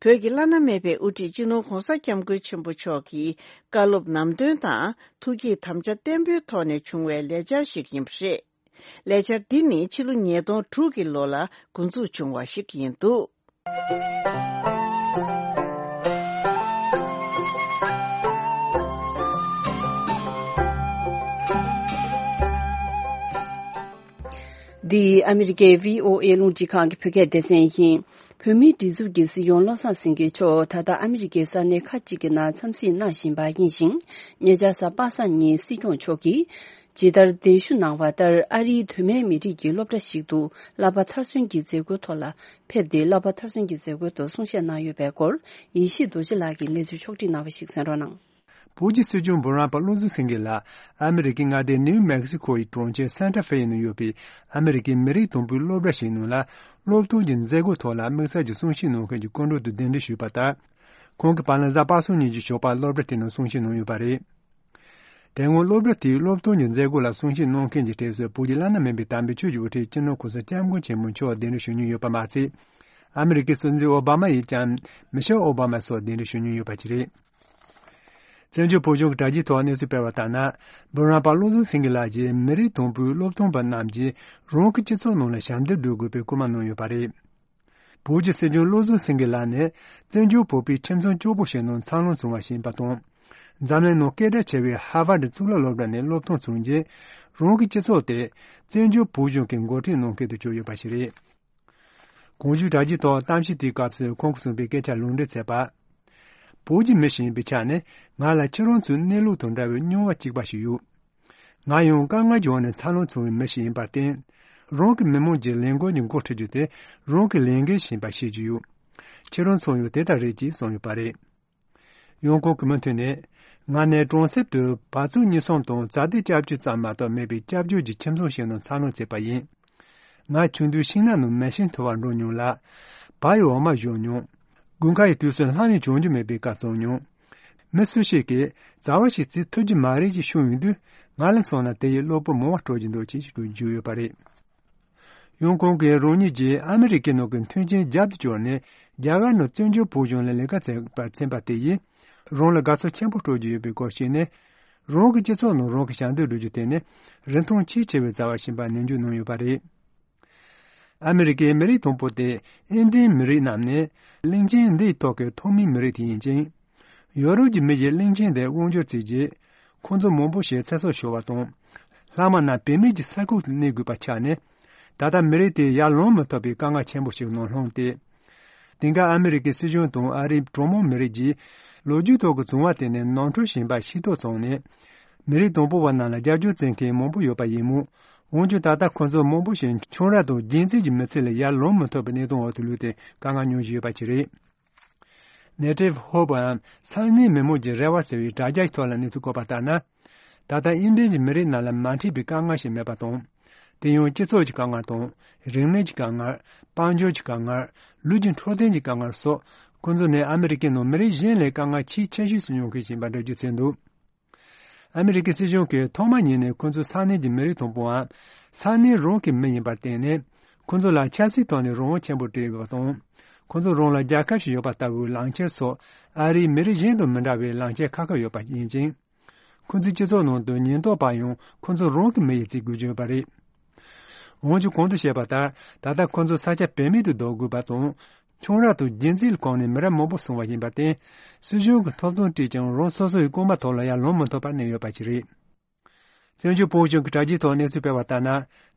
བོད་ཀྱི་བླ་ན་མེད་པའི་དབུ་ཁྲིད་སྤྱི་ནོར་༧གོང་ས་༧སྐྱབས་མགོན་ཆེན་པོ་མཆོག་གི་བཀའ་སློབ་ནམ་དོན་དང་ཐུགས་བསྐྱེད་དམ་བཅའ་བརྟན་པོའི་ཐོག་ནས་བྱུང་བའི་ལས་འཆར་ཞིག་ཡིན་པ་རེད། ལས་འཆར་འདི་ནི་ཕྱི་ལོ་ཉིས་སྟོང་དྲུག་གི་ལོ་ལ་འགོ་འཛུགས་བྱུང་བ་ཞིག་ཡིན་འདུག། འདི་ཨ་མི་རི་ཀའི་བྷི་ཨོ་ཨེ་རླུང་འཕྲིན་ཁང་གི་བོད་སྐད་སྡེ་ཚན་ཡིན། བོད་མིའི་སྒྲིག་འཛུགས་ཀྱི་སྲིད་སྐྱོང་བློ་བཟང་སེང་གེ་མཆོག་ད་ལྟ་ཨ་མི་རི་ཀའི་ས་གནས་ཁག་ཅིག་གི་ནང་འཚམས་གཟིགས་གནང་བཞིན་པ་ཡིན་ཞིང་། ཉེ་ཆར་གཟའ་པ་སངས་ཉིན་སྲིད་སྐྱོང་མཆོག་གིས་ཇི་ལྟར་གདན་ཞུ་གནང་བ་ལྟར་ཨ་རིའི་གདོད་མའི་མི་རིགས་ཀྱི་སློབ་གྲྭ་ཞིག་ཏུ་བསླབ་པ་མཐར་སོན་གྱི་མཛད་སྒོའི་ཐོག་ལ་ཕེབས་ཏེ་བསླབ་པ་མཐར་སོན་གྱི་མཛད་སྒོའི་ཐོག་གསུང་བཤད་གནང་ཡོད་པའི་སྐོར་ཡེ་ཤེས་རྡོ་རྗེ་ལགས་ཀྱིས་གནས་ཚུལ་ཕྱོགས་སྒྲིག་གནང་བ་ཞིག་གསན་རོགས་གནང་། བོད་ཀྱི་སྲིད་སྐྱོང་འབུམ་རམས་པ་བློ་བཟང་སེང་གེ་ལགས་ཨ་མི་རི་ཀའི་མངའ་སྡེ་ནིའུ་མེག་སི་ཁོ་ཡི་གྲོང་ཁྱེར་སན་ཏྲ་ཧྥེ་ཡི་ནང་ཡོད་པའི་ཨ་མི་རི་ཀའི་མི་རིགས་དང་པོའི་སློབ་གྲྭ་ཞིག་ནང་ལ་སློབ་སྟོན་གྱི་མཛད་སྒོའི་ཐོག་ལ་དམིགས་བསལ་གྱི་གསུང་བཤད་གནང་མཁན་གྱི་སྐུ་མགྲོན་དུ་གདན་འདྲེན་ཞུས་པ་ལྟར། ཁོང་གིས་བར་ལ་གཟའ་པ་སངས་ཉིན་གྱི་ཞོགས་པར་སློབ་གྲྭ་དེ་ནང་གསུང་བཤད་གནང་ཡོད་པ་རེད། དེ་སྔོན་སློབ་གྲྭ་དེའི་སློབ་སྟོན་གྱི་མཛད་སྒོ་ལ་གསུང་བཤད་གནང་མཁན་གྱི་གྲས་སུ་བོད་ཀྱི་བླ་ན་མེད་པའི་དམ་པའི་ཆོས་ཀྱི་དབུ་ཁྲིད་སྤྱི་ནོར་གོང་ས་སྐྱབས་མགོན་ཆེན་པོ་མཆོག་གདན་འདྲེན་ཞུ་མྱོང་ཡོད་པ་མ་ཚད། ཨ་མི་རི་ཀའི་སྲིད་འཛིན་ཨོ་བྷ་མ་ཡིས་ཀྱང་མི་ཤེལ་ཨོ་བྷ་མ་སོགས་གདན་འདྲེན་ཞུ་མྱོང་ཡོད་པ་ཅིག་རེད། བཙན་བྱོལ་བོད་གཞུང་གི་དྲ་རྒྱའི་ཐོག་གནས་ཚུལ་སྤེལ་བ་ལྟར་ན། འབུམ་རམས་པ་བློ་བཟང་སེང་གེ་ལགས་ཀྱིས་མི་རིགས་དང་པོའི་སློབ་སྟོན་པ་རྣམས་ཀྱིས་རང་གི་སྤྱི་ཚོགས་ནང་ལ་ཞབས་འདེགས་སྒྲུབ་དགོས་པའི་སྐུལ་མ་གནང་ཡོད་པ་རེད། བོད་ཀྱི་སྲིད་སྐྱོང་བློ་བཟང་སེང་གེ་ལགས་ནི་བཙན་བྱོལ་བོད་པའི་ཁྱིམ་ཚང་སྐྱོ་པོ་ཞིག་ནང་འཚར་ལོངས་བྱུང་བ་ཞིག་ཡིན་པ་དང་། འཛམ་གླིང་ནང་སྐད་གྲགས་ཆེ་བའི་ཧར་ཝར་གཙུག་ལག་སློབ་གྲྭ་ནས་སློབ་སྟོན་བྱུང་རྗེས། རང་གི་སྤྱི་ཚོགས་དེ་བཙན་བྱོལ་བོད་གཞུང་གི་འགོ་ཁྲིད་གནང་མཁན་དུ་གྱུར་ཡོད་པ་ཞིག་རེད། གོང་ཞུས་དྲ་རྒྱའི་ཐོག་གཏམ་བཤད་དེའི་སྐབས་སུ་ཁོང་གིས་གསུངས་པའི་སྐད་ཆ་ལུང་འདྲེན་མཛད་པ། བོད་ཀྱི་མི་ཞིག་ཡིན་པའི་ཆ་ནས་ང་ལ་ཁྱེད་རང་ཚོའི་གནས་ལུགས་དང་འདྲ་བའི་མྱོང་བ་གཅིག་པ་ཞིག་ཡོད། ང་ཡང་དཀའ་ངལ་གྱི་འོག་ནས་འཚར་ལོངས་བྱུང་བའི་མི་ཞིག་ཡིན་པར་བརྟེན། རང་གི་མི་མང་གྱི་ལས་འགུལ་གྱི་འགོ་ཁྲིད་རྒྱུ་དེ་རང་གི་ལས་འགན་ཞིག་ཡིན་པ་ཤེས་ཀྱི་ཡོད། ཁྱེད་རང་ཚོ་ཡང་དེ་ལྟར་རེད་ཅེས་གསུངས་ཡོད་པ་རེད། ཡང་ཁོང་གིས་མུ་མཐུད་ནས། ང་ནི་གྲོང་གསེབ་ཏུ་བ་ཕྱུགས་གཉིས་གསུམ་དང་བྱ་དེ་སྐྱབས་བཅོལ་ཙམ་མ་གཏོགས་མེད་པའི་སྐྱབས་བཅོལ་གྱི་ཁྱིམ་ཚང་ཞིག་ནང་འཚར་ལོངས་བྱས་པ་ཡིན། ང་ཆུང་དུས་ཤིང་ནགས་ནང་མེ་ཤིང་འཐུ་བར་འགྲོ་མྱོང་ལ། བ་ཡི་འོ་མ་བཞོ་མྱོང་། དགུན་ཁ་ཡི་དུས་སུ་ལྷམ་ཡང་གྱོན་རྒྱུ་མེད་པའི་སྐབས་བྱུང་མྱོང་། མི་སུ་ཞིག་གིས་བྱ་བ་ཞིག་བྱེད་ཐུབ་ཀྱི་མ་རེད་ཅེས་ཤོད་ཡོང་དུས་ང་ལ་མཚོན་ན་དེ་ཡིས་གློ་བུར་མོ་དབང་སྤྲོད་ཀྱི་འདུག་ཅེས་ཞུ་རྒྱུ་ཡོད་པ་རེད། ཡང་ཁོང་གིས་རང་ཉིད་ཀྱིས་ཨ་མི་རི་ཀའི་ནང་གི་མཐུན་རྐྱེན་རྒྱབ་ཏུ་བསྐྱུར་ནས་རྒྱ་གར་ནང་བཙན་བྱོལ་བོད་གཞུང་ལ་ལས་ཀ་བྱེད་པར་ཕྱིན་པ་དེ་ཡིས་རང་ལ་དགའ་ཚོར་ཆེན་པོ་སྤྲོད་ཀྱི་ཡོད་པའི་སྐོར་བཤད་ནས། རང་གི་སྤྱི་ཚོགས་ནང་རང་གི་ཞབས་འདེགས་སྒྲུབ་རྒྱུ་དེ་ནི་རིན་ཐང་ཆེས་ཆེ་བའི་བྱ་བ་ཞིག་ཡིན་པ་ནན་བརྗོད་གནང་ཡོད་པ་རེད། ཨ་མི་རི་ཀའི་མི་རིགས་དང་པོ་སྟེ་ཨིན་ཌིན་མི་རིགས་རྣམས་ནི་གླིང་ཆེན་འདིའི་ཐོག་གི་ཐོག་མའི་མི་རིགས་དེ་ཡིན་ཅིང་། ཡོ་རོབ་ཀྱི་མི་ཡིས་གླིང་ཆེན་དེར་དབང་བསྒྱུར་བྱས་རྗེས། ཁོང་ཚོ་མང་པོ་ཞིག་ཚེ་སྲོག་ཤོར་བ་དང་། ལྷག་མ་རྣམས་བེད་མེད་ཀྱི་ས་ཁུག་ཏུ་གནས་དགོས་པ་ཆགས་ནས། ད་ལྟ་མི་རིགས་དེ་ཡར་ལོང་མི་ཐུབ་པའི་དཀའ་ངལ་ཆེན་པོ་ཞིག་ནང་ལྷུང་སྟེ། དེང་སྐབས་ཨ་མི་རི་ཀའི་སྲིད་གཞུང་དང་ཨ་རིའི་གྲོས་མོལ་མི་རིགས་ཀྱིས་ལོ་རྒྱུས་ཐོག་གི་བྱུང་བ་དེ་ནི་ནོར་འཁྲུལ་ཞིག་ཡིན་པ་ཤེས་རྟོགས་བྱུང་ནས། མི་རིགས་དང་པོ་བ་རྣམས་ལ་རྒྱབ་སྐྱོར་བྱེད་མཁན་མང་པོ་ཡོད་པ་ཡིན་མོད། འོན་ཀྱང་ད་ལྟ་ཁོ་ཚོ་མང་པོ་ཞིག་ཁྱང་ར་དང་རྒྱུན་འཛིན་གྱི་མི་ཚེ་ལས་ཡར་ལོང་མི་ཐུབ་པའི་གནས་སྟངས་འོག་ཏུ་ལུས་ཏེ་དཀའ་ངལ་མྱོང་བཞིན་ཡོད་པ་ཅིག་རེད། Native Hope འམ་ས་གནས་མི་མང་གི་རེ་བ་ཟེར་བའི་དྲ་རྒྱའི་ཐོག་ལ་གནས་ཚུལ་བཀོད་པ་ལྟར་ན། ད་ལྟ་ཨིན་ལན་གྱི་མི་རིགས་རྣམས་ལ་མ་འཕྲད་པའི་དཀའ་ངལ་ཞིག་མེད་པ་དང་། དེ་ཡང་སྤྱི་ཚོགས་ཀྱི་དཀའ་ངལ་དང་། རིག་གནས་ཀྱི་དཀའ་ངལ། དཔལ་འབྱོར་གྱི་དཀའ་ངལ། ལུས་ཀྱི་འཕྲོད་བསྟེན་གྱི་དཀའ་ངལ་སོགས་ཁོང་ཚོ་ནི་ཨ་མི་རི་ཀའི་ནང་མི་རིགས་གཞན་ལས་དཀའ་ངལ་ཆེས་ཆེ་ཤོས་སུ་མྱོང་མཁན་ཞིག་ཡིན་པ་འགྲེལ་བརྗོད་བྱས་འདུག། ཨ་མི་རི་ཀའི་སྲིད་གཞུང་གིས་ཐོག་མ་ཉིད་ནས་ཁོ་ཚོ་ས་གནས་ཀྱི་མི་རིགས་དང་པོའམ་ས་གནས་རང་གི་མི་ཡིན་པར་བརྟེན་ནས། ཁོ་ཚོ་ལ་ཆབ་སྲིད་ཐོག་ནས་རང་དབང་ཆེན་པོ་སྤྲད་ཡོད་པ་དང་། ཁོ་ཚོ་རང་ལ་རྒྱལ་ཁབ་ཞིག་ཡོད་པ་ལྟ་བུའི་ལག་འཁྱེར་སོགས་ཨ་རིའི་མི་རིགས་གཞན་དང་མི་འདྲ་བའི་ལག་འཁྱེར་ཁ་ཁ་ཡོད་པ་ཡིན་ཅིང་། ཁོ་ཚོའི་སྤྱི་ཚོགས་ནང་དུ་ཉེན་རྟོག་པ་ཡང་ཁོ་ཚོ་རང་གི་མི་ཡིན་ཚུལ་དགོད་ཀྱི་ཡོད་པ་རེད། འོན་ཀྱང་གོང་དུ་བཤད་པ་ལྟར་ད་ལྟ་ཁོ་ཚོ་ས་ཆ་བེད་མེད་དུ་བཟློག་དགོས་པ་དང་། ཁྱུང་ར་དང་རྒྱུན་འཛིན་གོང་ནས་མི་རབས་མང་པོ་སོང་བ་ཡིན་པར་བརྟེན། སྲིད་གཞུང་གི་ཐོབ་ཐང་སྤྲད་ཀྱང་རང་སོ་སོ་ཡི་རྐང་པ་ཐོག་ལ་ཡར་ལོང་མི་ཐུབ་པར་གནས་ཡོད་པ་ཞིག་རེད། བཙན་བྱོལ་བོད་གཞུང་གི་དྲ་རྒྱའི་ཐོག་གནས་ཚུལ་སྤེལ་བ་ལྟར་ན།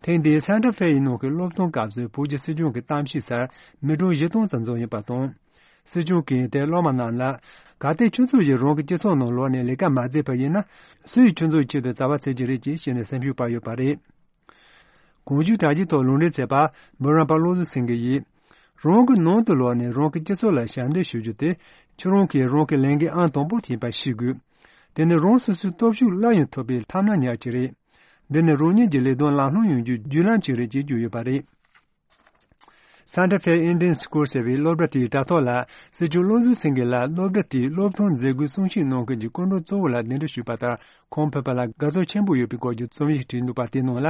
ཐེངས་འདིའི་སན་ཏྲ་ཧྥེ་ཡི་ནང་གི་སློབ་སྟོན་སྐབས་སུ་བོད་ཀྱི་སྲིད་གཞུང་གི་གཏམ་བཤད་སར་མི་གྲངས་བཞི་སྟོང་ཙམ་འཛོམས་ཡོད་པ་དང་། སྲིད་གཞུང་གིས་དེ་སློབ་མ་རྣམས་ལ། གལ་ཏེ་ཁྱོད་ཚོ་ཡིས་རང་གི་སྤྱི་ཚོགས་ནང་ལོག་ནས་ལས་ཀ་མ་མཛད་པ་ཡིན་ན། སུ་ཡིས་ཁྱོད་ཚོའི་ཆེད་དུ་བྱ་བ་བྱེད་ཀྱི་རེད་ཅེས་བཤད་ནས་སེམས་ཤུགས་སྤར་ཡོད་པ་རེད། གོང་ཞུས་དྲ་རྒྱའི་ཐོག་ལུང་འདྲེན་མཛད་པ་འབུམ་རམས་པ་བློ་བཟང་སེང་གེ་ཡིས། རང་གི་ནང་དུ་ལོག་ནས་རང་གི་སྤྱི་ཚོགས་ལ་ཞབས་འདེགས་ཞུ་རྒྱུ་དེ་ཁྱོད་རང་གིས་རང་གི་ལས་འགན་ཨང་དང་པོ་ཡིན་པ་ཤེས་དགོས། དེ་ནི་རང་སོ་སོའི་སྟོབས་ཤུགས་སླར་ཡང་ཐོབ་པའི་ཐབས་སྣ་ཉག་ཅིག་རེད། འདི་ནི་རང་ཉིད་ཀྱི་ལས་དོན་ལམ་ལྷོང་ཡོང་རྒྱུའི་བརྒྱུད་ལམ་ཅིག་རེད་ཅེས་བརྗོད་ཡོད་པ་རེད། Santa Fe Indian School ཟེར་བའི་སློབ་གྲྭ་དེའི་དྲ་ཐོག་ལ་སྲིད་སྐྱོང་བློ་བཟང་སེང་གེ་ལ་སློབ་གྲྭ་དེའི་སློབ་ཐོན་མཛད་སྒོའི་གསུང་བཤད་གནང་མཁན་གྱི་སྐུ་མགྲོན་གཙོ་བོ་ལ་གདན་འདྲེན་ཞུས་པ་ལྟར། ཁོང་ཕེབས་པ་ལ་དགའ་ཚོར་ཆེན་པོ་ཡོད་པའི་སྐོར་གྱི་རྩོམ་ཡིག་བྲིས་འདུག་པ་དེའི་ནང་ལ།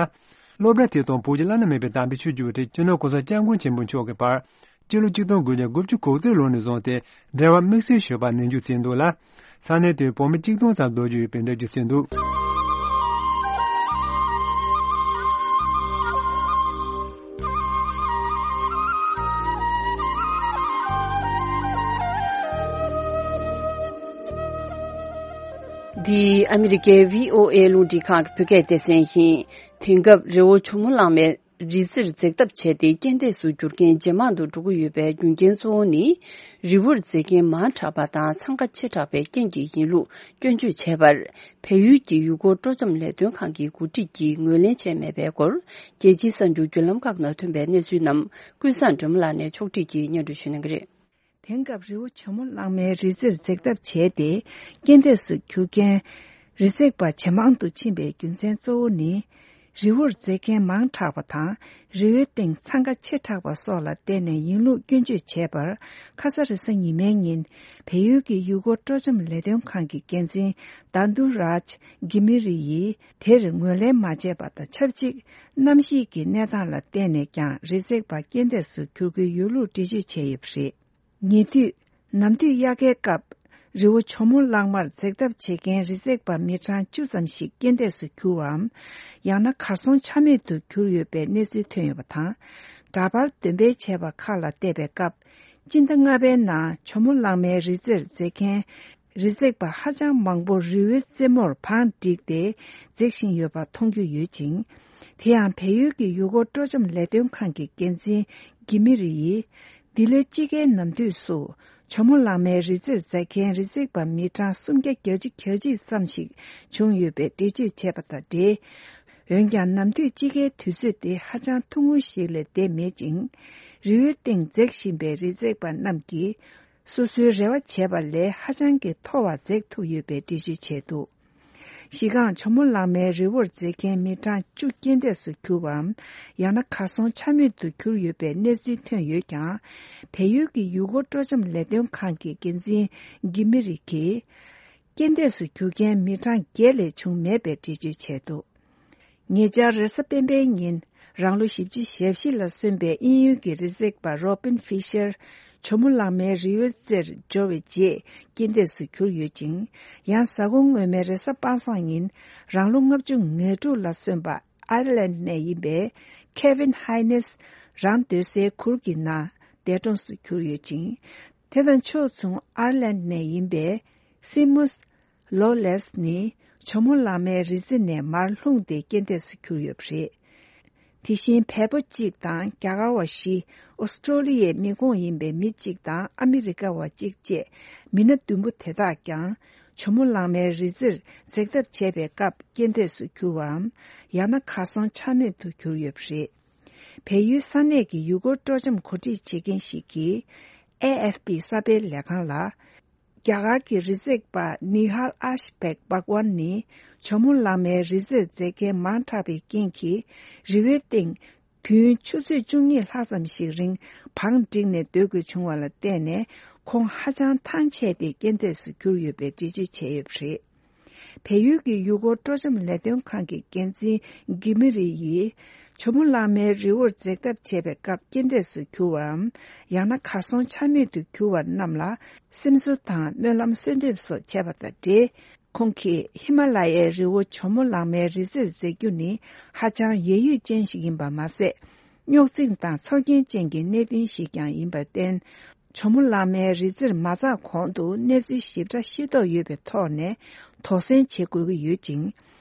སློབ་གྲྭ་དེ་དང་བོད་ཀྱི་བླ་ན་མེད་པའི་དམ་པའི་ཆོས་ཀྱི་དབུ་ཁྲིད་སྤྱི་ནོར་གོང་ས་སྐྱབས་མགོན་ཆེན་པོ་མཆོག་གི་བར་སྤྱི་ལོ་ཆིག་སྟོང་དགུ་བརྒྱ་དགུ་བཅུ་གོ་གཅིག་ལོ་ནས་བཟུང་སྟེ་འབྲེལ་བ་དམིགས་བསལ་ཞུ་བ་ནན་བརྗོད་བྱས་འདུག་ལ། ས་གནས་དེར་བོད་མི་གཅིག་སྟོང་ཙམ་སྡོད་རྒྱུ་ཡོད་པའི་འགྲེལ་བརྗོད་བྱས་འདུག། འདི་ཨ་མི་རི་ཀའི་བྷི་ཨོ་ཨེ་རླུང་འཕྲིན་ཁང་གི་བོད་སྐད་སྡེ་ཚན་ཡིན། དེང་སྐབས་རི་བོ་ཇོ་མོ་གླང་མའི་རི་རྩེར་འཛེགས་ཐབས་བྱས་ཏེ་རྐྱེན་འདས་སུ་གྱུར་མཁན་ཇེ་མང་དུ་འགྲོ་གི་ཡོད་པའི་རྒྱུ་རྐྱེན་གཙོ་བོ་ནི། རི་བོར་འཛེགས་མཁན་མང་དྲགས་པ་དང་འཚང་ཁ་ཆེ་དྲགས་པའི་རྐྱེན་གྱིས་ཡིན་ལུགས་སྐྱོན་བརྗོད་བྱས་པར། བལ་ཡུལ་གྱི་ཡུལ་སྐོར་སྤྲོ་འཆམ་ལས་དོན་ཁང་གི་འགོ་ཁྲིད་ཀྱིས་ངོས་ལེན་བྱས་མེད་པའི་སྐོར། རྒྱལ་སྤྱིའི་གསར་འགྱུར་བརྒྱུད་ལམ་ཁག་ནང་ཐོན་པའི་གནས་ཚུལ་རྣམས་ཀུན་བཟང་སྒྲོལ་མ་ལགས་ནས་ཕྱོགས་བསྒྲིགས་ཀྱིས་སྙན་སྒྲོན་ཞུ་གནང་གི་རེད། དེང་སྐབས་རི་བོ་ཇོ་མོ་གླང་མའི་རི་རྩེར་འཛེགས་ཐབས་བྱས་ཏེ། རྐྱེན་འདས་སུ་གྱུར་མཁན་རི་འཛེགས་པ་ཇེ་མང་དུ་ཕྱིན་པའི་རྒྱུ་མཚན་གཙོ་བོ་ནི། རི་བོར་འཛེགས་མཁན་མང་དྲགས་པ་དང་། རི་བོའི་སྟེང་འཚང་ཁ་ཆེ་དྲགས་པ་སོགས་ལ་བརྟེན་ནས་ཡིན་ལུགས་སྐྱོན་བརྗོད་བྱས་པར། ཁ་ས་རེས་གཟའ་ཉི་མའི་ཉིན། བལ་ཡུལ་གྱི་ཡུལ་སྐོར་སྤྲོ་འཆམ་ལས་དོན་ཁང་གི་འགན་འཛིན་དཱ་དུ་རཱཇ་གྷི་མི་རི་ཡིས། དེར་ངོས་ལེན་མ་བྱས་པ་དང་ཆབས་ཅིག་གནམ་གཤིས་ཀྱི་གནས་སྟངས་ལ་བརྟེན་ནས་ཀྱང་རི་འཛེགས་པ་རྐྱེན་འདས་སུ་གྱུར་གྱི་ཡོད་ལུགས་འགྲེལ་བརྗོད་བྱས་ཡོད་པ་རེད། ཉེ་དུས། ནམ་དུས་དབྱར་ཁའི་སྐབས། རི་བོ་ཇོ་མོ་གླང་མར་འཛེགས་ཐབས་བྱེད་མཁན་རི་འཛེགས་པ་མི་གྲངས་བཅུ་ཙམ་ཞིག་རྐྱེན་འདས་སུ་གྱུར་བའམ། ཡང་ན་གར་སོང་ཆ་མེད་དུ་གྱུར་ཡོད་པའི་གནས་ཚུལ་ཐོན་ཡོད་པ་དང་། འདྲ་པར་འདོན་སྤེལ་བྱས་པ་ཁག་ལ་བལྟས་པའི་སྐབས། སྤྱི་ཟླ་ལྔ་པའི་ནང་ཇོ་མོ་གླང་མའི་རི་རྩེར་འཛེགས་མཁན། རི་འཛེགས་པ་ཧ་ཅང་མང་པོ་རི་བོའི་རྩེ་མོར་བང་བསྒྲིགས་ཏེ་འཛེགས་བཞིན་ཡོད་པ་མཐོང་རྒྱུ་ཡོད་ཅིང་། དེ་ཡང་བལ་ཡུལ་གྱི་ཡུལ་སྐོར་སྤྲོ་འཆམ་ལས་དོན་ཁང་གི་འགན་འཛིན་གྷི་མི་རི་ཡིས། འདི་ལོའི་དཔྱིད་ཀའི་ནམ་དུས་སུ་ཇོ་མོ་གླང་མའི་རི་རྩེར་འཛེགས་མཁན་རི་འཛེགས་པ་མི་གྲངས་སུམ་བརྒྱ་གྱ་གཅིག་ཙམ་ཞིག་བྱུང་ཡོད་པའི་འགྲེལ་བརྗོད་བྱས་པ་དང་འབྲེལ། འོན་ཀྱང་ནམ་དུས་དཔྱིད་ཀའི་དུས་ཚོད་དེ་ཧ་ཅང་ཐུང་ངུ་ཞིག་ལས་འདས་མེད་ཅིང་། རི་བོའི་སྟེང་འཛེགས་བཞིན་པའི་རི་འཛེགས་པ་རྣམས་ཀྱིས། སོ་སོའི་རེ་བ་བྱས་པ་ལས་ཧ་ཅང་གི་མཐོ་བ་འཛེགས་ཐུབ་ཡོད་པའི་འགྲེལ་བརྗོད་བྱས་འདུག། གཞི་རྐང་ཇོ་མོ་གླང་མའི་རི་བོར་འཛེགས་མཁན་མི་གྲངས་བཅུ་རྐྱེན་འདས་སུ་གྱུར་བའམ། ཡང་ན་གར་སོང་ཆ་མེད་དུ་གྱུར་ཡོད་པའི་གནས་ཚུལ་ཐོན་ཡོད་ཀྱང་། བལ་ཡུལ་གྱི་ཡུལ་སྐོར་སྤྲོ་འཆམ་ལས་དོན་ཁང་གི་འགན་འཛིན་གྷི་མི་རི་གིས། རྐྱེན་འདས་སུ་གྱུར་མཁན་མི་གྲངས་བརྒྱད་ལས་བྱུང་མེད་པའི་འགྲེལ་བརྗོད་བྱས་འདུག། ཉེ་ཆར་རེས་གཟའ་སྤེན་པའི་ཉིན། རང་ལོ་བཞི་བཅུ་ཞེ་བཞི་ལ་སོན་པའི་དབྱིན་ཡུལ་གྱི་རི་འཛེགས་པ་རོ་པིན་ཧྥི་ཤར། ཇོ་མོ་གླང་མའི་རི་བོའི་རྩེར་འབྱོར་བའི་རྗེས་རྐྱེན་འདས་སུ་གྱུར་ཡོད་ཅིང་། ཡང་གཟའ་འཁོར་སྔོན་མའི་རེས་གཟའ་པ་སངས་ཉིན། རང་ལོ་ལྔ་བཅུ་ང་དྲུག་ལ་སོན་པ་ཨའི་ལན་ནས་ཡིན་པའི་ཁེ་ཝིན་ཧའི་ནེས། རང་སྡོད་སའི་གུར་གྱི་ནང་འདས་གྲོངས་སུ་གྱུར་ཡོད་ཅིང་། དེ་དང་ཕྱོགས་མཚུངས་ཨའི་ལན་ནས་ཡིན་པའི་སི་མུས། ལོ་ལེས་ནི་ཇོ་མོ་གླང་མའི་རི་རྩེ་ནས་མར་ལྷུང་སྟེ་རྐྱེན་འདས་སུ་གྱུར་ཡོད་པ་རེད། དེ་བཞིན་བལ་པོ་གཅིག་དང་རྒྱ་གར་བ་བཞི། ཨོ་སི་ཀྲོ་ལི་ཡའི་མི་ཁོངས་ཡིན་པའི་མི་གཅིག་དང་ཨ་མི་རི་ཀ་བ་གཅིག་བཅས་མི་སྣ་བདུན་པོ་དེ་དག་ཀྱང་ཇོ་མོ་གླང་མའི་རི་རྩེར་འཛེགས་ཐབས་བྱས་པའི་སྐབས་རྐྱེན་འདས་སུ་གྱུར་བའམ། ཡང་ན་གར་སོང་ཆ་མེད་དུ་གྱུར་ཡོད་པ་རེད། བལ་ཡུལ་ས་གནས་ཀྱི་ཡུལ་སྐོར་སྤྲོ་འཆམ་གོ་སྒྲིག་བྱེད་མཁན་ཞིག་གིས་ཨེ་ཨེཕ་པི་གསར་སྤེལ་ལས་ཁང་ལ། རྒྱ་གར་གྱི་རི་འཛེགས་པ་ནི་ཧལ་ཨ་ཤ་བེག་བྷག་ཝན་ནི་ཇོ་མོ་གླང་མའི་རི་རྩེར་འཛེགས་མཁན་མང་དྲགས་པའི་རྐྱེན་གྱིས་རི་བོའི་སྟེང་དུས་ཡུན་ཆུ་ཚོད་བཅུ་གཉིས་ལྷག་ཙམ་ཞིག་རིང་བང་བསྒྲིགས་ནས་སྡོད་དགོས་བྱུང་བ་ལ་བརྟེན་ནས་ཁོང་ཧ་ཅང་ཐང་ཆད་དེ་རྐྱེན་འདས་སུ་གྱུར་ཡོད་པའི་འགྲེལ་བརྗོད་བྱས་ཡོད་པ་རེད། བལ་ཡུལ་གྱི་ཡུལ་སྐོར་སྤྲོ་འཆམ་ལས་དོན་ཁང་གི་འགན་འཛིན་གྷི་མི་རི་ཡིས། ཇོ་མོ་གླང་མའི་རི་བོར་འཛེགས་ཐབས་བྱས་པའི་སྐབས་རྐྱེན་འདས་སུ་གྱུར་བའམ། ཡང་ན་གར་སོང་ཆ་མེད་དུ་གྱུར་བ་རྣམས་ལ་སེམས་གསོ་དང་སྨོན་ལམ་གསོལ་འདེབས་སོགས་བྱས་པ་དང་འབྲེལ། ཁོང་གིས་ཧི་མ་ལ་ཡའི་རི་བོ་ཇོ་མོ་གླང་མའི་རི་རྩེར་འཛེགས་རྒྱུ་ནི་ཧ་ཅང་ཡད་ཡུད་ཅན་ཞིག་ཡིན་པ་མ་ཟད། རྙོག་འཛིང་དང་ཚོར་སྐྱེན་ཅན་གྱི་གནད་དོན་ཞིག་ཀྱང་ཡིན་པར་བརྟེན། ཇོ་མོ་གླང་མའི་རི་རྩེར་མ་འཛེགས་གོང་དུ་གནས་ཚུལ་ཞིབ་ཕྲ་ཤེས་རྟོགས་ཡོད་པའི་ཐོག་ནས་དོགས་ཟོན་བྱེད་དགོས་ཀྱི་ཡོད་ཅིང་།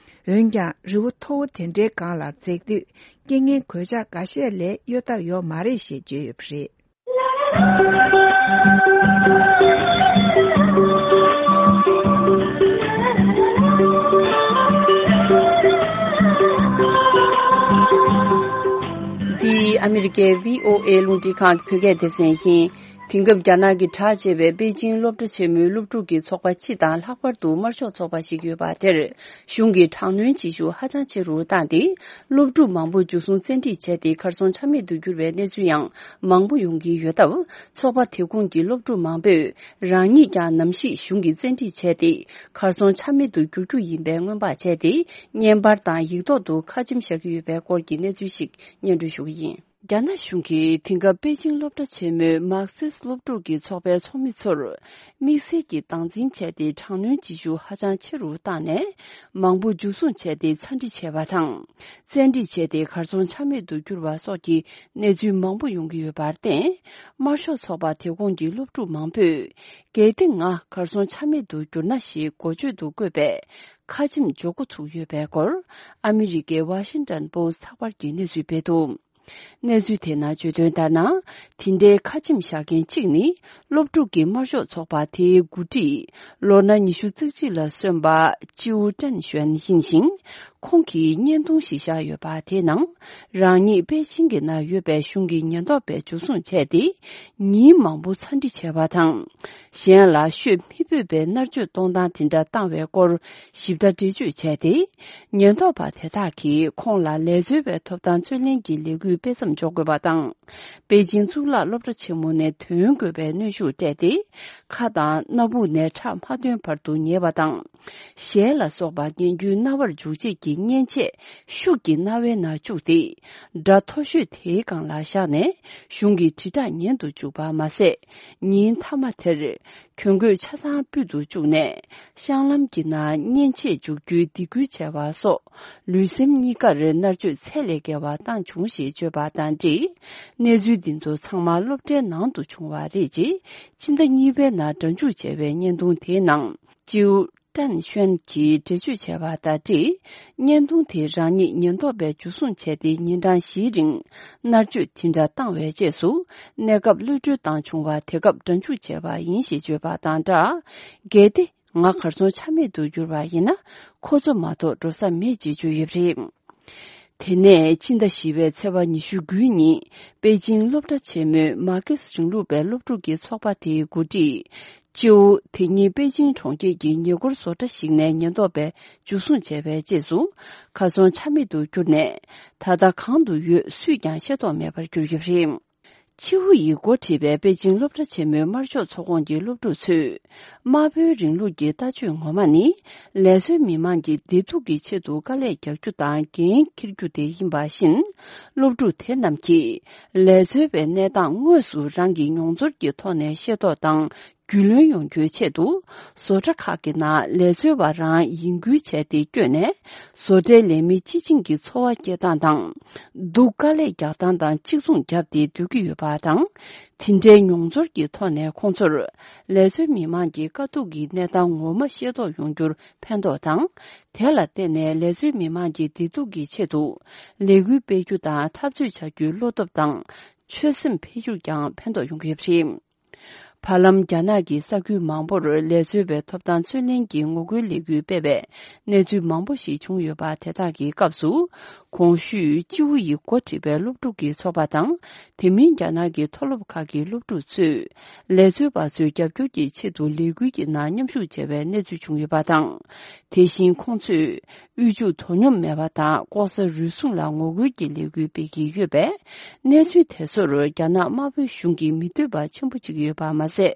འོན་ཀྱང་རི་བོ་མཐོ་བོ་དེ་འདྲའི་སྒང་ལ་འཛེགས་དུས་རྐྱེན་ངན་གོད་ཆག་འགའ་ཤས་ལས་གཡོལ་ཐབས་ཡོད་མ་རེད་ཞེས་བརྗོད་ཡོད་པ་རེད། ཨ་མི་རི་ཀའི་བྷི་ཨོ་ཨེ་རླུང་འཕྲིན་ཁང་གི་བོད་སྐད་སྡེ་ཚན་ཡིན། དེང་སྐབས་རྒྱ་ནག་གིས་གྲགས་ཆེ་བའི་པེ་ཅིང་སློབ་གྲྭ་ཆེན་མོའི་སློབ་ཕྲུག་གི་ཚོགས་པ་སྤྱི་དང་ལྷག་པར་དུ་དམར་ཤོག་ཚོགས་པ་ཞིག་ཡོད་པ་དེར། གཞུང་གིས་དྲག་གནོན་བྱེད་ཤུགས་ཧ་ཅང་ཆེ་རུ་བཏང་སྟེ། སློབ་ཕྲུག་མང་པོ་འཇུ་བཟུང་བཙན་ཁྲིད་བྱས་ཏེ། གར་སོང་ཆ་མེད་དུ་གྱུར་བའི་གནས་ཚུལ་ཡང་མང་པོ་ཡོང་གི་ཡོད་སྟབས། ཚོགས་པ་དེ་ཁོངས་ཀྱི་སློབ་ཕྲུག་མང་པོས། རང་ཉིད་ཀྱང་ནམ་ཞིག་གཞུང་གིས་བཙན་ཁྲིད་བྱས་ཏེ། གར་སོང་ཆ་མེད་དུ་འགྱུར་རྒྱུ་ཡིན་པའི་སྔོན་དཔག་བྱས་ཏེ། བརྙན་པར་དང་ཡིག་ཐོག་ཏུ་ཁ་ཆེམས་བཞག་གི་ཡོད་པའི་སྐོར་གྱི་གནས་ཚུལ་ཞིག་སྙན་སྒྲོན་ཞུ་གི་ཡིན། རྒྱ་ནག་གཞུང་གིས་དེང་སྐབས་པེ་ཅིང་སློབ་གྲྭ་ཆེན་མོའི་མར་ཁེ་སི་སློབ་ཕྲུག་གི་ཚོགས་པའི་ཚོགས་མི་ཚོར། དམིགས་བསལ་གྱི་སྟངས་འཛིན་བྱས་ཏེ། དྲག་གནོན་བྱེད་ཤུགས་ཧ་ཅང་ཆེ་རུ་བཏང་ནས། མང་པོ་འཇུ་བཟུང་བྱས་ཏེ་ཚ་འདྲི་བྱས་པ་དང་། བཙན་ཁྲིད་བྱས་ཏེ། གར་སོང་ཆ་མེད་དུ་གྱུར་བ་སོགས་ཀྱི་གནས་ཚུལ་མང་པོ་ཡོང་གི་ཡོད་པར་བརྟེན། དམར་ཤོག་ཚོགས་པ་དེ་ཁོངས་ཀྱི་སློབ་ཕྲུག་མང་པོས། གལ་ཏེ་ང་གར་སོང་ཆ་མེད་དུ་གྱུར་ན་ཞེས་འགོ་བརྗོད་དུ་བཀོད་པའི་ཁ་ཆེམས་འཇོག་འགོ་ཚུགས་ཡོད་པའི་སྐོར། ཨ་མི་རི་ཀའི་ཝ་ཤིང་ཏོན་པོ་སི་ཚགས་པར་གྱིས་གནས་ཚུལ་སྤེལ་འདུག། གནས་ཚུལ་དེ་ནང་བརྗོད་དོན་ལྟར་ན། དེ་འདྲའི་ཁ་ཆེམས་བཞག་མཁན་གཅིག་ནི། སློབ་ཕྲུག་གི་དམར་ཤོག་ཚོགས་པ་དེའི་འགོ་ཁྲིད། ལོ་ན་ཉི་ཤུ་རྩ་གཅིག་ལ་སོན་པ། ཅིའུ་ཀྲན་ཞོན་ཡིན་ཞིང་། ཁོང་གིས་བརྙན་ཐུང་ཞིག་བཞག་ཡོད་པ་དེའི་ནང་། རང་ཉིད་པེ་ཅིང་གི་ནང་ཡོད་པའི་གཞུང་གི་ཉེན་རྟོག་པས་འཇུ་བཟུང་བྱས་ཏེ། ཉིན་མང་པོ་ཚ་འདྲི་བྱས་པ་དང་། གཞན་ལ་ཤོད་མི་ཕོད་པའི་མནར་གཅོད་གཏོང་སྟངས་དེ་འདྲ་བཏང་བའི་སྐོར་ཞིབ་ཕྲ་འགྲེལ་བརྗོད་བྱས་ཏེ། ཉེན་རྟོག་པ་དེ་དག་གིས་ཁོང་ལ་ལས་འཚོལ་བའི་ཐོབ་ཐང་རྩོད་ལེན་གྱི་ལས་འགུལ་སྤེལ་མཚམས་འཇོག་དགོས་པ་དང་། པེ་ཅིང་གཙུག་ལག་སློབ་གྲྭ་ཆེན་མོ་ནས་ཐོན་དགོས་པའི་གནོན་ཤུགས་སྤྲད་དེ། ཁ་དང་སྣ་བུག་ནས་ཁྲག་མ་ཐོན་བར་དུ་ཉལ་བ་དང་། ཞལ་ལ་སོགས་པ་ངན་རྒྱུའི་རྣ་བར་འཇུག་བྱེད་ཀྱི་མཉེན་ཆས་ཤུགས་ཀྱིས་རྣ་བའི་ནང་བཅུག་སྟེ། སྒྲ་མཐོ་ཤོས་དེའི་སྒང་ལ་བཞག་ནས་གཞུང་གི་དྲིལ་བསྒྲགས་ཉན་དུ་བཅུག་པ་མ་ཟད། ཉིན་མཐའ་མ་དེར་གྱོན་གོས་ཆ་ཚང་ཕུད་དུ་བཅུག་ནས། བཤང་ལམ་གྱི་ནང་མཉེན་ཆས་འཇུག་རྒྱུའི་སྡིགས་སྐུལ་བྱས་པ་སོགས། ལུས་སེམས་གཉིས་ཀར་མནར་གཅོད་ཚད་ལས་བརྒལ་བ་བཏང་བྱུང་ཞེས་བརྗོད་པ་དང་འབྲེལ། གནས་ཚུལ་འདི་ཚོ་ཚང་མ་སློབ་གྲྭའི་ནང་དུ་བྱུང་བ་རེད། ཅེས་ཕྱི་ཟླ་གཉིས་པའི་ནང་སྒྲ་འཇུག་བྱས་པའི་བརྙན་ཐུང་དེའི་ནང་། ཅིའུ་ཀྲན་ཤོན་གྱིས་འགྲེལ་བརྗོད་བྱས་པ་དང་འབྲེལ། བརྙན་ཐུང་དེ་རང་ཉིད་ཉེན་རྟོག་པས་འཇུ་བཟུང་བྱས་ཏེ། ཉིན་གྲངས་བཞིའི་རིང་མནར་གཅོད་དེ་འདྲ་བཏང་བའི་རྗེས་སུ། གནས་སྐབས་གློད་གྲོལ་བཏང་བྱུང་བ་དེ་སྐབས་སྒྲ་འཇུག་བྱས་པ་ཡིན་ཞེས་བརྗོད་པ་དང་སྦྲགས། གལ་ཏེ། ང་གར་སོང་ཆ་མེད་དུ་གྱུར་བ་ཡིན་ན། ཁོ་ཚོ་མ་གཏོགས་འགྲོ་ས་མེད་ཅེས་བརྗོད་ཡོད་པ་རེད། དེ་ནས་ཕྱི་ཟླ་བཞི་པའི་ཚེས་པ་ཉི་ཤུ་དགུའི་ཉིན། པེ་ཅིང་སློབ་གྲྭ་ཆེན་མོའི་མར་ཁེ་སི་རིང་ལུགས་པའི་སློབ་ཕྲུག་གི་ཚོགས་པ་དེའི་འགོ་ཁྲིད། ཅིའུ། དེ་ཉིན་པེ་ཅིང་གྲོང་ཁྱེར་གྱི་ཉེ་འཁོར་བཟོ་གྲྭ་ཞིག་ནས་ཉེན་རྟོག་པས་འཇུ་བཟུང་བྱས་པའི་རྗེས་སུ། གར་སོང་ཆ་མེད་དུ་གྱུར་ནས། ད་ལྟ་གང་དུ་ཡོད་སུས་ཀྱང་ཤེས་རྟོགས་མེད་པར་གྱུར་ཡོད་པ་རེད། ཆིའུ་ཡིས་འགོ་ཁྲིད་པའི་པེ་ཅིང་སློབ་གྲྭ་ཆེན་མོའི་དམར་ཤོག་ཚོགས་ཁོངས་ཀྱི་སློབ་ཕྲུག་ཚོས། དམར་པོའི་རིང་ལུགས་ཀྱི་ལྟ་སྤྱོད་ངོ་མ་ནི། ལས་བཟོའི་མི་མང་གི་བདེ་སྡུག་གི་ཆེད་དུ་དཀའ་ལས་རྒྱག་རྒྱུ་དང་འགན་འཁྱེར་རྒྱུ་དེ་ཡིན་པ་བཞིན། སློབ་ཕྲུག་དེ་རྣམས་ཀྱིས། ལས་བཟོ་བའི་གནས་སྟངས་དངོས་སུ་རང་གི་མྱོང་ཚོར་གྱི་ཐོག་ནས་ཤེས་རྟོགས་དང་། རྒྱུས་ལོན་ཡོང་རྒྱུའི་ཆེད་དུ། བཟོ་གྲྭ་ཁག་གི་ནང་ལས་བཟོ་བ་རང་ཡིན་ཁུལ་བྱས་ཏེ་བསྐྱོད་ནས། བཟོ་གྲྭའི་ལས་མི་སྤྱི་བྱིངས་ཀྱི་འཚོ་བ་སྐྱེལ་སྟངས་དང་། སྡུག་དཀའ་ལས་རྒྱག་སྟངས་དང་གཅིག་མཚུངས་བརྒྱབ་སྟེ་སྡོད་ཀྱི་ཡོད་པ་དང་། དེ་འདྲའི་མྱོང་ཚོར་གྱི་ཐོག་ནས་ཁོང་ཚོར། ལས་བཟོའི་མི་མང་གི་དཀའ་སྡུག་གི་གནས་སྟངས་ངོ་མ་ཤེས་རྟོགས་ཡོང་རྒྱུར་ཕན་ཐོགས་དང་། དེ་ལ་བརྟེན་ནས་ལས་བཟོའི་མི་མང་གི་བདེ་སྡུག་གི་ཆེད་དུ། ལས་འགུལ་སྤེལ་རྒྱུ་དང་འཐབ་རྩོད་བྱ་རྒྱུའི་བློ་སྟོབས་དང་། ཆོད་སེམས་འཕེལ་རྒྱུར་ཀྱང་ཕན་ཐོགས་ཡོང་གི་ཡོད་པ་རེད། བར་ལམ། རྒྱ་ནག་གི་ས་ཁུལ་མང་པོར་ལས་བཟོ་བའི་ཐོབ་ཐང་རྩོད་ལེན་གྱི་ངོ་རྒོལ་ལས་འགུལ་སྤེལ་བའི་གནས་ཚུལ་མང་པོ་ཞིག་བྱུང་ཡོད་པ། དེ་དག་གི་སྐབས་སུ། གོང་ཞུས་ཅིའུ་ཡིས་འགོ་ཁྲིད་པའི་སློབ་ཕྲུག་གི་ཚོགས་པ་དང་། དེ་མིན་རྒྱ་ནག་གི་མཐོ་སློབ་ཁག་གི་སློབ་ཕྲུག་ཚོས། ལས་བཟོ་བ་ཚོའི་རྒྱབ་སྐྱོར་གྱི་ཆེད་དུ་ལས་འགུལ་གྱི་ནང་མཉམ་ཞུགས་བྱས་པའི་གནས་ཚུལ་བྱུང་ཡོད་པ་དང་། དེ་བཞིན་ཁོང་ཚོས། དབུལ་ཕྱུག་དོ་སྙོམས་མེད་པ་དང་། ལྐོག་ཟ་རུལ་སུངས་ལ་ངོ་རྒོལ་གྱི་ལས་འགུལ་སྤེལ་གྱི་ཡོད་པས། གནས་ཚུལ་དེ་ཚོར་རྒྱ་ནག་དམར་པོའི་གཞུང་གིས་མི་འདོད་པ་ཆེན་པོ་བྱེད་ཀྱི་ཡོད་པ་མ་ཟད།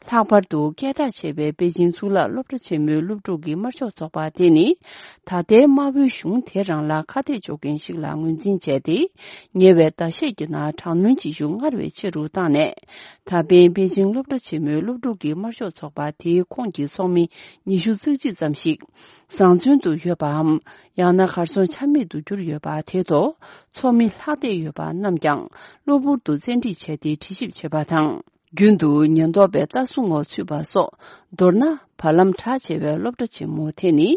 ལྷག་པར་དུ་སྐད་གྲགས་ཆེ་བའི་པེ་ཅིང་གཙུག་ལག་སློབ་གྲྭ་ཆེན་མོའི་སློབ་ཕྲུག་གི་དམར་ཤོག་ཚོགས་པ་དེ་ནི། ད་ལྟའི་དམར་པོའི་གཞུང་དེ་རང་ལ་ཁ་གཏད་གཅོག་མཁན་ཞིག་ལ་ངོས་འཛིན་བྱས་ཏེ། ཉེ་བའི་ཟླ་ཤས་ཀྱི་ནང་དྲག་གནོན་བྱེད་ཤུགས་སྔར་བས་ཆེ་རུ་བཏང་ནས། ད་ཕན་པེ་ཅིང་སློབ་གྲྭ་ཆེན་མོའི་སློབ་ཕྲུག་གི་དམར་ཤོག་ཚོགས་པ་དེའི་ཁོངས་ཀྱི་ཚོགས་མི་ཉི་ཤུ་རྩ་གཅིག་ཙམ་ཞིག་བཟང་བཙོན་དུ་ཡོད་པའམ། ཡང་ན་གར་སོང་ཆ་མེད་དུ་གྱུར་ཡོད་པ་དེ་ཐོག་ཚོགས་མི་ལྷག་བསྡད་ཡོད་པ་རྣམས་ཀྱང་གློ་བུར་དུ་བཙན་ཁྲིད་བྱས་ཏེ་དྲི་ཞིབ་བྱེད་པ་དང་། རྒྱུན་དུ་ཉེན་རྟོག་པའི་རྩ་སྲུང་འོག་ཚུད་པ་སོགས། མདོར་ན། བར་ལམ་གྲགས་ཆེ་བའི་སློབ་གྲྭ་ཆེན་མོ་དེ་ནི།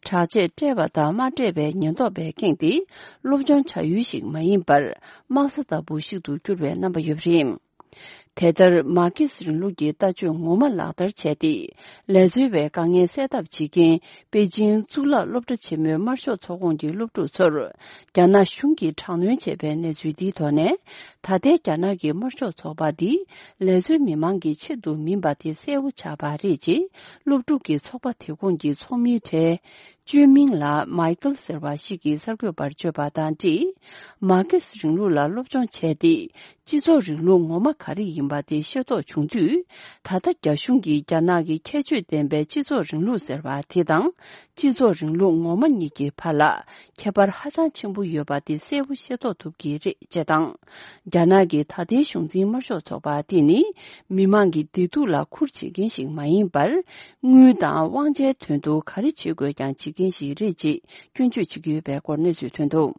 གྲགས་ཆེ་སྤྲས་པ་དང་མ་སྤྲས་པའི་ཉེན་རྟོག་པས་ཁེངས་ཏེ། སློབ་སྦྱོང་བྱ་ཡུལ་ཞིག་མ་ཡིན་པར། དམག་ས་ལྟ་བུ་ཞིག་ཏུ་གྱུར་བའི་རྣམ་པ་ཡོད་པ་རེད། དེ་ལྟར་མར་ཁེ་སི་རིང་ལུགས་ཀྱི་ལྟ་སྤྱོད་ངོ་མ་ལག་བསྟར་བྱས་ཏེ། ལས་འཛོལ་བའི་དཀའ་ངལ་སེལ་ཐབས་བྱེད་མཁན་པེ་ཅིང་གཙུག་ལག་སློབ་གྲྭ་ཆེན་མོའི་དམར་ཤོག་ཚོགས་ཁོངས་ཀྱི་སློབ་ཕྲུག་ཚོར། རྒྱ་ནག་གཞུང་གིས་དྲག་གནོན་བྱས་པའི་གནས་ཚུལ་འདིའི་ཐོག་ནས། ད་ལྟའི་རྒྱ་ནག་གི་དམར་ཤོག་ཚོགས་པ་འདི་ལས་འཛོལ་མི་མང་གི་ཆེད་དུ་མིན་པ་དེ་གསལ་བོ་ཆགས་པ་རེད་ཅེས། སློབ་ཕྲུག་གི་ཚོགས་པ་དེ་ཁོངས་ཀྱི་ཚོགས་མིའི་གྲས། ཅུན་མིང་ལགས་མའི་ཀལ་ཟེར་བ་ཞིག་གིས་གསར་འགོད་པར་བརྗོད་པ་དང་འཁྲིལ། མར་ཁེ་སི་རིང་ལུགས་ལ་སློབ་སྦྱོང་བྱས་ཏེ། སྤྱི་ཚོགས་རིང་ལུགས་ངོ་མ་ག་རེ་ཡིན་པ་དེ་ཤེས་རྟོགས་བྱུང་དུས། ད་ལྟ་རྒྱ་གཞུང་གིས་རྒྱ་ནག་གི་ཁྱད་ཆོས་ལྡན་པའི་སྤྱི་ཚོགས་རིང་ལུགས་ཟེར་བ་དེ་དང་། སྤྱི་ཚོགས་རིང་ལུགས་ངོ་མ་གཉིས་ཀྱི་བར་ལ་ཁྱད་པར་ཧ་ཅང་ཆེན་པོ་ཡོད་པ་དེ་གསལ་པོ་ཤེས་རྟོགས་ཐུབ་ཀྱི་རེད་ཅེས་དང་། རྒྱ་ནག་གི་ད་ལྟའི་གཞུང་འཛིན་དམར་ཤོག་ཚོགས་པ་དེ་ནི། མི་མང་གི་བདེ་སྡུག་ལ་ཁུར་བྱེད་མཁན་ཞིག་མ་ཡིན་པར། དངུལ་དང་དབང་ཆའི་དོན་དུ་ག་རེ་བྱེད་དགོས་ཀྱང་བྱེད་མཁན་ཞིག་རེད་ཅེས་སྐྱོན་བརྗོད་བྱེད་ཀྱི་ཡོད་པའི་སྐོར་གནས་ཚུལ་ཐོན་འདུག།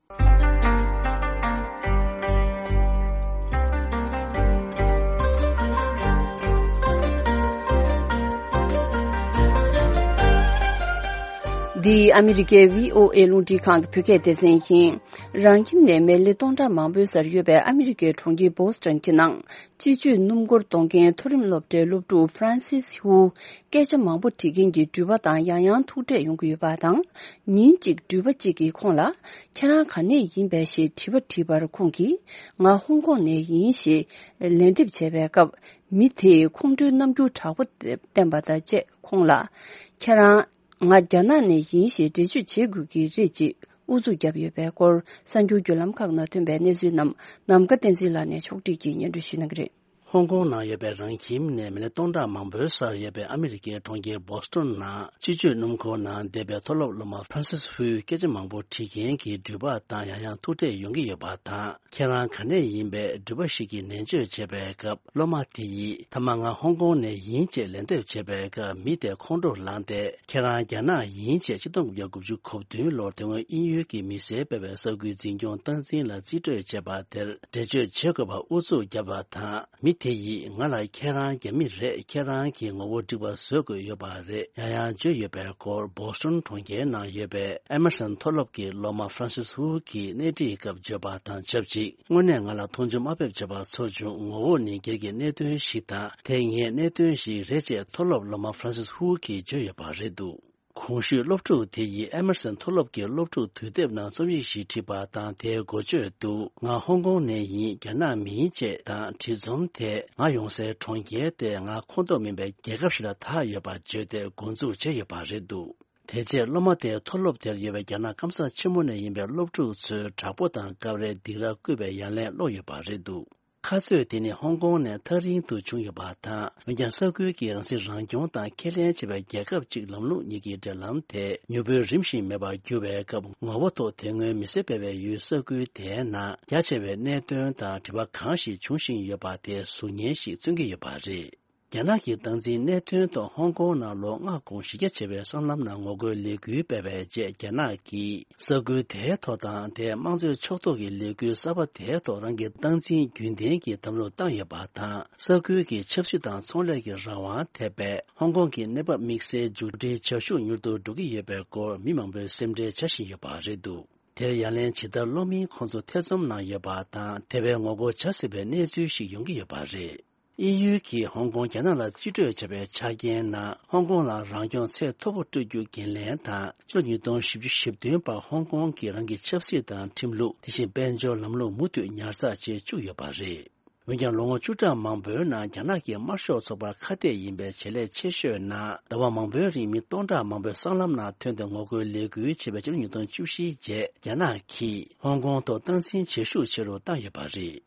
འདི་ཨ་མི་རི་ཀའི་བྷི་ཨོ་ཨེ་རླུང་འཕྲིན་ཁང་གི་བོད་སྐད་སྡེ་ཚན་ཡིན། རང་ཁྱིམ་ནས་མི་ལེ་སྟོང་ཕྲག་མང་པོའི་སར་ཡོད་པའི་ཨ་མི་རི་ཀའི་གྲོང་ཁྱེར་བོ་སི་ཊོན་གྱི་ནང་། སྤྱི་སྤྱོད་སྣུམ་འཁོར་གཏོང་མཁན་མཐོ་རིམ་སློབ་གྲྭའི་སློབ་ཕྲུག་ཧྥ་རན་སིས་ཧུའུ། སྐད་ཆ་མང་པོ་དྲི་མཁན་གྱི་འགྲུལ་པ་དང་ཡང་ཡང་ཐུག་འཕྲད་ཡོང་གི་ཡོད་པ་དང་། ཉིན་གཅིག་འགྲུལ་པ་གཅིག་གིས་ཁོང་ལ། ཁྱེད་རང་ག་ནས་ཡིན་པས་ཞེས་དྲི་བ་དྲིས་པར། ཁོང་གིས། ང་ཧོང་ཀོང་ནས་ཡིན་ཞེས་ལན་འདེབས་བྱས་པའི་སྐབས། མི་དེས་ཁོང་ཁྲོའི་རྣམ་འགྱུར་དྲག་པོ་བསྟན་པ་དང་བཅས། ཁོང་ལ། ཁྱེད་རང་། ང་རྒྱ་ནག་ནས་ཡིན་ཞེས་འགྲེལ་བརྗོད་བྱེད་དགོས་ཀྱི་རེད་ཅེས་ཨུ་ཚུགས་བརྒྱབ་ཡོད་པའི་སྐོར། གསར་འགྱུར་བརྒྱུད་ལམ་ཁག་ནང་ཐོན་པའི་གནས་ཚུལ་རྣམས་ནམ་མཁའ་བསྟན་འཛིན་ལགས་ནས་ཕྱོགས་སྒྲིག་གིས་སྙན་སྒྲོན་ཞུ་གནང་གི་རེད། ཧོང་ཀོང་ནང་ཡོད་པའི་རང་ཁྱིམ་ནས་མི་ལེ་སྟོང་ཕྲག་མང་པོའི་སར་ཡོད་པའི་ཨ་མི་རི་ཀའི་གྲོང་ཁྱེར་བོ་སི་ཊོན་ནང་སྤྱི་སྤྱོད་སྣུམ་འཁོར་ནང་བསྡད་པའི་མཐོ་སློབ་སློབ་མ་ཧྥ་རན་སིས་ཧུའི་སྐད་ཆ་མང་པོ་དྲི་མཁན་གྱི་འགྲུལ་པ་དང་ཡང་ཡང་ཐུག་འཕྲད་ཡོང་གི་ཡོད་པ་དང་། ཁྱེད་རང་ག་ནས་ཡིན་པའི་འགྲུལ་པ་ཞིག་གིས་ནན་བརྗོད་བྱས་པའི་སྐབས། སློབ་མ་དེ་ཡིས་མཐའ་མ་ང་ཧོང་ཀོང་ནས་ཡིན་ཅེས་ལན་འདེབས་བྱས་པའི་སྐབས། མི་དེ་ཁོང་ཁྲོ་ལངས་ཏེ། ཁྱེད་རང་རྒྱ་ནག་ཡིན་ཅེས་ཆིག་སྟོང་དགུ་བརྒྱ་དགུ་བཅུ་གོ་བདུན་ལོར་དེ་སྔོན་དབྱིན་ཡུལ་གྱི་མི་སེར་སྤེལ་བའི་ས་ཁུལ་འཛིན་སྐྱོང་སྟངས་འཛིན་ལ་རྩིས་སྤྲོད་བྱས་པ་དེར་འགྲེལ་བརྗོད་བྱེད་དགོས་པར་ཨུ་ཚུགས་བརྒྱབ་པ་དང་། མི་དེ་ཡིས་ང་ལ་ཁྱེད་རང་རྒྱ་མི་རེད། ཁྱེད་རང་གི་ངོ་བོ་འགྲིག་པ་བཟོ་དགོས་ཡོད་པ་རེད། ཡང་ཡང་བརྗོད་ཡོད་པའི་སྐོར། བོ་སི་ཊོན་གྲོང་ཁྱེར་ནང་ཡོད་པའི་ཨེ་མར་སན་མཐོ་སློབ་ཀྱི་སློབ་མ་ཧྥ་རན་སིས་ཧུའུ་གིས་གནས་འདྲིའི་སྐབས་བརྗོད་པ་དང་ཆབས་ཅིག་དངོས་གནས་ང་ལ་མཐོང་ཆུང་དམའ་འབེབས་བྱས་པ་ཚོར་བྱུང་། ངོ་བོ་ནི་སྒེར་གྱི་གནད་དོན་ཞིག་དང་། དེ་ངའི་གནད་དོན་ཞིག་རེད་ཅེས་མཐོ་སློབ་སློབ་མ་ཧྥ་རན་སིས་ཧུའུ་གིས་བརྗོད་ཡོད་པ་རེད་འདུག་གོང་ཞུས་སློབ་ཕྲུག་དེ་ཡིས་ཨེ་མར་སན་མཐོ་སློབ་ཀྱི་སློབ་ཕྲུག་དུས་དེབ་ནང་རྩོམ་ཡིག་ཞིག་བྲིས་པ་དང་། དེའི་འགོ་བརྗོད་དུ། ང་ཧོང་ཀོང་ནས་ཡིན། རྒྱ་ནག་མིན་ཅེས་དང་། བྲིས་རྩོམ་དེས་ང་ཡོང་སའི་གྲོང་ཁྱེར་དེ་ང་ཁོངས་གཏོགས་མིན་པའི་རྒྱལ་ཁབ་ཞིག་ལ་བདག་ཡོད་པར་བརྗོད་དེ་འགོ་འཛུགས་བྱས་ཡོད་པ་རེད་འདུག་དེ་རྗེས་སློབ་མ་དེས་མཐོ་སློབ་དེར་ཡོད་པའི་རྒྱ་ནག་སྐམ་ས་ཆེན་མོ་ནས་ཡིན་པའི་སློབ་ཕྲུག་ཚོའི་དྲག་པོ་དང་སྐབས་རེ་སྡིགས་ར་བསྐུལ་བའི་ཡ་ལན་སློག་ཡོད་པ་རེད་འདུག་ཁ་རྩོད་དེ་ནི་ཧོང་ཀོང་ནས་ཐག་རིང་དུ་བྱུང་ཡོད་པ་དང་། འོན་ཀྱང་ས་ཁུལ་གྱི་རང་སྲིད་རང་སྐྱོང་དང་ཁས་ལེན་བྱེད་པའི་རྒྱལ་ཁབ་ཅིག་ལམ་ལུགས་གཉིས་ཀྱི་འབྲེལ་ལམ་དེ་མྱུར་པོའི་རིམ་བཞིན་མེད་པར་གྱུར་བའི་སྐབས། ངོ་བོ་ཐོག་དེ་སྔོན་མི་སེར་སྤེལ་བའི་ཡུལ་ས་ཁུལ་དེའི་ནང་རྒྱ་ཆེ་བའི་གནད་དོན་དང་དྲི་བ་གང་ཞིག་འབྱུང་བཞིན་ཡོད་པ་དེ་གཟུགས་བརྙན་ཞིག་མཚོན་གྱི་ཡོད་པ་རེད། རྒྱ་ནག་གི་སྟངས་འཛིན་གནད་དོན་ཐོག་ཧོང་ཀོང་ནང་ལོ་ལྔ་གོང་གཞི་རྒྱ་ཆེ་བའི་སྲང་ལམ་ནང་ངོ་རྒོལ་ལས་འགུལ་སྤེལ་བའི་རྗེས། རྒྱ་ནག་གིས་ས་ཁུལ་དེའི་ཐོག་དང་། དེའི་དམངས་གཙོའི་ཕྱོགས་གཏོགས་ཀྱི་ལས་འགུལ་གསར་པ་དེའི་ཐོག་རང་གི་སྟངས་འཛིན་རྒྱུན་ལྡན་གྱི་དམ་བློ་བཏང་ཡོད་པ་དང་། ས་ཁུལ་གྱི་ཆབ་སྲིད་དང་ཚོང་ལས་ཀྱི་རང་དབང་ཐེ་བའི་ཧོང་ཀོང་གི་གནས་བབ་དམིགས་བསལ་མཇུག་སྒྲིལ་བྱ་ཤུགས་མྱུར་དུ་འགྲོ་གི་ཡོད་པའི་སྐོར་མི་མང་པོས་སེམས་ཁྲལ་བྱ་བཞིན་ཡོད་པ་རེད་འདུག་དེར་ཡ་ལན་ཇི་ལྟར་སློག་མིན་ཁོང་ཚོ་ཐེ་ཚོམ་ནང་ཡོད་པ་དང་། དེ་བས་ངོ་རྒོལ་བྱ་སྲིད་པའི་གནས་ཚུལ་ཞིག་ཡོང་གི་ཡོད་པ་རེད། དབྱིན་ཡུལ་གྱིས་ཧོང་ཀོང་རྒྱ་ནག་ལ་རྩིས་སྤྲོད་བྱས་པའི་ཆ་རྐྱེན་ནང་། ཧོང་ཀོང་ལ་རང་སྐྱོང་ཚད་མཐོ་པོ་སྤྲོད་རྒྱུ་འགན་ལེན་དང་། ཕྱི་ལོ་ཉིས་སྟོང་བཞི་བཅུ་ཞེ་བདུན་བར་ཧོང་ཀོང་གིས་རང་གི་ཆབ་སྲིད་དང་ཁྲིམས་ལུགས། དེ་བཞིན་དཔལ་འབྱོར་ལམ་ལུགས་མུ་མཐུད་ཉར་ཚགས་བྱེད་བཅུག་ཡོད་པ་རེད། འོན་ཀྱང་། ལོ་ངོ་བཅུ་ཕྲག་མང་པོའི་ནང་རྒྱ་ནག་གི་དམར་ཤོག་ཚོགས་པར་ཁ་གཏད་ཡིན་པའི་བྱེད་ལས་ཆེ་ཤོས་ནང་། ཟླ་བ་མང་པོའི་རིང་མི་སྟོང་ཕྲག་མང་པོས་སྲང་ལམ་ནང་ཐོན་ཏེ་ངོ་རྒོལ་ལས་འགུལ་བྱས་པའི་ཕྱི་ལོ་ཉིས་སྟོང་བཅུ་བཞིའི་རྗེས། རྒྱ་ནག་གིས་ཧོང་ཀོང་ཐོག་སྟངས་འཛིན་བྱེད་ཤུགས་ཆེ་རུ་བཏང་ཡོད་པ་རེད།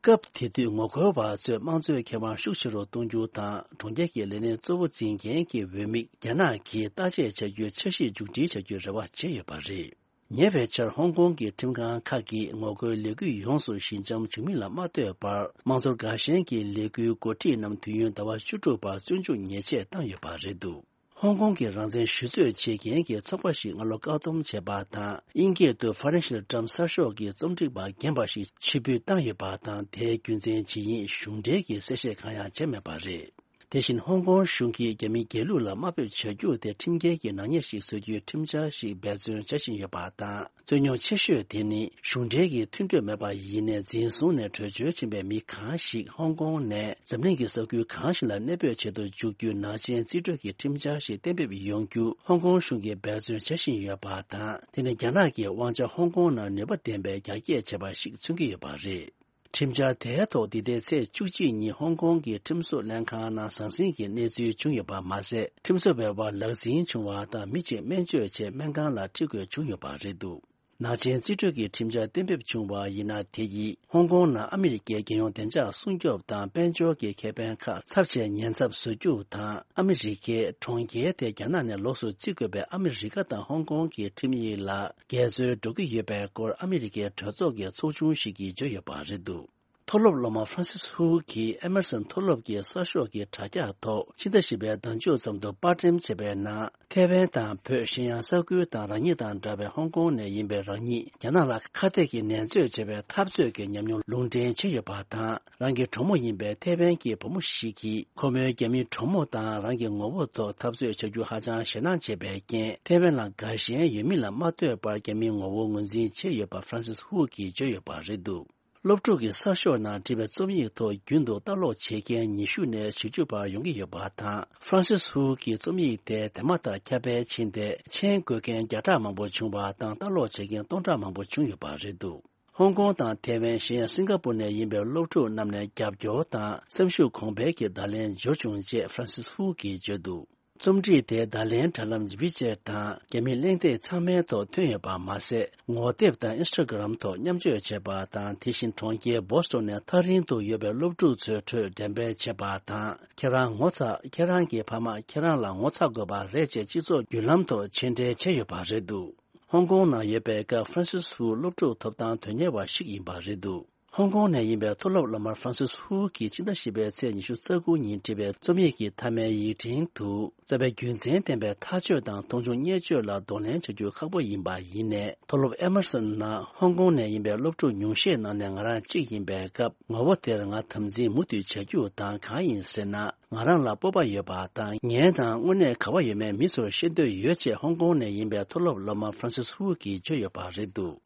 སྐབས་དེ་དུས་ངོ་རྒོལ་བ་ཚོས་དམངས་གཙོའི་ཁེ་དབང་ཤུགས་ཆེ་རུ་གཏོང་རྒྱུ་དང་། གྲོང་ཁྱེར་གྱི་ལས་སྣེ་གཙོ་བོ་འཛིན་མཁན་གྱི་འོས་མིར་རྒྱ་ནག་གིས་བརྟག་དཔྱད་བྱ་རྒྱུའི་འཆར་གཞི་མཇུག་སྒྲིལ་བྱ་རྒྱུའི་རེ་བ་བྱས་ཡོད་པ་རེད། ཉེ་བའི་ཆར་ཧོང་ཀོང་གི་ཁྲིམས་ཁང་ཁག་གིས་ངོ་རྒོལ་ལས་འགུལ་ཡོངས་སུ་ཞི་འཇམ་བྱུང་མིན་ལ་མ་ལྟོས་པར། དམངས་གཙོར་དགའ་ཞེན་གྱི་ལས་འགུལ་འགོ་ཁྲིད་རྣམས་དུས་ཡུན་ཟླ་བ་བཅུ་དྲུག་བར་བཙོན་འཇུག་ཉེས་ཆད་བཏང་ཡོད་པ་རེད་འདུག་ཧོང་ཀོང་གི་རང་བཙན་ཞུ་རྩོད་བྱེད་མཁན་གྱི་ཚོགས་པ་ཞིག་སྔ་ལོ་བཀག་སྡོམ་བྱས་པ་དང་། དབྱིན་སྐད་དུ་Financial Times གསར་ཤོག་གི་རྩོམ་སྒྲིག་པ་རྒན་པ་ཞིག་ཕྱིར་འབུད་བཏང་ཡོད་པ་དང་། དེའི་རྒྱུ་མཚན་ཇི་ཡིན་གཞུང་འབྲེལ་གྱི་གསལ་བཤད་གང་ཡང་བྱས་མེད་པ་རེད། དེ་བཞིན་ཧོང་ཀོང་གཞུང་གིས་རྒྱ་མི་སྒེར་ལུགས་ལ་དམའ་འབེབས་བྱ་རྒྱུ་དེ་ཁྲིམས་འགལ་གྱི་ནག་ཉེས་ཤིག་བཟོ་རྒྱུའི་ཁྲིམས་འཆར་ཞིག་འབད་བརྩོན་བྱ་བཞིན་ཡོད་པ་དང་། རྩོད་རྙོག་ཆེ་ཤོས་དེ་ནི་གཞུང་འབྲེལ་གྱི་མཐུན་གྲོས་མེད་པར་ཡིན་ནའི་འཛིན་བཟུང་ནས་བྲོས་བྱོལ་ཕྱིན་པའི་མི་གང་ཞིག་ཧོང་ཀོང་ནས་འཛམ་གླིང་གི་ས་ཁུལ་གང་ཞིག་ལ་གནས་སྤོས་བྱེད་དུ་འཇུག་རྒྱུའི་ནག་ཅན་རྩིས་སྤྲོད་ཀྱི་ཁྲིམས་འཆར་ཞིག་གཏན་འབེབས་ཡོང་རྒྱུ་ཧོང་ཀོང་གཞུང་གིས་འབད་བརྩོན་བྱ་བཞིན་ཡོད་པ་དང་། དེ་ནི་རྒྱ་ནག་གིས་དབང་ཆ་ཧོང་ཀོང་ནང་ནུས་པ་ལྡན་པའི་རྒྱ་སྐྱེད་བྱས་པ་ཞིག་མཚོན་གྱི་ཡོད་པ་རེད། ཁྲིམས་འཆར་དེའི་ཐོག་འདི་ཟླའི་ཚེས་བཅུ་གཅིག་ཉིན་ཧོང་ཀོང་གི་ཁྲིམས་བཟོ་ལྷན་ཁང་ནང་ཟང་ཟིང་གི་གནས་ཚུལ་བྱུང་ཡོད་པ་མ་ཟད། ཁྲིམས་བཟོ་བའི་བར་ལག་འཛིང་བྱུང་བ་དང་མི་གཅིག་སྨན་བཅོས་ཆེད་སྨན་ཁང་ལ་ཁྲིད་དགོས་བྱུང་ཡོད་པ་རེད་འདུག་ནག་ཅན་རྩིས་སྤྲོད་ཀྱི་ཁྲིམས་འཆར་གཏན་འབེབས་བྱུང་བ་ཡིན་ན། དེ་ཡིས་ཧོང་ཀོང་ནང་ཨ་མི་རི་ཀའི་རྒྱལ་ཡོངས་བདེ་འཇགས་སྲུང་སྐྱོབ་དང་དཔལ་འབྱོར་གྱི་ཁེ་ཕན་ཁག་ཚབས་ཆེའི་ཉེན་ཚབས་བཟོ་རྒྱུ་དང་། ཨ་མི་རི་ཀའི་གྲོང་ཁྱེར་དེ་རྒྱ་ནག་ནས་ལོགས་སུ་བརྩི་དགོས་པའི་ཨ་མི་རི་ཀ་དང་ཧོང་ཀོང་གི་ཁྲིམས་ཡིག་ལ་འགལ་འཛོལ་འགྲོ་གི་ཡོད་པའི་སྐོར་ཨ་མི་རི་ཀའི་གྲོས་ཚོགས་ཀྱི་ཚོགས་ཆུང་ཞིག་གིས་བརྗོད་ཡོད་པ་རེད་འདུག་མཐོ་སློབ་སློབ་མ་ཧྥ་རན་སིས་ཧུའུ་གིས་ཨེ་མར་སོན་མཐོ་སློབ་ཀྱི་གསར་ཤོག་གི་དྲ་རྒྱ་ཐོག་ཕྱི་ཟླ་བཞི་པའི་ཟླ་མཇུག་ཙམ་དུ་པར་འགྲེམས་བྱས་པའི་ནང་། ཐའེ་ཝན་དང་བོད། གཞན་ཡང་ས་ཁུལ་དང་རང་ཉིད་དང་འདྲ་བའི་ཧོང་ཀོང་ནས་ཡིན་པའི་རང་ཉིད་རྒྱ་ནག་ལ་ཁ་གཏད་ཀྱི་ནན་རྩོད་བྱས་པའི་འཐབ་རྩོད་ཀྱི་ཉམས་མྱོང་ལུང་འདྲེན་བྱས་ཡོད་པ་དང་། རང་གི་གྲོགས་མོ་ཡིན་པའི་ཐའེ་ཝན་གྱི་བུ་མོ་ཞིག་གིས་ཁོ་མོའི་རྒྱ་མིའི་གྲོགས་མོ་དང་རང་གི་ངོ་བོ་ཐོག་འཐབ་རྩོད་བྱ་རྒྱུ་ཧ་ཅང་ཞེད་སྣང་བྱས་པའི་རྐྱེན། ཐའེ་ཝན་ལ་དགའ་ཞེན་ཡོད་མིན་ལ་མ་ལྟོས་པར་རྒྱ་མིའི་ངོ་བོ་ངོས་འཛིན་བྱས་ཡོད་པ་ཧྥ་རན་སིས་ཧུའུ་གིས་བརྗོད་ཡོད་པ་རེད་འདུག་སློབ་ཕྲུག་གི་གསར་ཤོག་ནང་བྲིས་པའི་རྩོམ་ཡིག་ཐོག་རྒྱུན་དུ་ལྟ་ཀློག་བྱེད་མཁན་ཉི་ཤུ་ནས་བཞི་བཅུ་བར་ཡོང་གི་ཡོད་པ་དང་། ཧྥ་རན་སིས་ཧུའུ་གི་རྩོམ་ཡིག་དེ་དེ་མ་ཐག་ཁྱབ་སྤེལ་ཕྱིན་ཏེ། མཆན་འགོད་མཁན་བརྒྱ་ཕྲག་མང་པོ་བྱུང་བ་དང་། ལྟ་ཀློག་བྱེད་མཁན་སྟོང་ཕྲག་མང་པོ་བྱུང་ཡོད་པ་རེད་འདུག་ཧོང་ཀོང་དང་ཐའེ་ཝན། གཞན་ཡང་སིང་ག་པུར་ནས་ཡིན་པའི་སློབ་ཕྲུག་རྣམས་ནས་རྒྱབ་སྐྱོར་དང་སེམས་ཤུགས་གོང་འཕེལ་གྱི་བརྡ་ལན་འབྱོར་བྱུང་ཅེས་ཧྥ་རན་སིས་ཧུའུ་གིས་བརྗོད་འདུག་རྩོམ་སྒྲིག་དེ་བརྡ་ལན་དྲ་ལམ་ཝི་ཅེཊ་དང་། རྒྱ་མིའི་གླེང་སྟེགས་ཚང་མའི་ཐོག་ཐོན་ཡོད་པ་མ་ཟད། ངོ་དེབ་དང་ཨིན་སི་ཊ་གྷི་རམ་ཐོག་མཉམ་སྤྱོད་བྱས་པ་དང་། དེ་བཞིན་གྲོང་ཁྱེར་བོ་སི་ཊོན་ནས་ཐག་རིང་དུ་ཡོད་པའི་སློབ་ཕྲུག་ཚོའི་ཁྲོད་འགྲེམས་སྤེལ་བྱས་པ་དང་། ཁྱེད་རང་ངོ་ཚ། ཁྱེད་རང་གི་ཕ་མ་ཁྱེད་རང་ལ་ངོ་ཚ་དགོས་པ་རེད་ཅེས་སྤྱི་ཚོགས་བརྒྱུད་ལམ་ཐོག་མཆན་འགྲེལ་བྱས་ཡོད་པ་རེད་འདུག་ཧོང་ཀོང་ནང་ཡོད་པའི་སྐབས་ཧྥ་རན་སིས་ཧུའུ་སློབ་ཕྲུག་ཐོབ་ཐང་དོན་གཉེར་བ་ཞིག་ཡིན་པ་རེད་འདུག་ཧོང་ཀོང་ནས་ཡིན་པའི་མཐོ་སློབ་སློབ་མ་ཧྥ་རན་སིས་ཧུའུ་གིས་ཕྱི་ཟླ་བཞི་པའི་ཚེས་ཉི་ཤུ་རྩ་དགུ་ཉིན་བྲིས་པའི་རྩོམ་ཡིག་གི་མཐའ་མའི་ཡིག་ཕྲེང་དུ། རྩ་བའི་རྒྱུ་མཚན་ལྡན་པའི་ཐག་གཅོད་དང་མཐོང་ཆུང་བརྙས་བཅོས་ལ་གདོང་ལེན་བྱ་རྒྱུ་ཁག་པོ་ཡིན་པ་ཡིན་ནའི། མཐོ་སློབ་ཨེ་མར་སོན་ནང་ཧོང་ཀོང་ནས་ཡིན་པའི་སློབ་ཕྲུག་ཉུང་ཤས་ནང་ནས་ང་རང་གཅིག་ཡིན་པའི་སྐབས། ངོ་བོ་དེར་ང་དམ་འཛིན་མུ་མཐུད་བྱ་རྒྱུ་དང་། གང་ཡིན་ཟེར་ན། ང་རང་ལ་སྤོབས་པ་ཡོད་པ་དང་། ངའི་ནང་དངོས་གནས་ག་བ་ཡོད་མེད་མི་ཚོར་ཤེས་འདོད་ཡོད་ཅེས་ཧོང་ཀོང་ནས་ཡིན་པའི་མཐོ་སློབ་སློབ་མ་ཧྥ་རན་སིས་ཧུའུ་གིས་བརྗོད་ཡོད་པ་རེད་འདུག་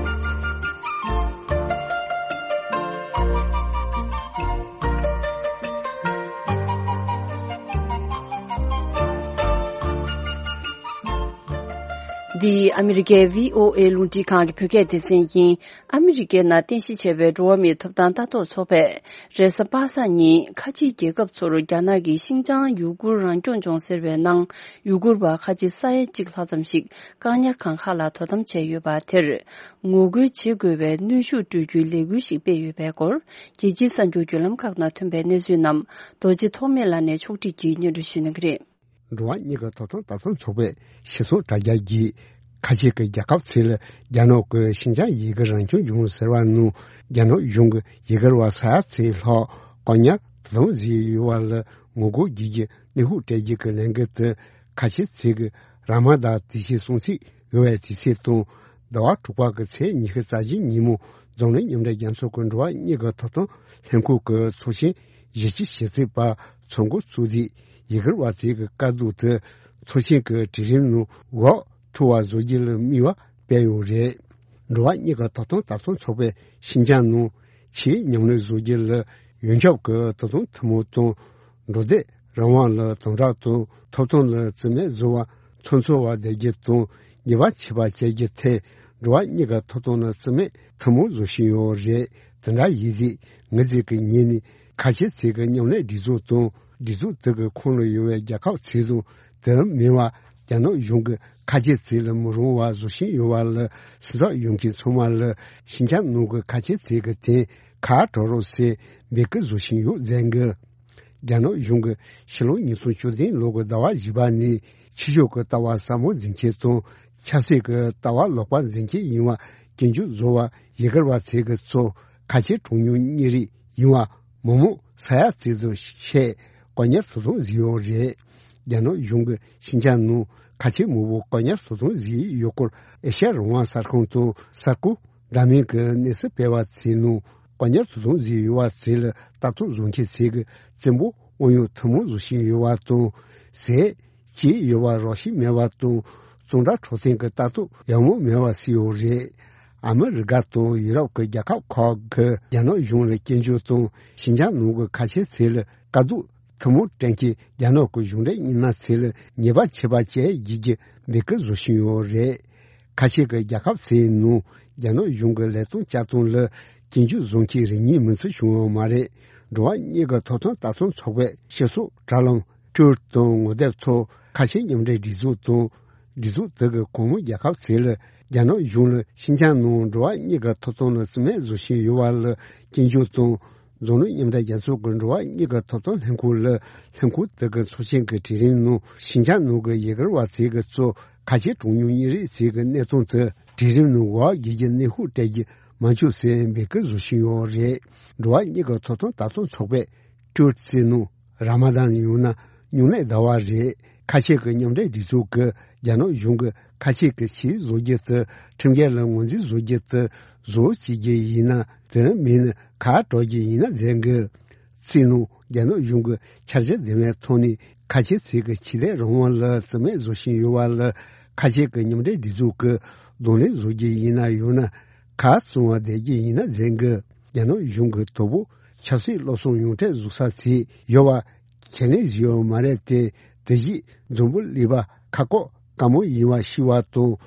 འདི་ཨ་མི་རི་ཀའི་བྷི་ཨོ་ཨེ་རླུང་འཕྲིན་ཁང་གི་བོད་སྐད་སྡེ་ཚན་ཡིན། ཨ་མི་རི་ཀའི་ནང་རྟེན་གཞི་བྱས་པའི་འགྲོ་བ་མིའི་ཐོབ་ཐང་ལྟ་རྟོག་ཚོགས་པས། རེས་གཟའ་པ་སངས་ཉིན་ཁ་ཆེའི་རྒྱལ་ཁབ་ཚོར་རྒྱ་ནག་གིས་ཤིན་ཅང་ཡུ་གུར་རང་སྐྱོང་ལྗོངས་ཟེར་བའི་ནང་ཡུ་གུར་བ་ཁ་ཆེ་ས་ཡ་གཅིག་ལྷག་ཙམ་ཞིག་བཀག་ཉར་ཁང་ཁག་ལ་དོ་དམ་བྱས་ཡོད་པ་དེར། ངོ་རྒོལ་བྱེད་དགོས་པའི་གནོན་ཤུགས་སྤྲོད་རྒྱུའི་ལས་འགུལ་ཞིག་སྤེལ་ཡོད་པའི་སྐོར། རྒྱལ་སྤྱིའི་གསར་འགྱུར་བརྒྱུད་ལམ་ཁག་ནང་ཐོན་པའི་གནས་ཚུལ་རྣམས་རྡོ་རྗེ་ཐོགས་མེད་ལགས་ནས་ཕྱོགས་སྒྲིག་གིས་སྙན་སྒྲོན་ཞུ་གནང་གི་རེད། འགྲོ་བ་མིའི་ཐོབ་ཐང་ལྟ་རྟོག་ཚོགས་པའི་སྤྱི་ཚོགས་དྲ་རྒྱ་གིས། ཁ་ཆེ་གི་རྒྱལ་ཁབ་ཚོས་རྒྱ་ནག་གི་ཤིན་ཅང་ཡུ་གུར་རང་སྐྱོང་ལྗོངས་ཟེར་བ་ནང་རྒྱ་ནག་གཞུང་གིས་ཡུ་གུར་བ་ས་ཡ་ཚོ་ལྷག་བཀག་ཉར་དོ་དམ་བཟོས་ཡོད་པ་ལ་ངོ་རྒོལ་བྱེད་རྒྱུའི་གནོན་ཤུགས་སྤྲད་རྒྱུ་གི་ལས་འགུལ་དེ། ཁ་ཆེ་ཚོས་ཀྱི་ར་མ་དཱན་དུས་ཆེན་སྲུང་བརྩི་ཡོད་པའི་དུས་ཚིགས་དང་། ཟླ་བ་དྲུག་པ་གི་ཚེས་ཉི་ཤུ་རྩ་བཞི་ཉིན་མོ་འཛམ་གླིང་མཉམ་འབྲེལ་རྒྱལ་ཚོགས་ཀྱི་འགྲོ་བ་མིའི་ཐོབ་ཐང་ལྷན་ཁང་གི་ཚོགས་ཆེན་བཞི་བཅུ་ཞེ་གཅིག་པ་ཚོགས་འགོ་གཙོས་ཏེ། ཡུ་གུར་བ་ཚོའི་དཀའ་སྡུག་དེ་ཚོགས་ཆེན་གྱི་གྲལ་རིམ་ནང་འགོ་ཁྲིད་པ་བཟོ་རྒྱུ་ལ་དམིགས་པ་སྤེལ་ཡོད་རེད། འགྲོ་བ་མིའི་ཐོབ་ཐང་ལྟ་རྟོག་ཚོགས་པས་ཤིན་ཅང་ནང་ཆེས་མཉམ་ལས་བཟོ་རྒྱུ་ལ་ཡོངས་ཁྱབ་ཀྱི་དོ་དམ་ཐུན་མོང་དང་། འགྲོ་སྡོད་རང་དབང་ལ་དམ་དྲག་དང་། ཐོབ་ཐང་ལ་བརྩི་མེད་བཟོ་བ་ཚོ་འཚོ་བ་བསྡད་རྒྱུ་དང་ཉེས་པ་ཆད་པ་བཅད་རྒྱུ་ཐད་འགྲོ་བ་མིའི་ཐོབ་ཐང་ལ་བརྩི་མེད་ཐུན་མོང་བཟོ་བཞིན་ཡོད་རེད། དེ་འདྲ་ཡིན་དུས་ངེད་ཚོས་ཀྱི་ངོས་ནས་ཁ་ཆེ་ཚོས་ཀྱི་མཉམ་ལས་སྒྲིག་འཛུགས་དང་སྒྲིག་འཛུགས་དེ་གི་ཁོངས་ལ་ཡོད་པའི་རྒྱལ་ཁབ་ཚོ་དང་། དེ་མིན་པ་རྒྱ་ནག་གཞུང་གི་ཁ་ཆེ་ཚོ་ལ་མི་རུང་བ་བཟོ་བཞིན་ཡོད་པ་ལ་སེམས་ཐག་ཡོད་མཁན་ཚང་མ་ལ་ཤིན་ཅང་ནང་གི་ཁ་ཆེ་ཚོ་གི་དོན་ཁ་གྲག་རོགས་ཟེར་འབོད་སྐུལ་བཟོ་བཞིན་ཡོད་ཟེར་གི། རྒྱ་ནག་གཞུང་གིས་ཕྱི་ལོ་ཉིས་སྟོང་བཅུ་བདུན་ལོ་གི་ཟླ་བ་བཞི་པ་ནས་ཕྱི་ཕྱོགས་ཀྱི་ལྟ་བ་ཟབ་མོ་འཛིན་མཁན་དང་ཆབ་སྲིད་ཀྱི་ལྟ་བ་ལོག་པ་འཛིན་མཁན་ཡིན་པ་སྐྱོན་བརྗོད་བཟོ་བར་ཡུ་གུར་བ་ཚོ་གི་གཙོ་ཁ་ཆེ་གྲངས་ཉུང་མི་རིགས་ཡིན་པ་མི་མང་ས་ཡ་ཚོ་དང་ཕྱེད་བཀག་ཉར་དོ་དམ་བཟོས་ཡོད་རེད། རྒྱ་ནག་གཞུང་གིས་ཤིན་ཅང་ནང་ཁ་ཆེ་མང་པོ་བཀག་ཉར་དོ་དམ་བཟོས་ཡོད་སྐོར་ཨེ་ཤ་ཡ་རང་དབང་གསར་ཁང་དང་གསར་འགོད་འདྲ་མིན་གྱི་གནས་ཚུལ་སྤེལ་བ་ཚོའི་ནང་བཀག་ཉར་དོ་དམ་བཟོས་ཡོད་པ་ཚོ་ལ་ལྟ་རྟོག་བཟོ་མཁན་ཚོས་ཀྱི་བཙན་པོ་ དབང་ཡོད་ཐུན་མོང་བཟོ་བཞིན་ཡོད་པ་དང་། ཟས་བཅས་ཡོད་པ་རག་བཞིན་མེད་པ་དང་། གཙང་སྦྲ་འཕྲོད་བསྟེན་གྱི་ལྟ་རྟོག་ཡག་མོ་མེད་པ་སོགས་ཡོད་རེད། ཨ་མི་རི་ཀ་དང་ཡུ་རོབ་ཀྱི་རྒྱལ་ཁབ་ཁག་གིས་རྒྱ་ནག་གཞུང་ལ་སྐྱོན་བརྗོད་དང་། ཤིན་ཅང་ནང་གི་ཁ་ཆེ་ཚོ་ལ་དཀའ་སྡུག་ཐུན་མོང་སྤྲད་མཁན་རྒྱ་ནག་གི་གཞུང་འབྲེལ་མི་སྣ་ཚོ་ལ་ཉེས་པ་ཆད་པ་བཅད་རྒྱུ་གི་འབོད་སྐུལ་བཟོ་བཞིན་ཡོད་རེད། ཁ་ཆེ་གི་རྒྱལ་ཁབ་ཚོའི་ནང་རྒྱ་ནག་གཞུང་གི་ལས་དོན་བསྐྱར་གཏོང་ལ་སྐྱོན་བརྗོད་བཟོ་མཁན་རེ་གཉིས་མིན་ཚུལ་བྱུང་ཡོད་མ་རེད། འགྲོ་བ་མིའི་ཐོབ་ཐང་ལྟ་སྟངས་ཚོགས་པས་སྤྱི་ཚོགས་དྲ་ལམ་Twitter་དང་ངོ་དེབ་ཐོག་ཁ་ཆེ་མཉམ་འབྲེལ་སྒྲིག་འཛུགས་དང་། སྒྲིག་འཛུགས་དེ་གི་གོང་མའི་རྒྱལ་ཁབ་ཚོ་ལ་རྒྱ་ནག་གཞུང་ལ་ཤིན་ཅང་ནང་འགྲོ་བ་མིའི་ཐོབ་ཐང་ལ་རྩིས་མེད་བཟོ་བཞིན་ཡོད་པ་ལ་སྐྱོན་བརྗོད་དང་། འཛམ་གླིང་མཉམ་འབྲེལ་རྒྱལ་ཚོགས་ཀྱི་འགྲོ་བ་མིའི་ཐོབ་ཐང་ལྷན་ཁང་ལ་ལྷན་ཁང་དེ་གི་ཚོགས་ཆེན་གྱི་གྲོས་རིམ་ནང་ཤིན་ཅང་ནང་གི་ཡུ་གུར་བ་ཚོ་གི་གཙོ་ཁ་ཆེ་གྲངས་ཉུང་མི་རིགས་ཚོ་གི་གནས་སྟངས་དེ་གྲོས་རིམ་ནང་འོག་བསྒྱུར་གྱི་གནོན་ཤུགས་སྤྲད་རྒྱུ་མ་བྱུང་ཟེར་འབོད་སྐུལ་བཟོ་བཞིན་ཡོད་རེད། འགྲོ་བ་མིའི་ཐོབ་ཐང་ལྟ་སྟངས་ཚོགས་པས་Twitter་ནང་ར་མ་དཱན་ཡང་ན་སྨྱུང་གནས་ཟླ་བ་རེད། ཁ་ཆེ་གི་མཉམ་འབྲེལ་སྒྲིག་འཛུགས་ཀྱིས་རྒྱ་ནག་གཞུང་གིས་ཁ་ཆེ་གི་ཆེད་བཟོ་རྒྱུ་དེ་ཁྲིམས་འགལ་ལ་ངོས་འཛིན་བཟོ་རྒྱུ་དེ་བཟོ་བྱེད་རྒྱུ་ཡིན་ན་དེ་མིན་ན་ཁ་གྲག་རྒྱུ་ཡིན་ན་མཛད་དགོས། རྩིས་ནང་རྒྱ་ནག་གཞུང་གི་འཆར་གཞི་འདི་མའི་ཐོག་ནས་ཁ་ཆེ་ཚོ་གི་ཆོས་དད་རང་དབང་ལ་རྩིས་མེད་བཟོ་བཞིན་ཡོད་པ་ལ་ཁ་ཆེ་གི་མཉམ་འབྲེལ་སྒྲིག་འཛུགས་ཀྱིས་གདོང་ལེན་བཟོ་རྒྱུ་ཡིན་ན་ཡང་ན་ཁ་བཙུམ་པ་བསྡད་རྒྱུ་ཡིན་ན་མཛད་དགོས། རྒྱ་ནག་གཞུང་གི་དོ་པོ་ཆབ་སྲིད་སློབ་གསོ་ཡོངས་གྲགས་བཟོ་ས་ཚོ་ཡོད་པ་ཁས་ལེན་བཟོས་ཡོད་མ་རེད་དེ། དེ་བཞིན་འཛམ་བུ་གླིང་པ་ཁ་ཁོག་དཀའ་མོ་ཡིན་པ་ཤེས་པ་དང་།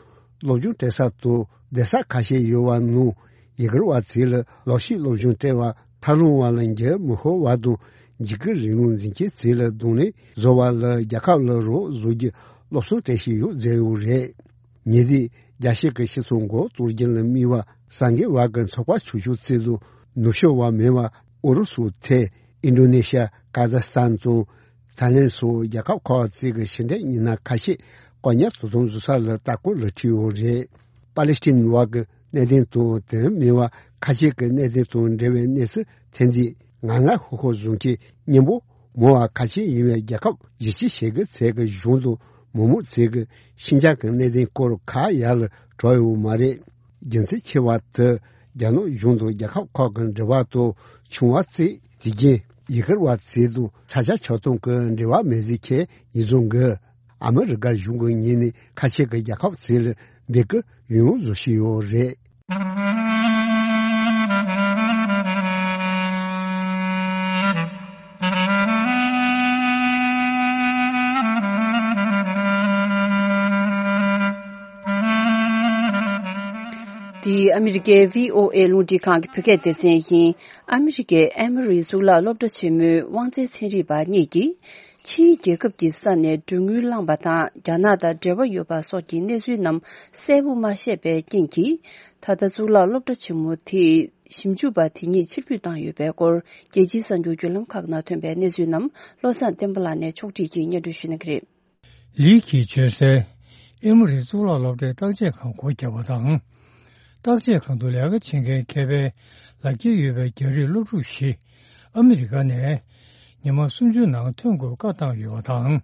སློབ་སྦྱོང་སྤྲད་ས་དང་བསྡད་ས་ཁ་ཤས་ཡོད་པ་ནང་ཡུ་གུར་བ་ཚོ་ལ་ལག་ཤེས་སློབ་སྦྱོང་སྤྲད་པ་ཐབས་ལམ་པ་ལ་འགྱུར་མི་ཤོར་བ་དང་། འཇིགས་སྐུལ་རིང་ལུགས་འཛིན་མཁན་ཚོ་ལ་གདོང་ལེན་བཟོ་བ་ལ་རྒྱལ་ཁབ་ལ་རོགས་བཟོ་རྒྱུ་སློབ་གསོ་སྤྲད་བཞིན་ཡོད་མཛད་ཡོད་རེད། ཉེ་དུས་རྒྱལ་སྤྱི་གི་སྤྱི་ཚོགས་མགོ་གཏོར་རྒྱུ་ལ་དམིགས་པ་གསར་འགོད་པ་གི་ཚོགས་པ་ཆུང་ཆུང་བཙུགས་འདུག་ནུབ་ཕྱོགས་པ་མིན་པ་ཨུ་རུ་སུ་ཐེ་ཨིན་ཌོ་ནེ་ཤ་ཀ་ཛ་སི་ཐན་དང་ཐའི་ལེན་སོགས་རྒྱལ་ཁབ་ཁག་ཅིག་གི་ཕྱི་འབྲེལ་མི་སྣ་ཁ་ཤས་བཀག་ཉར་དོ་དམ་བཟོ་ས་ལ་ལྟ་སྐོར་ལ་ཁྲིད་ཡོད་རེད། པ་ལི་སི་ཐན་བ་གི་གནད་དོན་དང་དེ་མིན་པ་ཁ་ཤས་ཀྱི་གནད་དོན་དང་འབྲེལ་བའི་གནས་ཚུལ་ཐོན་དུས་ང་ང་ཧུ་ཧུ་བཟོ་མཁན་སྙིང་པོ་མང་བ་ཁ་ཤས་ཡིན་པའི་རྒྱལ་ཁབ་བཞི་བཅུ་ཞེ་དགུ་ཚོ་གི་གཞུང་དང་མི་མང་ཚོ་གིས་ཤིན་ཅང་གི་གནད་དོན་སྐོར་ཁ་ཡར་ལ་གྲགས་ཡོད་མ་རེད། རྒྱུ་མཚན་ཆེ་བ་དེ་རྒྱ་ནག་གཞུང་དང་རྒྱལ་ཁབ་ཁག་གི་འབྲེལ་བ་དང་ཆུང་བ་བརྩིས་དེ་རྐྱེན་ཡུ་གུར་བ་ཚོ་དང་ས་ཆ་ཆགས་སྟངས་ཀྱི་འབྲེལ་བ་མེད་ཟེར་མཁན་ཡིན་ཙང་གི། ཨ་མི་རི་ཀ་གཞུང་གི་ངོས་ནས་ཁ་ཆེ་གི་རྒྱལ་ཁབ་ཚོ་ལ་འབོད་སྐུལ་ཡང་ཡང་བཟོ་བཞིན་ཡོད་རེད། འདི་ཨ་མི་རི་ཀའི་བྷི་ཨོ་ཨེ་རླུང་འཕྲིན་ཁང་གི་བོད་སྐད་སྡེ་ཚན་ཡིན། ཨ་མི་རི་ཀའི་ཨེ་མོ་རི་གཙུག་ལག་སློབ་གྲྭ་ཆེན་མོའི་དབང་རྩའི་ཚན་རིག་པ་གཉིས་ཀྱིས། ཕྱིའི་རྒྱལ་ཁབ་ཀྱི་ས་ནས་མགྲོན་དངུལ་བླངས་པ་དང་རྒྱ་ནག་དང་འབྲེལ་བ་ཡོད་པ་སོགས་ཀྱི་གནས་ཚུལ་རྣམས་གསལ་པོ་མ་ཤེས་པའི་རྐྱེན་གྱིས། ད་ལྟ་གཙུག་ལག་སློབ་གྲྭ་ཆེན་མོ་དེས་ཞིབ་འཇུག་པ་དེ་གཉིས་ཕྱིར་འབུད་བཏང་ཡོད་པའི་སྐོར། རྒྱལ་སྤྱིའི་གསར་འགྱུར་བརྒྱུད་ལམ་ཁག་ནང་ཐོན་པའི་གནས་ཚུལ་རྣམས་བློ་བཟང་བསྟན་པ་ལགས་ནས་ཕྱོགས་སྒྲིག་གིས་སྙན་སྒྲོན་ཞུ་གནང་གི་རེད། ལིའི་གིས་བརྗོད་གསལ། ཨེ་མོ་རི་གཙུག་ལག་སློབ་གྲྭའི་བརྟག་དཔྱད་ཁང་སྒོ་བརྒྱབ་པ་དང་། བརྟག་དཔྱད་ཁང་དུ་ལས་ཀ་བྱེད་མཁན་མཁས་པའི་ལག་འཁྱེར་ཡོད་པའི་རྒྱ་རིགས་སློབ་ཕྲུག་བཞི་ཨ་མི་རི་ཀ་ནས་ཉི་མ་སུམ་ཅུ་ནང་ཐོན་དགོས་བཀའ་བཏང་ཡོད་པ་དང་།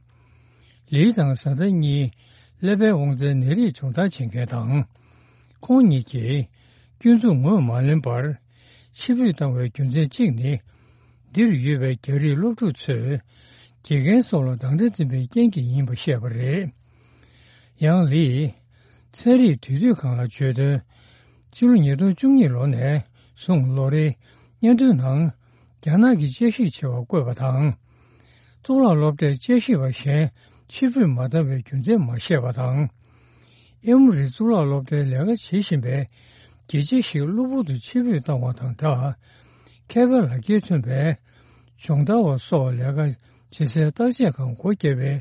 ལི་དང་བཟའ་ཟླ་གཉིས་ཀླད་པའི་དབང་རྩའི་ནད་རིགས་སྦྱོང་བརྡར་བྱེད་མཁན་དང་། ཁོང་གཉིས་ཀྱིས་སྐྱོན་འཛུགས་ངོས་མ་ལེན་པར་ཕྱིར་འབུད་བཏང་བའི་རྒྱུ་མཚན་གཅིག་ནི། འདིར་ཡོད་པའི་རྒྱ་རིགས་སློབ་ཕྲུག་ཚོས་དགེ་རྒན་སོགས་ལ་སྡང་དགྲ་འཛིན་པའི་རྐྱེན་གྱིས་ཡིན་པ་བཤད་པ་རེད། ཡང་ལིས་ཚན་རིག་དུས་དུས་སྒང་ལ་བརྗོད་དོན། ཕྱི་ལོ་ཉིས་སྟོང་བཅུ་གཉིས་ལོ་ནས་བཟུང་ལོ་རེའི་སྙན་ཐོའི་ནང་རྒྱ་ནག་གི་དཔྱད་ཞིབ་བྱ་བ་བཀོད་པ་དང་། གཙུག་ལག་སློབ་གྲྭའི་དཔྱད་ཞིབ་པ་གཞན་ཕྱིར་འབུད་མ་བཏང་བའི་རྒྱུ་མཚན་མ་བཤད་པ་དང་། ཨེ་མོ་རི་གཙུག་ལག་སློབ་གྲྭའི་ལས་ཀ་བྱེད་བཞིན་པའི་དགེ་ཆེ་ཞིག་གློ་བུར་དུ་ཕྱིར་འབུད་བཏང་བ་དང་སྦྲགས། མཁས་པའི་ལག་འཁྱེར་ཐོན་པའི་སྦྱོང་བརྡར་བ་སོགས་ལས་ཀ་བྱེད་སའི་བརྟག་དཔྱད་ཁང་སྒོ་བརྒྱབ་པའི་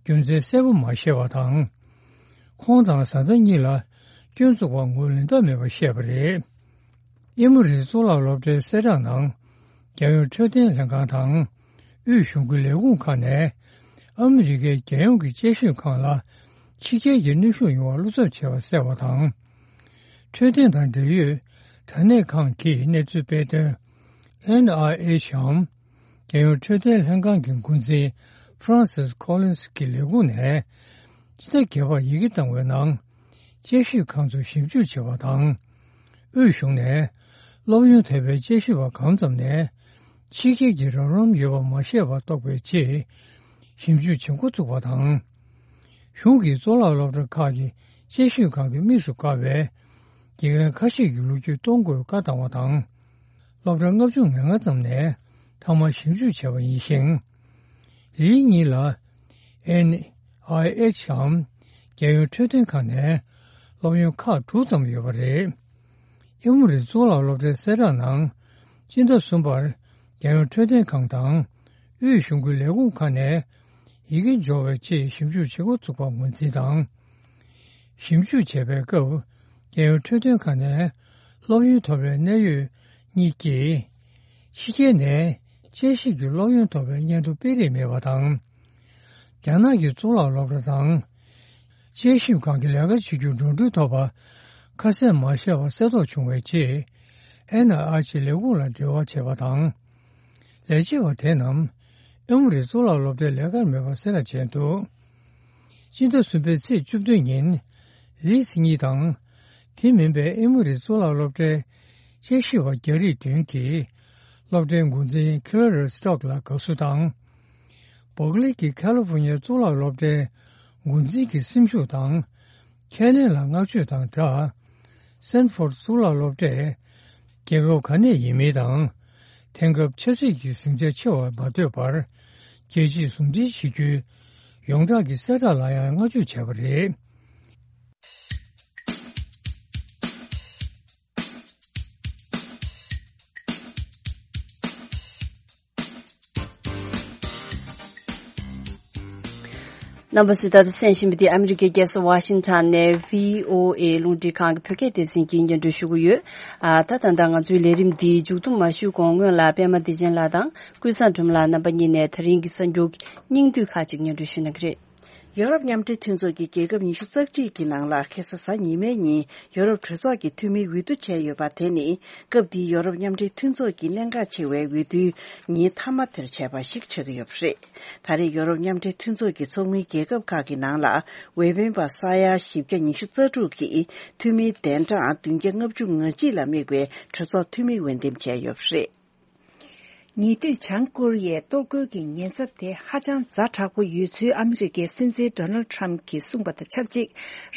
རྒྱུ་མཚན་གསལ་པོ་མ་བཤད་པ་དང་། ཁོང་དང་བཟའ་ཟླ་གཉིས་ལ་སྐྱོན་འཛུགས་པ་ངོས་ལེན་ཐབས་མེད་པ་བཤད་པ་རེད། ཨེ་མོ་རི་གཙུག་ལག་སློབ་གྲྭའི་གསལ་བསྒྲགས་ནང་། རྒྱལ་ཡོངས་འཕྲོད་བསྟེན་ལྷན་ཁང་དང་། དབུས་གཞུང་གི་ལས་ཁུངས་ཁག་ནས་ཨ་མི་རི་ཀའི་རྒྱལ་ཡོངས་ཀྱི་དཔྱད་ཞིབ་ཁང་ལ་ཕྱི་རྒྱལ་གྱི་གནོན་ཤུགས་ཡོང་བར་བློ་འཚབ་བྱས་པ་གསལ་བ་དང་། འཕྲོད་བསྟེན་དང་འབྲེལ་ཡོད་དྲ་གནས་ཁང་གིས་གནས་ཚུལ་སྤེལ་དོན། ཨེན་ཨའི་ཨེཆ་འམ། རྒྱལ་ཡོངས་འཕྲོད་བསྟེན་ལྷན་ཁང་གི་འགོ་འཛིན་Francis Collins་གྱི་ལས་ཁུངས་ནས་ཕྱི་ཟླ་བརྒྱད་པར་ཡི་གེ་བཏང་བའི་ནང་། དཔྱད་ཞིབ་ཁང་ཚོས་ཞིབ་འཇུག་བྱས་པ་དང་། དབུས་གཞུང་ནས་སློབ་ཡོན་ཐེབས་པའི་དཔྱད་ཞིབ་པ་གང་ཙམ་ནས་ ཕྱི་རྒྱལ་གྱི་རོགས་རམ་ཡོད་པ་མ་ཤེས་པ་རྟོགས་པའི་ཆེད་ཞིབ་འཇུག་བྱེད་འགོ་བཙུགས་པ་དང་། གཞུང་གིས་གཙུག་ལག་སློབ་གྲྭ་ཁག་གི་དཔྱད་ཞིབ་ཁང་གི་དམིགས་སུ་བཀར་བའི་དགེ་རྒན་ཁ་ཤས་ཀྱི་ལོ་རྒྱུས་གཏོང་དགོས་བཀའ་བཏང་བ་དང་། སློབ་གྲྭ་ལྔ་བཅུ་ང་ལྔ་ཙམ་ནས་ཐོག་མར་ཞིབ་འཇུག་བྱས་པ་ཡིན་ཞིང་། ལི་གཉིས་ལ་ཨེན་ཨའི་ཨེཆ་འམ་རྒྱལ་ཡོངས་འཕྲོད་བསྟེན་ཁང་ནས་སློབ་ཡོན་ཁག་དྲུག་ཙམ་ཡོད་པ་རེད། ཨེ་མོ་རི་གཙུག་ལག་སློབ་གྲྭའི་གསལ་བསྒྲགས་ནང་། སྤྱི་ཟླ་གསུམ་པར་རྒྱལ་ཡོངས་འཕྲོད་བསྟེན་ཁང་དང་། དབུས་གཞུང་གི་ལས་ཁུངས་ཁག་ནས་ཡི་གེ་འབྱོར་བའི་ཆེད་ཞིབ་འཇུག་བྱེད་འགོ་ཚུགས་པ་ངོས་འཛིན་དང་། ཞིབ་འཇུག་བྱས་པའི་སྐབས། རྒྱལ་ཡོངས་འཕྲོད་བསྟེན་ཁང་ནས་སློབ་ཡོན་ཐོབ་པའི་གནད་ཡོད་གཉིས་ཀྱིས། ཕྱི་རྒྱལ་ནས་དཔྱད་ཞིབ་ཀྱི་སློབ་ཡོན་ཐོབ་པའི་སྙན་ཐོ་སྤེལ་རེས་མེད་པ་དང་། རྒྱ་ནག་གི་གཙུག་ལག་སློབ་གྲྭ་དང་། དཔྱད་ཞིབ་ཁང་གི་ལས་ཀ་བྱེད་རྒྱུར་འགྲོ་གྲོན་ཐོབ་པ་ཁ་གསལ་མ་བཤད་པ་གསལ་རྟོགས་བྱུང་བའི་རྗེས། ཨེན་ཨའི་ཨེཆ་ལས་ཁུངས་ལ་འབྲེལ་བ་བྱས་པ་དང་། ལས་བྱེད་པ་དེ་རྣམས་ཨེ་མོ་རི་གཙུག་ལག་སློབ་གྲྭའི་ལས་ཀར་མེད་པ་གསལ་བསྒྲགས་བྱས་འདུག་སྤྱི་ཟླ་གསུམ་པའི་ཚེས་བཅུ་བདུན་ཉིན། ལིས་གཉིས་དང་། དེ་མིན་པའི་ཨེ་མོ་རི་གཙུག་ལག་སློབ་གྲྭའི་དཔྱད་ཞིབ་པ་རྒྱ་རིགས་བདུན་གྱིས་སློབ་གྲྭའི་འགོ་འཛིན་ཁེ་ར་རི་སི་ཊོག་ལ་དགའ་བསུ་དང་། སྦོག་ལི་གི་ཁ་ལི་ཧྥོ་ནི་ཡའི་གཙུག་ལག་སློབ་གྲྭའི་འགོ་འཛིན་གྱི་སེམས་ཤུགས་དང་། ཁས་ལེན་ལ་བསྔགས་བརྗོད་དང་སྦྲགས། སེན་ཧྥོར་གཙུག་ལག་སློབ་གྲྭས་རྒྱལ་ཁབ་ག་ནས་ཡིན་མིན་དང་། དེང་སྐབས་ཆབ་སྲིད་ཀྱི་ཟིང་ཆ་ཆེ་བར་མ་ལྟོས་པར། རྒྱལ་སྤྱིས་ཟུང་འབྲེལ་བྱེད་རྒྱུའི་ཡོངས་གྲགས་ཀྱི་གསལ་བསྒྲགས་ལ་ཡང་བསྔགས་བརྗོད་བྱས་པ་རེད། རྣམ་པ་ཚོས་ད་ལྟ་གསན་བཞིན་པ་འདི་ཨ་མི་རི་ཀའི་རྒྱལ་ས་ཝ་ཤིང་ཊོན་ནས་བྷི་ཨོ་ཨེ་རླུང་འཕྲིན་ཁང་གི་བོད་སྐད་སྡེ་ཚན་གྱིས་སྙན་སྒྲོན་ཞུ་གི་ཡོད། ཨ། ད་ད་ལྟ་ང་ཚོའི་ལས་རིམ་འདི་མཇུག་བསྡོམས་མ་ཞུས་གོང་སྔོན་ལ་པད་མ་བདེ་ཆེན་ལགས་དང་ཀུན་བཟང་སྒྲོལ་མ་ལགས་རྣམ་པ་གཉིས་ནས་ད་རིང་གི་གསར་འགྱུར་སྙིང་བསྡུས་ཁག་ཅིག་སྙན་སྒྲོན་ཞུ་གནང་གི་རེད། ཡོ་རོབ་མཉམ་འབྲེལ་མཐུན་ཚོགས་ཀྱི་རྒྱལ་ཁབ་ཉི་ཤུ་རྩ་གཅིག་གི་ནང་ལ་ཁ་སང་གཟའ་ཉི་མའི་ཉིན་ཡོ་རོབ་གྲོས་ཚོགས་ཀྱི་འཐུས་མིའི་འོས་བསྡུ་བྱས་ཡོད་པ་དེ་ནི་སྐབས་འདིའི་ཡོ་རོབ་མཉམ་འབྲེལ་མཐུན་ཚོགས་ཀྱི་གནད་འགག་ཆེ་བའི་འོས་བསྡུའི་ཉིན་མཐའ་མ་དེར་བྱས་པ་ཞིག་ཆགས་ཀྱི་ཡོད་པ་རེད། ད་རེས་ཡོ་རོབ་མཉམ་འབྲེལ་མཐུན་ཚོགས་ཀྱི་ཚོགས་མིའི་རྒྱལ་ཁབ་ཁག་གི་ནང་ལ་འོས་འཕེན་པ་ས་ཡ་བཞི་བརྒྱ་ཉི་ཤུ་རྩ་དྲུག་གིས་འཐུས་མིའི་གདན་གྲངས་བདུན་བརྒྱ་ལྔ་བཅུ་ང་གཅིག་ལ་དམིགས་པའི་གྲོས་ཚོགས་འཐུས་མི་འོས་འདེམས་བྱས་ཡོད་པ་རེད། ཉེ་དུས་བྱང་ཀོ་རི་ཡའི་གཏོར་རྒོལ་གྱི་ཉེན་ཚབས་དེ་ཧ་ཅང་ཛ་དྲག་པོ་ཡོད་ཚུལ་ཨ་མི་རི་ཀའི་སྲིད་འཛིན་ཌོ་ནལ་ཌི་ཊརམ་གྱིས་གསུངས་པ་དང་ཆབས་ཅིག་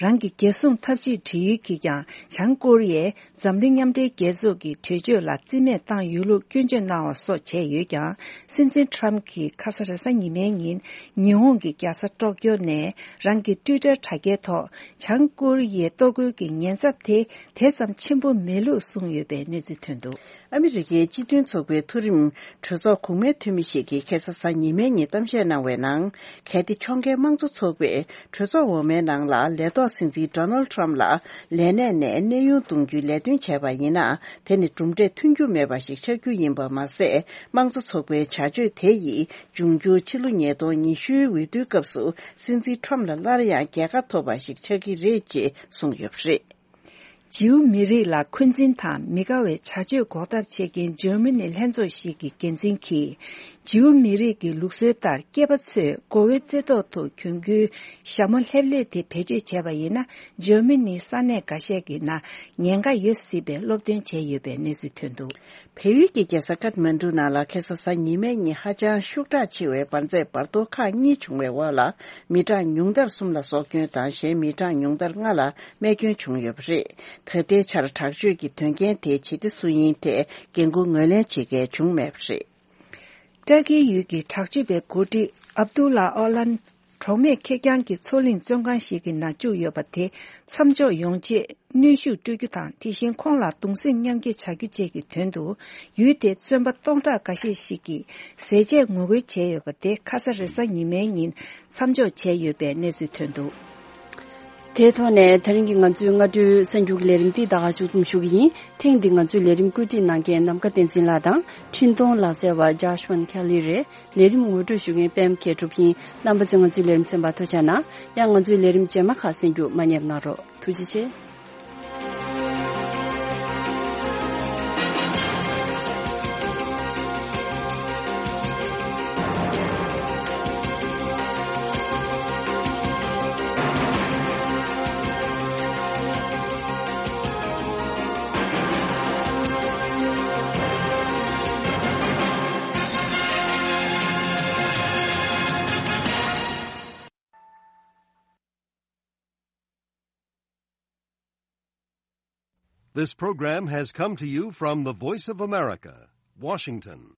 རང་གི་རྒྱལ་སྲུང་འཐབ་ཇུས་སྒྲིག་ཡུལ་གྱིས་ཀྱང་བྱང་ཀོ་རི་ཡས་འཛམ་གླིང་མཉམ་འབྲེལ་རྒྱལ་ཚོགས་ཀྱི་གྲོས་ཆོད་ལ་རྩིས་མེད་བཏང་ཡོད་ལུགས་སྐྱོན་བརྗོད་གནང་བ་སོགས་བྱས་ཡོད་ཀྱང་། སྲིད་འཛིན་ཊརམ་གྱིས་ཁ་ས་རེས་གཟའ་ཉི་མའི་ཉིན་ཉི་ཧོང་གི་རྒྱལ་ས་ཊོག་ཀྱོ་ནས་རང་གི་ཊུའི་ཊར་དྲ་རྒྱའི་ཐོག་བྱང་ཀོ་རི་ཡའི་གཏོར་རྒོལ་གྱི་ཉེན་ཚབས་དེ་དེ་ཙམ་ཆེན་པོ་མེད་ལུགས་གསུངས་ཡོད་པའི་གནས་ཚུལ་ཐོན་འདུག་ཨ་མི་རི་ཀའི་སྤྱི་མཐུན་ཚོགས་པའི་མཐོ་རིམ་གྲོས་ཚོགས་གོང་མའི་འཐུས་མི་ཞིག་གིས་ཁ་སང་གཟའ་ཉི་མའི་ཉིན་གཏམ་བཤད་གནང་བའི་ནང་། གལ་ཏེ་ཕྱོགས་འགལ་དམངས་གཙོ་ཚོགས་པས་གྲོས་ཚོགས་འོག་མའི་ནང་ལ་ལས་ཐོག་སྲིད་འཛིན་ཌོ་ནལ་ཌི་ཊརམ་ལ་ལས་གནས་ནས་གནས་དབྱུང་གཏོང་རྒྱུའི་ལས་དོན་བྱས་པ་ཡིན་ན། དེ་ནི་གྲུབ་འབྲས་ཐོན་རྒྱུ་མེད་པ་ཞིག་ཆགས་རྒྱུ་ཡིན་པ་མ་ཟད། དམངས་གཙོ་ཚོགས་པའི་བྱ་སྤྱོད་དེ་ཡིས་འབྱུང་འགྱུར་ཕྱི་ལོ་ཉིས་སྟོང་ཉི་ཤུའི་འོས་བསྡུའི་སྐབས་སུ་སྲིད་འཛིན་ཊརམ་ལ་སླར་ཡང་རྒྱལ་ཁ་ཐོབ་པ་ཞིག་ཆགས་ཀྱི་རེད་ཅེས་གསུངས་ཡོད་པ་རེད། ཇིའུ་མི་རིགས་ལ་འཁོན་འཛིན་དང་མི་དགའ་བའི་བྱ་སྤྱོད་འགོག་ཐབས་བྱེད་མཁན་འཇར་མ་ནི་ལྷན་ཚོགས་ཤིག་གི་འགན་འཛིན་གྱིས། ཇིའུ་མི་རིགས་ཀྱི་ལུགས་སྲོལ་ལྟར་སྐྱེས་པ་ཚོས་མགོ་བོའི་རྩེ་ཐོག་ཏུ་གྱོན་རྒྱུའི་ཞྭ་མོ་ལྷེབ་ལྷེབ་དེ་བེད་སྤྱོད་བྱས་པ་ཡིན་ན། འཇར་མ་ནིའི་ས་གནས་འགའ་ཤས་ཀྱི་ནང་ཉེན་ཁ་ཡོད་སྲིད་པའི་སློབ་སྟོན་བྱས་ཡོད་པའི་གནས་ཚུལ་ཐོན་འདུག་བལ་ཡུལ་གྱི་རྒྱལ་ས་ཀཏ་མན་ཌུ་ནང་ལ་ཁ་སང་གཟའ་ཉི་མའི་ཉིན་ཧ་ཅང་ཤུགས་དྲག་ཆེ་བའི་འབར་རྫས་འབར་གཏོར་ཁག་གཉིས་བྱུང་བའི་འོག་ལ། མི་གྲངས་ཉུང་མཐར་གསུམ་ལ་སྲོག་སྐྱོན་དང་། གཞན་མི་གྲངས་ཉུང་མཐར་ལྔ་ལ་རྨས་སྐྱོན་བྱུང་ཡོད་པ་རེད། ད་ལྟའི་ཆར་དྲག་སྤྱོད་ཀྱི་དོན་རྐྱེན་དེ་ཇི་སྟེ་སུ་ཡིན་ཐད་འགན་འཁུར་ངོས་ལེན་བྱེད་མཁན་བྱུང་མེད་པ་རེད། ཏྲ་ཀིའི་ཡུལ་གྱི་དྲག་སྤྱོད་པའི་འགོ་ཁྲིད་ཨབ་དུ་ལ་ཨོ་ལན། གྲོགས་མེད་ཁེར་རྐྱང་གི་མཚོ་གླིང་བཙོན་ཁང་ཞིག་གི་ནང་བཅུག་ཡོད་པ་དེ་མཚམས་འཇོག་ཡོང་ཆེད་གནོན་ཤུགས་སྤྲོད་རྒྱུ་དང་། དེ་བཞིན་ཁོང་ལ་གདུང་སེམས་མཉམ་སྐྱེད་བྱ་རྒྱུ་བཅས་ཀྱི་དོན་དུ། ཡུལ་དེའི་བཙོན་པ་སྟོང་ཕྲག་འགའ་ཤས་ཤིག་གིས་ཟས་བཅད་ངོ་རྒོལ་བྱས་ཡོད་པ་དེ་ཁ་ས་རེས་གཟའ་ཉི་མའི་ཉིན་མཚམས་འཇོག་བྱས་ཡོད་པའི་གནས་ཚུལ་ཐོན་འདུག་དེའི་ཐོག་ནས་ད་རིང་གི་ང་ཚོའི་སྔ་དྲོའི་གསར་འགྱུར་གྱི་ལས་རིམ་འདི་ད་ག་མཇུག་བསྡོམས་ཞུ་གི་ཡིན། ཐེངས་འདི་ང་ཚོའི་ལས་རིམ་བཀོད་སྒྲིག་གནང་མཁན་ནམ་མཁའ་བསྟན་འཛིན་ལགས་དང་། འཕྲིན་གཏོང་ལག་རྩལ་བ་ཇཱཤ་ཝན་ཁེ་ལི་རེད། ལས་རིམ་ངོ་སྤྲོད་ཞུ་མཁན་པད་མ་མཁས་གྲུབ་ཡིན། རྣམ་པ་ཚོས་ང་ཚོའི་ལས་རིམ་གསན་པར་ཐུགས་རྗེ་གནང་། ཡང་ང་ཚོའི་ལས་རིམ་རྗེས་མ་ཁག་གསན་རྒྱུ་མ་བསྙེལ་གནང་རོགས། ཐུགས་རྗེ་ཆེ། This program has come to you from the Voice of America, Washington.